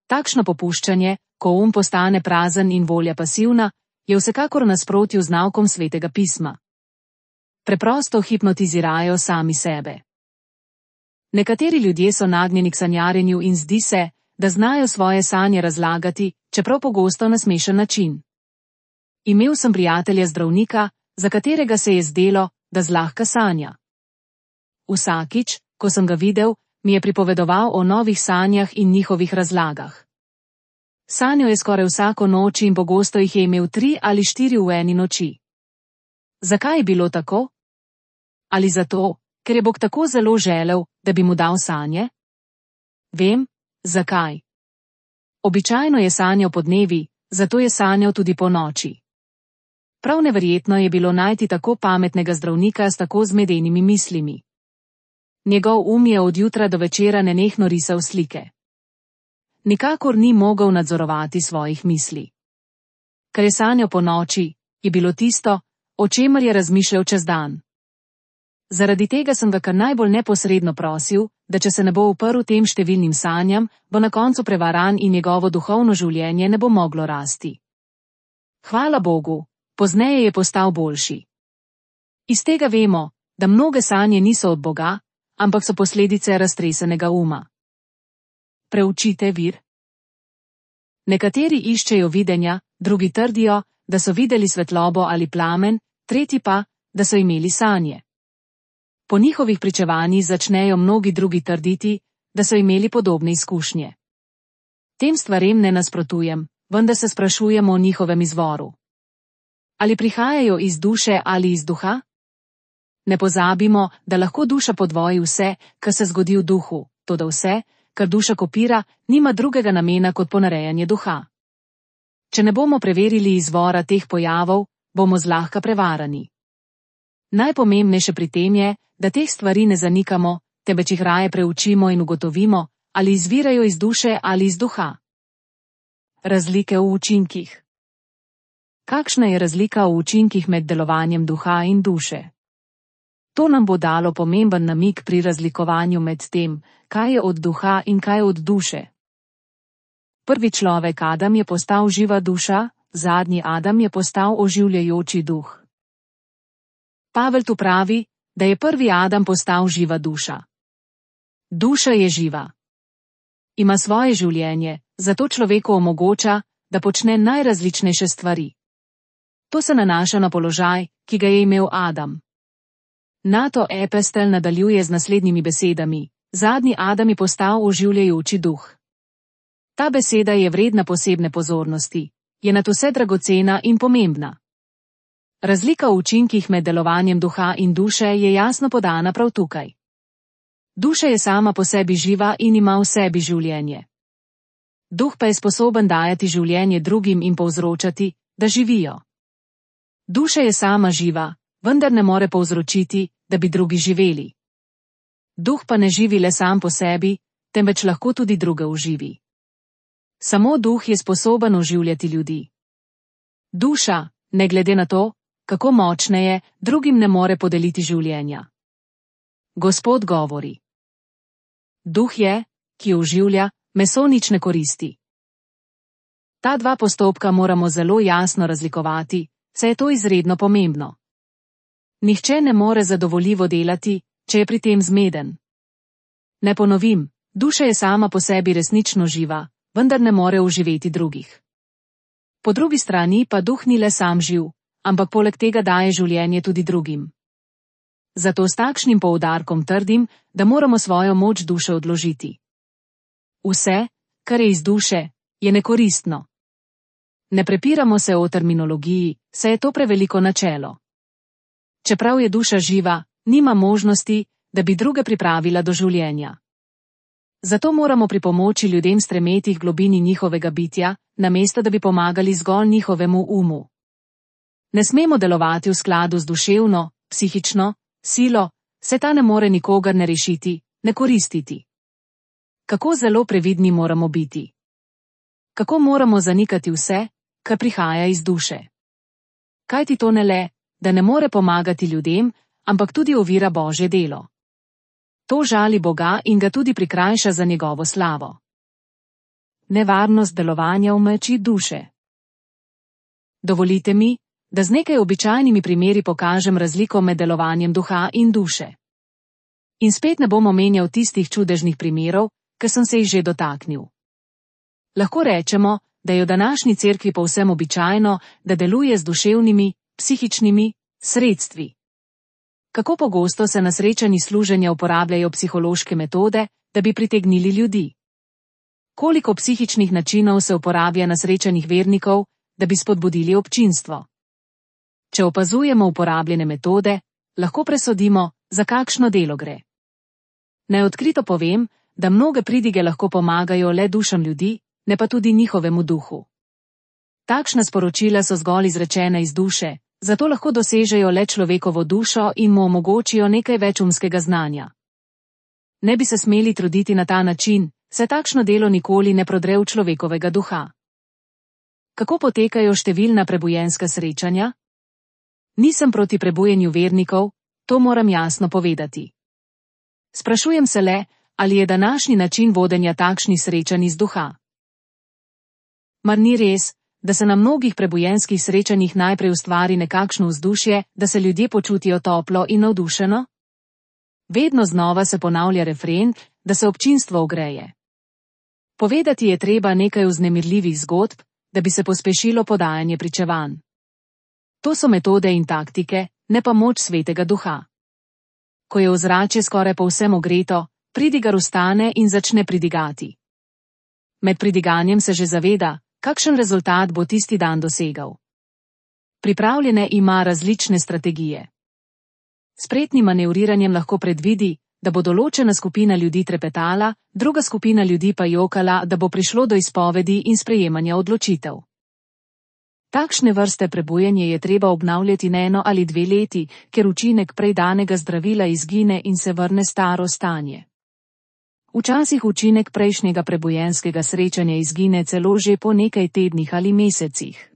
Takšno popuščanje, ko postane prazen in volja pasivna, je vsekakor v nasprotju z naukom Svetega pisma. Preprosto hipnotizirajo sami sebe. Nekateri ljudje so nagnjeni k sanjarjenju in zdi se, da znajo svoje sanje razlagati, čeprav pogosto na smešen način. Imel sem prijatelja zdravnika, za katerega se je zdelo, da zlahka sanja. Vsakič, ko sem ga videl, mi je pripovedoval o novih sanjah in njihovih razlagah. Sanjal je skoraj vsako noč in pogosto jih je imel 3 ali 4 v eni noči. Zakaj je bilo tako? Ali zato, ker je Bog tako zelo želel, da bi mu dal sanje? Vem, zakaj. Običajno je sanjal podnevi, zato je sanjal tudi po noči. Prav neverjetno je bilo najti tako pametnega zdravnika s tako zmedenimi mislimi. Njegov je od jutra do večera nenehno risal slike. Nikakor ni mogel nadzorovati svojih misli. Kar je sanjal po noči, je bilo tisto, o čemer je razmišljal čez dan. Zaradi tega sem ga kar najbolj neposredno prosil, da če se ne bo uprl tem številnim sanjam, bo na koncu prevaran in njegovo duhovno življenje ne bo moglo rasti. Hvala Bogu, pozneje je postal boljši. Iz tega vemo, da mnoge sanje niso od Boga, ampak so posledice raztresenega uma. Preučite vir. Nekateri iščejo videnja, drugi trdijo, da so videli svetlobo ali plamen, tretji pa, da so imeli sanje. Po njihovih pričevanjih začnejo mnogi drugi trditi, da so imeli podobne izkušnje. Tem stvarem ne nasprotujem, vendar se sprašujemo o njihovem izvoru. Ali prihajajo iz duše ali iz duha? Ne pozabimo, da lahko duša podvoji vse, kar se zgodi v duhu, toda vse, kar duša kopira, nima drugega namena kot ponarejanje duha. Če ne bomo preverili izvora teh pojavov, bomo zlahka prevarani. Najpomembnejše pri tem je, da teh stvari ne zanikamo, temveč jih raje preučimo in ugotovimo, ali izvirajo iz duše ali iz duha. Razlike v učinkih. Kakšna je razlika v učinkih med delovanjem duha in duše? To nam bo dalo pomemben namig pri razlikovanju med tem, kaj je od duha in kaj je od duše. Prvi človek Adam je postal živa duša, zadnji Adam je postal oživljajoči duh. Pavel tu pravi, da je prvi Adam postal živa duša. Duša je živa. Ima svoje življenje, zato človeku omogoča, da počne najrazličnejše stvari. To se nanaša na položaj, ki ga je imel Adam. Nato epistel nadaljuje z naslednjimi besedami: zadnji Adam je postal oživljajoči duh. Ta beseda je vredna posebne pozornosti, je nadvse dragocena in pomembna. Razlika v učinkih med delovanjem duha in duše je jasno podana prav tukaj. Duša je sama po sebi živa in ima v sebi življenje. Duh pa je sposoben dajati življenje drugim in povzročati, da živijo. Duša je sama živa, vendar ne more povzročiti, da bi drugi živeli. Duh pa ne živi le sam po sebi, temveč lahko tudi druge oživi. Samo duh je sposoben oživljati ljudi. Duša, ne glede na to, kako močna je, drugim ne more podeliti življenja. Gospod govori. Duh je, ki oživlja, meso nič ne koristi. Ta dva postopka moramo zelo jasno razlikovati, saj je to izredno pomembno. Nihče ne more zadovoljivo delati, če je pri tem zmeden. Ne ponovim, duša je sama po sebi resnično živa, vendar ne more oživeti drugih. Po drugi strani pa duh ni le sam živ, ampak poleg tega daje življenje tudi drugim. Zato s takšnim poudarkom trdim, da moramo svojo moč duše odložiti. Vse, kar je iz duše, je nekoristno. Ne prepiramo se o terminologiji, saj je to preveliko načelo. Čeprav je duša živa, nima možnosti, da bi druge pripravila do življenja. Zato moramo pri pomoči ljudem stremeti k globini njihovega bitja, namesto da bi pomagali zgolj njihovemu umu. Ne smemo delovati v skladu z duševno, psihično silo, saj ta ne more nikogar ne rešiti, ne koristiti. Kako zelo previdni moramo biti? Kako moramo zanikati vse, kar prihaja iz duše? Kajti to ne le, da ne more pomagati ljudem, ampak tudi ovira Božje delo. To žali Boga in ga tudi prikrajša za njegovo slavo. Nevarnost delovanja v meči duše. Dovolite mi, da z nekaj običajnimi primeri pokažem razliko med delovanjem duha in duše. In spet ne bom omenjal tistih čudežnih primerov, ker sem se jih že dotaknil. Lahko rečemo, da je v današnji cerkvi povsem običajno, da deluje z duševnimi, psihičnimi sredstvi. Kako pogosto se na srečanji služenja uporabljajo psihološke metode, da bi pritegnili ljudi? Koliko psihičnih načinov se uporablja na srečanjih vernikov, da bi spodbudili občinstvo? Če opazujemo uporabljene metode, lahko presodimo, za kakšno delo gre. Naj odkrito povem, da mnoge pridige lahko pomagajo le dušam ljudi, ne pa tudi njihovemu duhu. Takšna sporočila so zgolj izrečena iz duše, zato lahko dosežejo le človekovo dušo in mu omogočijo nekaj več umskega znanja. Ne bi se smeli truditi na ta način, saj takšno delo nikoli ne prodre v človekovega duha. Kako potekajo številna prebujenska srečanja? Nisem proti prebujenju vernikov, to moram jasno povedati. Sprašujem se le, ali je današnji način vodenja takšnih srečanj iz duha. Mar ni res, da se na mnogih prebujenskih srečanjih najprej ustvari nekakšno vzdušje, da se ljudje počutijo toplo in navdušeno? Vedno znova se ponavlja refren, da se občinstvo ogreje. Povedati je treba nekaj vznemirljivih zgodb, da bi se pospešilo podajanje pričevanj. To so metode in taktike, ne pa moč Svetega Duha. Ko je ozračje skoraj povsem ogreto, pridigar vstane in začne pridigati. Med pridiganjem se že zaveda, kakšen rezultat bo tisti dan dosegal. Pripravljene ima različne strategije. Spretnim manevriranjem lahko predvidi, da bo določena skupina ljudi trepetala, druga skupina ljudi pa jokala, da bo prišlo do izpovedi in sprejemanja odločitev. Takšne vrste prebujanje je treba obnavljati ne 1 ali 2 leti, ker učinek prej danega zdravila izgine in se vrne staro stanje. Včasih učinek prejšnjega prebujenskega srečanja izgine celo že po nekaj tednih ali mesecih.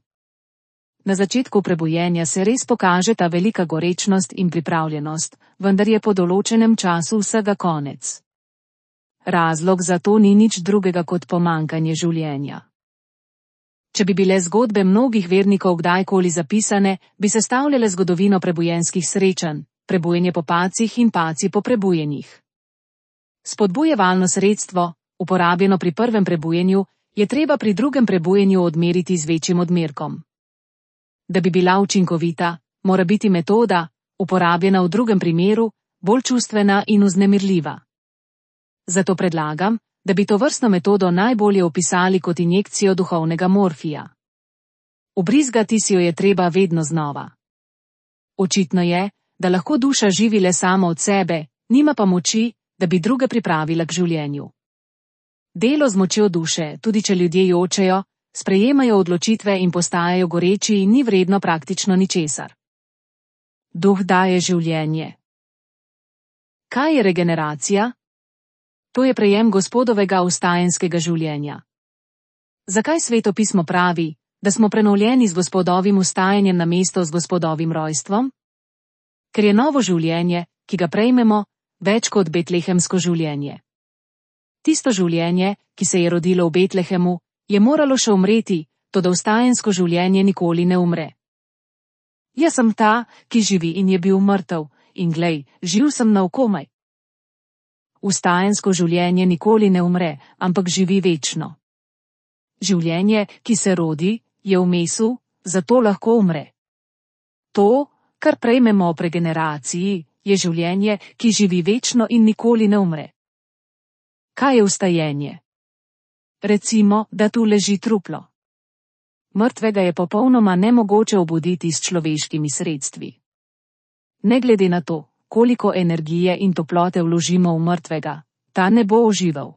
Na začetku prebujenja se res pokaže ta velika gorečnost in pripravljenost, vendar je po določenem času vsega konec. Razlog za to ni nič drugega kot pomanjkanje življenja. Če bi bile zgodbe mnogih vernikov kdajkoli zapisane, bi sestavljale zgodovino prebujenskih srečanj, prebujanje po pacih in paci po prebujenjih. Spodbujevalno sredstvo, uporabljeno pri prvem prebujenju, je treba pri drugem prebujenju odmeriti z večjim odmerkom. Da bi bila učinkovita, mora biti metoda, uporabljena v drugem primeru, bolj čustvena in vznemirljiva. Zato predlagam, da bi to vrstno metodo najbolje opisali kot injekcijo duhovnega morfija. Ubrizgati si jo je treba vedno znova. Očitno je, da lahko duša živi le sama od sebe, nima pa moči, da bi druge pripravila k življenju. Delo z močjo duše, tudi če ljudje jočejo, sprejemajo odločitve in postajajo goreči in ni vredno praktično ničesar. Duh daje življenje. Kaj je regeneracija? To je prejem Gospodovega vstajenskega življenja. Zakaj Sveto pismo pravi, da smo prenovljeni z Gospodovim vstajanjem namesto z Gospodovim rojstvom? Ker je novo življenje, ki ga prejmemo, več kot betlehemsko življenje. Tisto življenje, ki se je rodilo v Betlehemu, je moralo še umreti, toda vstajensko življenje nikoli ne umre. Jaz sem ta, ki živi in je bil mrtev, in glej, živ sem naokomaj. Vstajensko življenje nikoli ne umre, ampak živi večno. Življenje, ki se rodi, je v mesu, zato lahko umre. To, kar prejmemo ob regeneraciji, je življenje, ki živi večno in nikoli ne umre. Kaj je vstajenje? Recimo, da tu leži truplo. Mrtvega je popolnoma nemogoče obuditi s človeškimi sredstvi. Ne glede na to, koliko energije in toplote vložimo v mrtvega, ta ne bo oživel.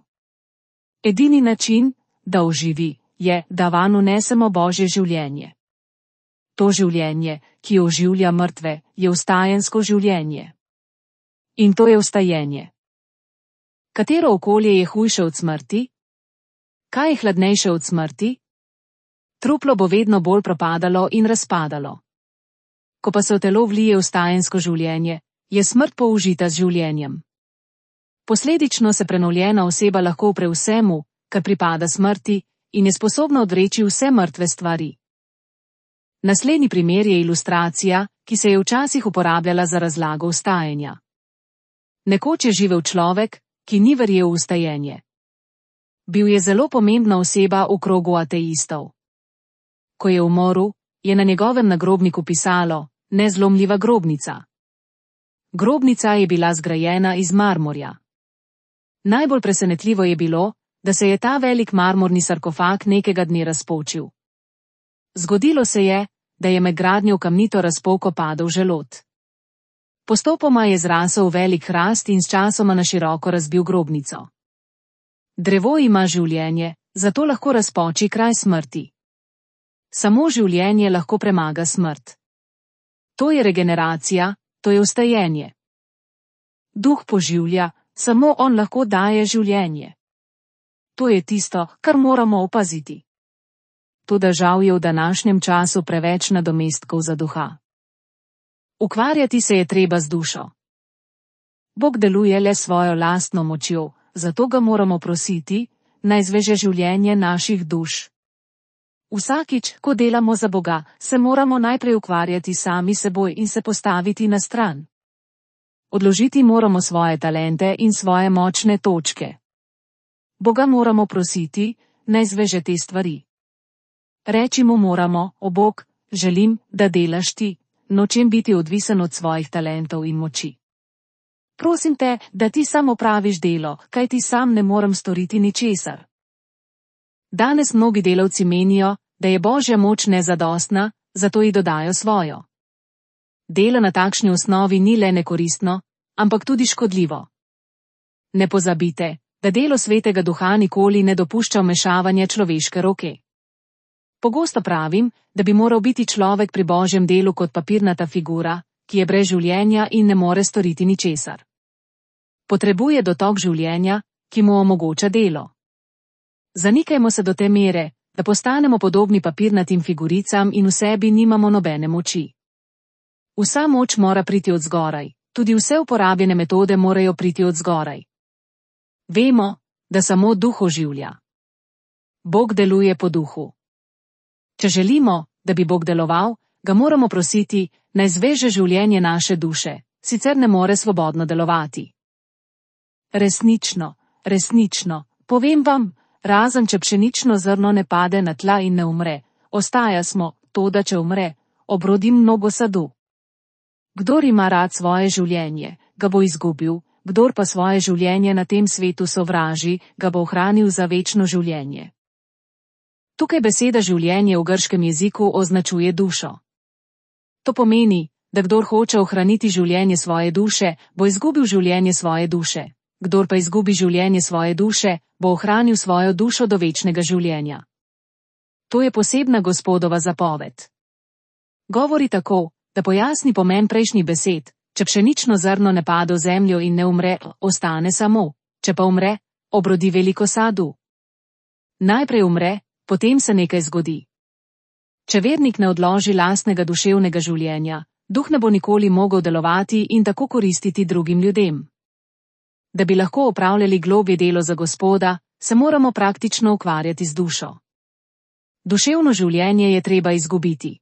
Edini način, da oživi, je, da vanj vnesemo Božje življenje. To življenje, ki oživlja mrtve, je vstajensko življenje. In to je vstajenje. Katero okolje je hujše od smrti? Kaj je hladnejše od smrti? Truplo bo vedno bolj propadalo in razpadalo. Ko pa se v telo vlije vstajensko življenje, je smrt použita z življenjem. Posledično se prenovljena oseba lahko upre vsemu, kar pripada smrti, in je sposobna odreči vse mrtve stvari. Naslednji primer je ilustracija, ki se je včasih uporabljala za razlago vstajanja. Nekoč je živel človek, ki ni verjel v vstajenje. Bil je zelo pomembna oseba v krogu ateistov. Ko je umrl, je na njegovem nagrobniku pisalo: nezlomljiva grobnica. Grobnica je bila zgrajena iz marmorja. Najbolj presenetljivo je bilo, da se je ta velik marmorni sarkofag nekega dne razpočil. Zgodilo se je, da je med gradnjo v kamnito razpoko padel želod. Postopoma je zrasel velik hrast in sčasoma na široko razbil grobnico. Drevo ima življenje, zato lahko razpoči kraj smrti. Samo življenje lahko premaga smrt. To je regeneracija, to je vstajenje. Duh poživlja, samo on lahko daje življenje. To je tisto, kar moramo opaziti. Toda žal je v današnjem času preveč nadomestkov za duha. Ukvarjati se je treba z dušo. Bog deluje le svojo lastno močjo, zato ga moramo prositi, naj zveže življenje naših duš. Vsakič, ko delamo za Boga, se moramo najprej ukvarjati sami seboj in se postaviti na stran. Odložiti moramo svoje talente in svoje močne točke. Boga moramo prositi, naj zveže te stvari. Reči mu moramo: o Bog, želim, da delaš ti, nočem biti odvisen od svojih talentov in moči. Prosim te, da ti sam opraviš delo, kajti sam ne morem storiti ničesar. Danes mnogi delavci menijo, da je Božja moč nezadostna, zato ji dodajo svojo. Delo na takšni osnovi ni le nekoristno, ampak tudi škodljivo. Ne pozabite, da delo Svetega Duha nikoli ne dopušča vmešavanja človeške roke. Pogosto pravim, da bi moral biti človek pri Božjem delu kot papirnata figura, ki je brez življenja in ne more storiti ničesar. Potrebuje dotok življenja, ki mu omogoča delo. Zanikajmo se do te mere, da postanemo podobni papirnatim figuricam in v sebi nimamo nobene moči. Vsa moč mora priti od zgoraj, tudi vse uporabljene metode morajo priti od zgoraj. Vemo, da samo duh oživlja. Bog deluje po duhu. Če želimo, da bi Bog deloval, ga moramo prositi, naj zveže življenje naše duše, sicer ne more svobodno delovati. Resnično, resnično, povem vam, razen če pšenično zrno ne pade na tla in ne umre, ostaja smo, toda če umre, obrodi mnogo sadu. Kdor ima rad svoje življenje, ga bo izgubil, kdor pa svoje življenje na tem svetu sovraži, ga bo ohranil za večno življenje. Tukaj beseda življenje v grškem jeziku označuje dušo. To pomeni, da kdor hoče ohraniti življenje svoje duše, bo izgubil življenje svoje duše. Kdor pa izgubi življenje svoje duše, bo ohranil svojo dušo do večnega življenja. To je posebna Gospodova zapoved. Govori tako, da pojasni pomen prejšnjih besed: če pšenično zrno ne pade v zemljo in ne umre, ostane samo, če pa umre, obrodi veliko sadu. Najprej umre, potem se nekaj zgodi. Če vernik ne odloži lastnega duševnega življenja, duh ne bo nikoli mogel delovati in tako koristiti drugim ljudem. Da bi lahko opravljali globje delo za Gospoda, se moramo praktično ukvarjati z dušo. Duševno življenje je treba izgubiti.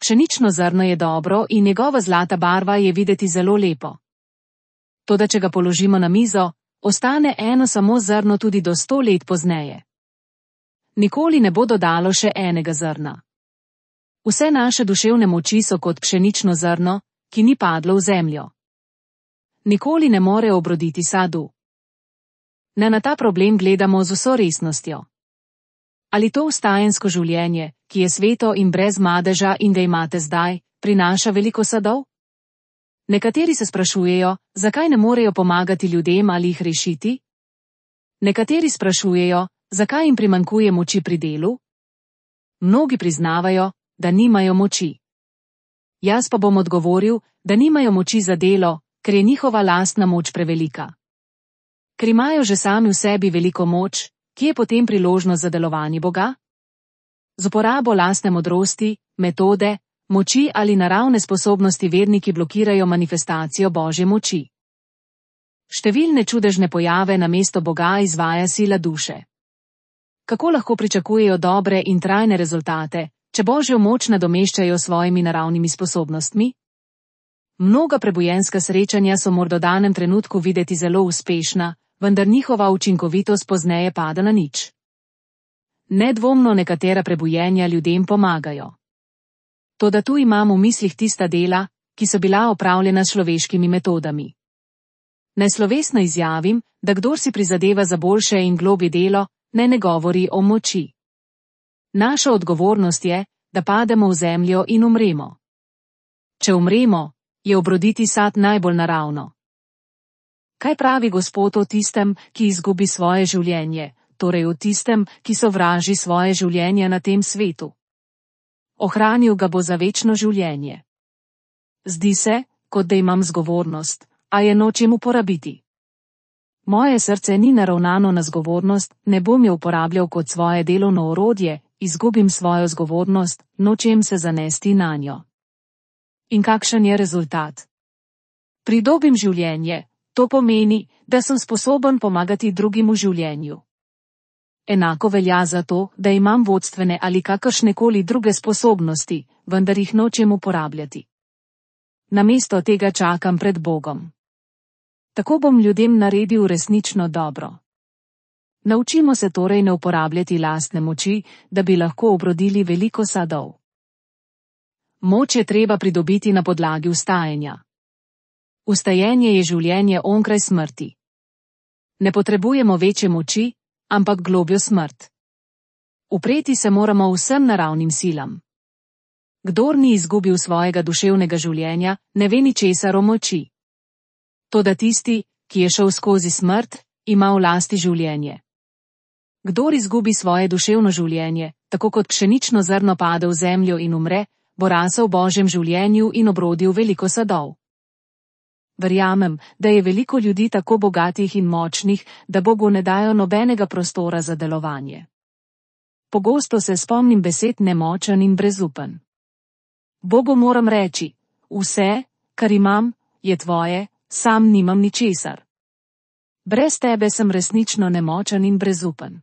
Pšenično zrno je dobro in njegova zlata barva je videti zelo lepo. Toda če ga položimo na mizo, ostane eno samo zrno tudi do 100 let pozneje. Nikoli ne bo dodalo še enega zrna. Vse naše duševne moči so kot pšenično zrno, ki ni padlo v zemljo. Nikoli ne more obroditi sadu. Ne, na ta problem gledamo z vso resnostjo. Ali to vstajensko življenje, ki je sveto in brez madeža in ga imate zdaj, prinaša veliko sadov? Nekateri se sprašujejo, zakaj ne morejo pomagati ljudem ali jih rešiti? Nekateri sprašujejo, zakaj jim primanjkuje moči pri delu? Mnogi priznavajo, da nimajo moči. Jaz pa bom odgovoril, da nimajo moči za delo, ker je njihova lastna moč prevelika. Ker imajo že sami v sebi veliko moč, kje je potem priložnost za delovanje Boga? Z uporabo lastne modrosti, metode, moči ali naravne sposobnosti verniki blokirajo manifestacijo Božje moči. Številne čudežne pojave namesto Boga izvaja sila duše. Kako lahko pričakujejo dobre in trajne rezultate, če Božjo moč nadomeščajo s svojimi naravnimi sposobnostmi? Mnoga prebujenska srečanja so morda v danem trenutku videti zelo uspešna, vendar njihova učinkovitost pozneje pada na nič. Nedvomno nekatera prebujenja ljudem pomagajo. Toda tu imam v mislih tista dela, ki so bila opravljena s človeškimi metodami. Naj slovesno izjavim, da kdor si prizadeva za boljše in globje delo, ne govori o moči. Naša odgovornost je, da pademo v zemljo in umremo. Če umremo, je obroditi sad najbolj naravno. Kaj pravi Gospod o tistem, ki izgubi svoje življenje, torej o tistem, ki sovraži svoje življenje na tem svetu? Ohranil ga bo za večno življenje. Zdi se, kot da imam zgovornost, a je nočem uporabiti. Moje srce ni naravnano na zgovornost, ne bom jo uporabljal kot svoje delovno orodje, izgubim svojo zgovornost, nočem se zanesti nanjo. In kakšen je rezultat? Pridobim življenje, to pomeni, da sem sposoben pomagati drugim v življenju. Enako velja za to, da imam vodstvene ali kakršnekoli druge sposobnosti, vendar jih nočem uporabljati. Namesto tega čakam pred Bogom. Tako bom ljudem naredil resnično dobro. Naučimo se torej ne uporabljati lastne moči, da bi lahko obrodili veliko sadov. Moč je treba pridobiti na podlagi vstajanja. Vstajenje je življenje onkraj smrti. Ne potrebujemo večje moči, ampak globjo smrt. Upreti se moramo vsem naravnim silam. Kdor ni izgubil svojega duševnega življenja, ne ve ničesar o moči. Toda tisti, ki je šel skozi smrt, ima v lasti življenje. Kdor izgubi svoje duševno življenje, tako kot pšenično zrno pade v zemljo in umre, bo rasel v Božjem življenju in obrodil veliko sadov. Verjamem, da je veliko ljudi tako bogatih in močnih, da Bogu ne dajo nobenega prostora za delovanje. Pogosto se spomnim besed nemočen in brezupen. Bogu moram reči, vse, kar imam, je tvoje, sam nimam ničesar. Brez tebe sem resnično nemočen in brezupen.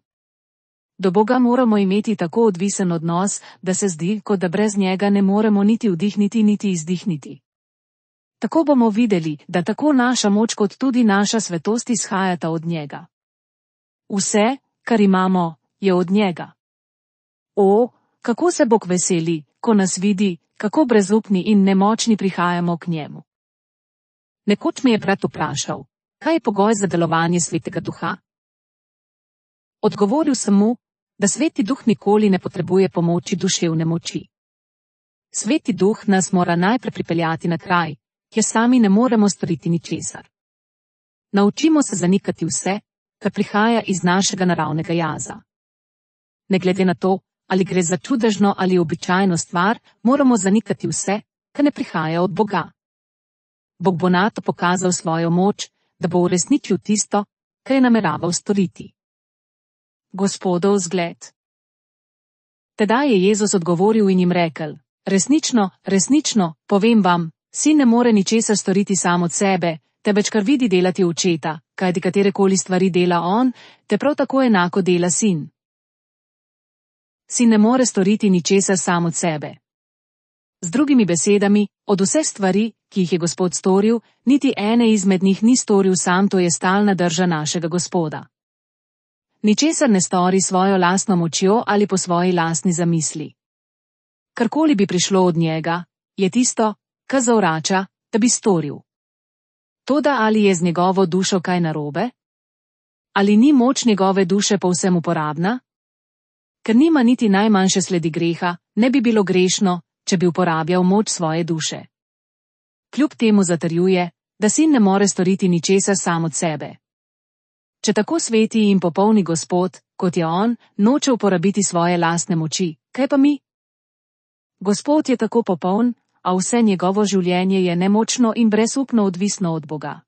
Do Boga moramo imeti tako odvisen odnos, da se zdi, kot da brez njega ne moremo niti vdihniti niti izdihniti. Tako bomo videli, da tako naša moč kot tudi naša svetost izhajata od njega. Vse, kar imamo, je od njega. O, kako se Bog veseli, ko nas vidi, kako brezupni in nemočni prihajamo k njemu. Nekoč me je brat vprašal, kaj je pogoj za delovanje Svetega Duha? Odgovoril sem mu, da Sveti Duh nikoli ne potrebuje pomoči duševne moči. Sveti Duh nas mora najprej pripeljati na kraj, kjer sami ne moremo storiti ničesar. Naučimo se zanikati vse, kar prihaja iz našega naravnega jaza. Ne glede na to, ali gre za čudežno ali običajno stvar, moramo zanikati vse, kar ne prihaja od Boga. Bog bo nato pokazal svojo moč, da bo uresničil tisto, kar je nameraval storiti. Gospodov zgled. Tedaj je Jezus odgovoril in jim rekel, resnično, resnično, povem vam, sin ne more ničesar storiti sam od sebe, temveč kar vidi delati očeta, kajti katerekoli stvari dela on, te prav tako enako dela sin. Sin ne more storiti ničesar sam od sebe. Z drugimi besedami, od vseh stvari, ki jih je Gospod storil, niti ene izmed njih ni storil sam, to je stalna drža našega Gospoda. Ničesar ne stori svojo lastno močjo ali po svoji lastni zamisli. Karkoli bi prišlo od njega, je tisto, kar zavrača, da bi storil. Toda ali je z njegovo dušo kaj narobe? Ali ni moč njegove duše povsem uporabna? Ker nima niti najmanjše sledi greha, ne bi bilo grešno, če bi uporabljal moč svoje duše. Kljub temu zatrjuje, da sin ne more storiti ničesar sam od sebe. Če tako sveti in popolni Gospod, kot je on, noče uporabiti svoje lastne moči, kaj pa mi? Gospod je tako popoln, a vse njegovo življenje je nemočno in brezupno odvisno od Boga.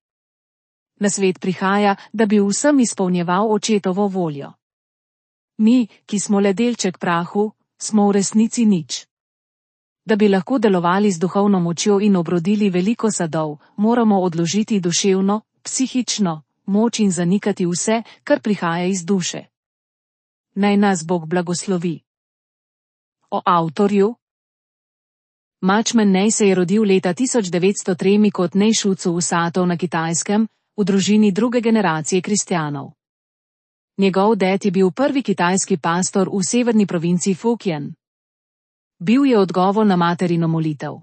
Na svet prihaja, da bi vsem izpolnjeval očetovo voljo. Mi, ki smo le delček prahu, smo v resnici nič. Da bi lahko delovali z duhovno močjo in obrodili veliko sadov, moramo odložiti duševno, psihično moč in zanikati vse, kar prihaja iz duše. Naj nas Bog blagoslovi. O avtorju. Matchman Nej se je rodil leta 1903 kot Nej Shucu v Satov na Kitajskem, v družini druge generacije kristjanov. Njegov ded je bil prvi kitajski pastor v severni provinci Fujian. Bil je odgovor na materino molitev.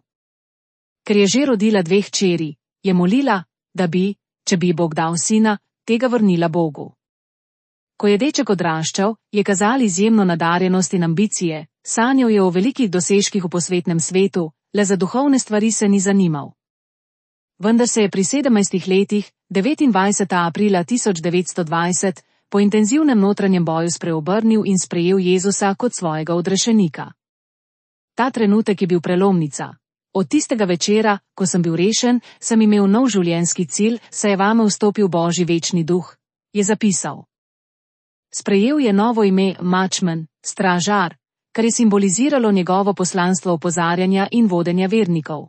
Ker je že rodila 2 hčeri, je molila, da bi, če bi Bog dal sina, tega vrnila Bogu. Ko je deček odraščal, je kazal izjemno nadarjenost in ambicije, sanjal je o velikih dosežkih v posvetnem svetu, le za duhovne stvari se ni zanimal. Vendar se je pri 17 letih, 29. aprila 1920, po intenzivnem notranjem boju spreobrnil in sprejel Jezusa kot svojega odrešenika. Ta trenutek je bil prelomnica. Od tistega večera, ko sem bil rešen, sem imel nov življenjski cilj, saj je vame vstopil Božji večni duh, je zapisal. Sprejel je novo ime Matchman, stražar, kar je simboliziralo njegovo poslanstvo opozarjanja in vodenja vernikov.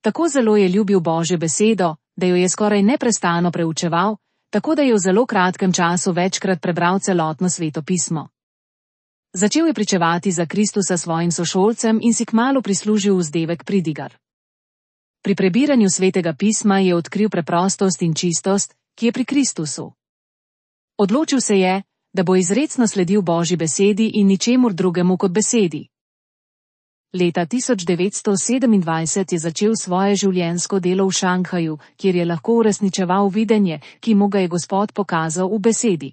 Tako zelo je ljubil Božjo besedo, da jo je skoraj neprestano preučeval, tako da je v zelo kratkem času večkrat prebral celotno Sveto pismo. Začel je pričevati za Kristusa svojim sošolcem in si kmalu prislužil vzdevek pridigar. Pri prebiranju Svetega pisma je odkril preprostost in čistost, ki je pri Kristusu. Odločil se je, da bo izrecno sledil Božji besedi in ničemur drugemu kot besedi. Leta 1927 je začel svoje življenjsko delo v Šanghaju, kjer je lahko uresničeval videnje, ki mu ga je Gospod pokazal v besedi.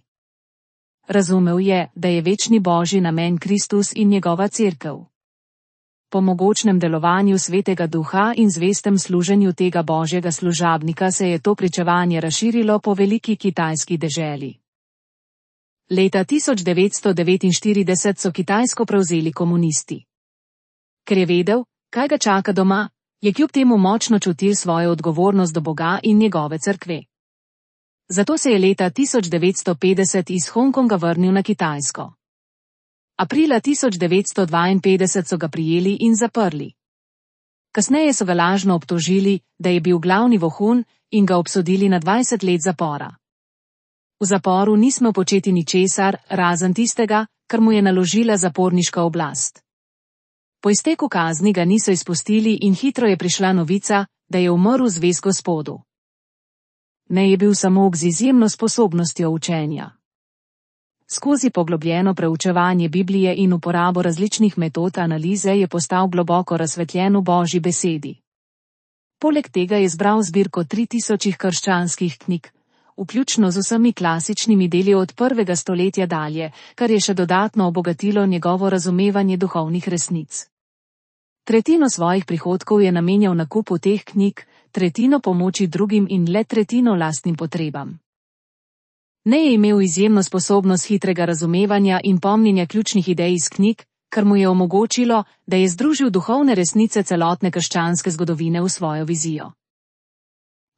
Razumel je, da je večni Božji namen Kristus in njegova cerkev. Po mogočnem delovanju Svetega Duha in zvestem služenju tega Božjega služabnika se je to pričevanje razširilo po veliki kitajski deželi. Leta 1949 so Kitajsko prevzeli komunisti. Ker je vedel, kaj ga čaka doma, je kljub temu močno čutil svojo odgovornost do Boga in njegove cerkve. Zato se je leta 1950 iz Hongkonga vrnil na Kitajsko. Aprila 1952 so ga prijeli in zaprli. Kasneje so ga lažno obtožili, da je bil glavni vohun, in ga obsodili na 20 let zapora. V zaporu ni smel početi ničesar, razen tistega, kar mu je naložila zaporniška oblast. Po izteku kazni ga niso izpustili in hitro je prišla novica, da je umrl zvest Gospodu. Ne je bil samog z izjemno sposobnostjo učenja. Skozi poglobljeno preučevanje Biblije in uporabo različnih metod analize je postal globoko razsvetljen v Božji besedi. Poleg tega je zbral zbirko 3000 krščanskih knjig, vključno z vsemi klasičnimi deli od 1. stoletja dalje, kar je še dodatno obogatilo njegovo razumevanje duhovnih resnic. Tretjino svojih prihodkov je namenjal nakupu teh knjig, tretjino pomoči drugim in le tretjino lastnim potrebam. Ne je imel izjemno sposobnost hitrega razumevanja in pomnjenja ključnih idej iz knjig, kar mu je omogočilo, da je združil duhovne resnice celotne krščanske zgodovine v svojo vizijo.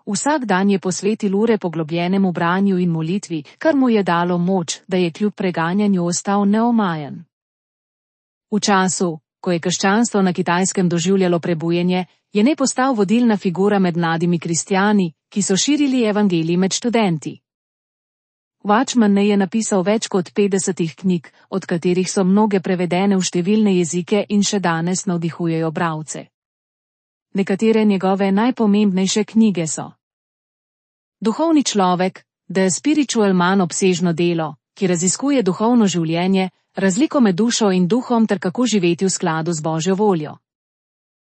Vsak dan je posvetil ure poglobljenemu branju in molitvi, kar mu je dalo moč, da je kljub preganjanju ostal neomajen. V času, ko je krščanstvo na Kitajskem doživljalo prebujenje, je Ne postal vodilna figura med mladimi kristjani, ki so širili evangelij med študenti. Watchman Ne je napisal več kot 50 knjig, od katerih so mnoge prevedene v številne jezike in še danes navdihujejo bralce. Nekatere njegove najpomembnejše knjige so: Duhovni človek, The Spiritual Man, obsežno delo, ki raziskuje duhovno življenje, razliko med dušo in duhom ter kako živeti v skladu z Božjo voljo.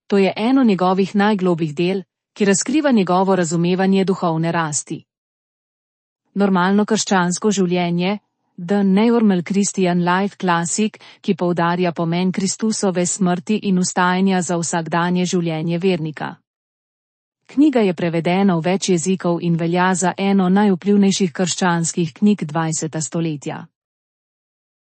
To je eno njegovih najglobljih del, ki razkriva njegovo razumevanje duhovne rasti. Normalno krščansko življenje, The Normal Christian Life Classic, ki poudarja pomen Kristusove smrti in vstajanja za vsakdanje življenje vernika. Knjiga je prevedena v več jezikov in velja za eno najvplivnejših krščanskih knjig 20. stoletja.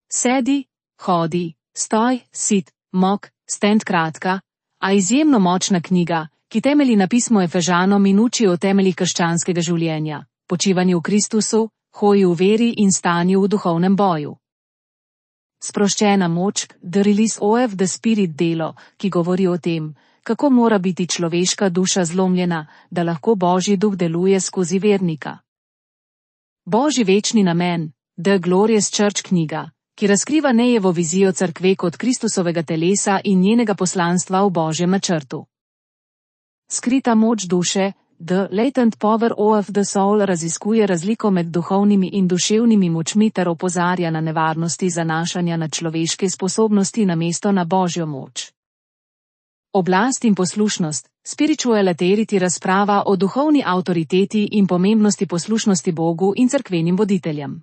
Sedi, hodi, stoj, sit, mok, stand, kratka, a izjemno močna knjiga, ki temelji na pismu Efežanom in uči o temeljih krščanskega življenja, počivanju v Kristusu, hoji v veri in stanju v duhovnem boju. Sproščena moč, The Release of the Spirit delo, ki govori o tem, kako mora biti človeška duša zlomljena, da lahko Božji duh deluje skozi vernika. Božji večni namen, The Glorious Church knjiga, ki razkriva Nejevo vizijo cerkve kot Kristusovega telesa in njenega poslanstva v Božjem načrtu. Skrita moč duše, The Latent Power of the Soul raziskuje razliko med duhovnimi in duševnimi močmi ter opozarja na nevarnosti zanašanja na človeške sposobnosti namesto na Božjo moč. Oblast in poslušnost, Spiritual Authority razprava o duhovni avtoriteti in pomembnosti poslušnosti Bogu in cerkvenim voditeljem.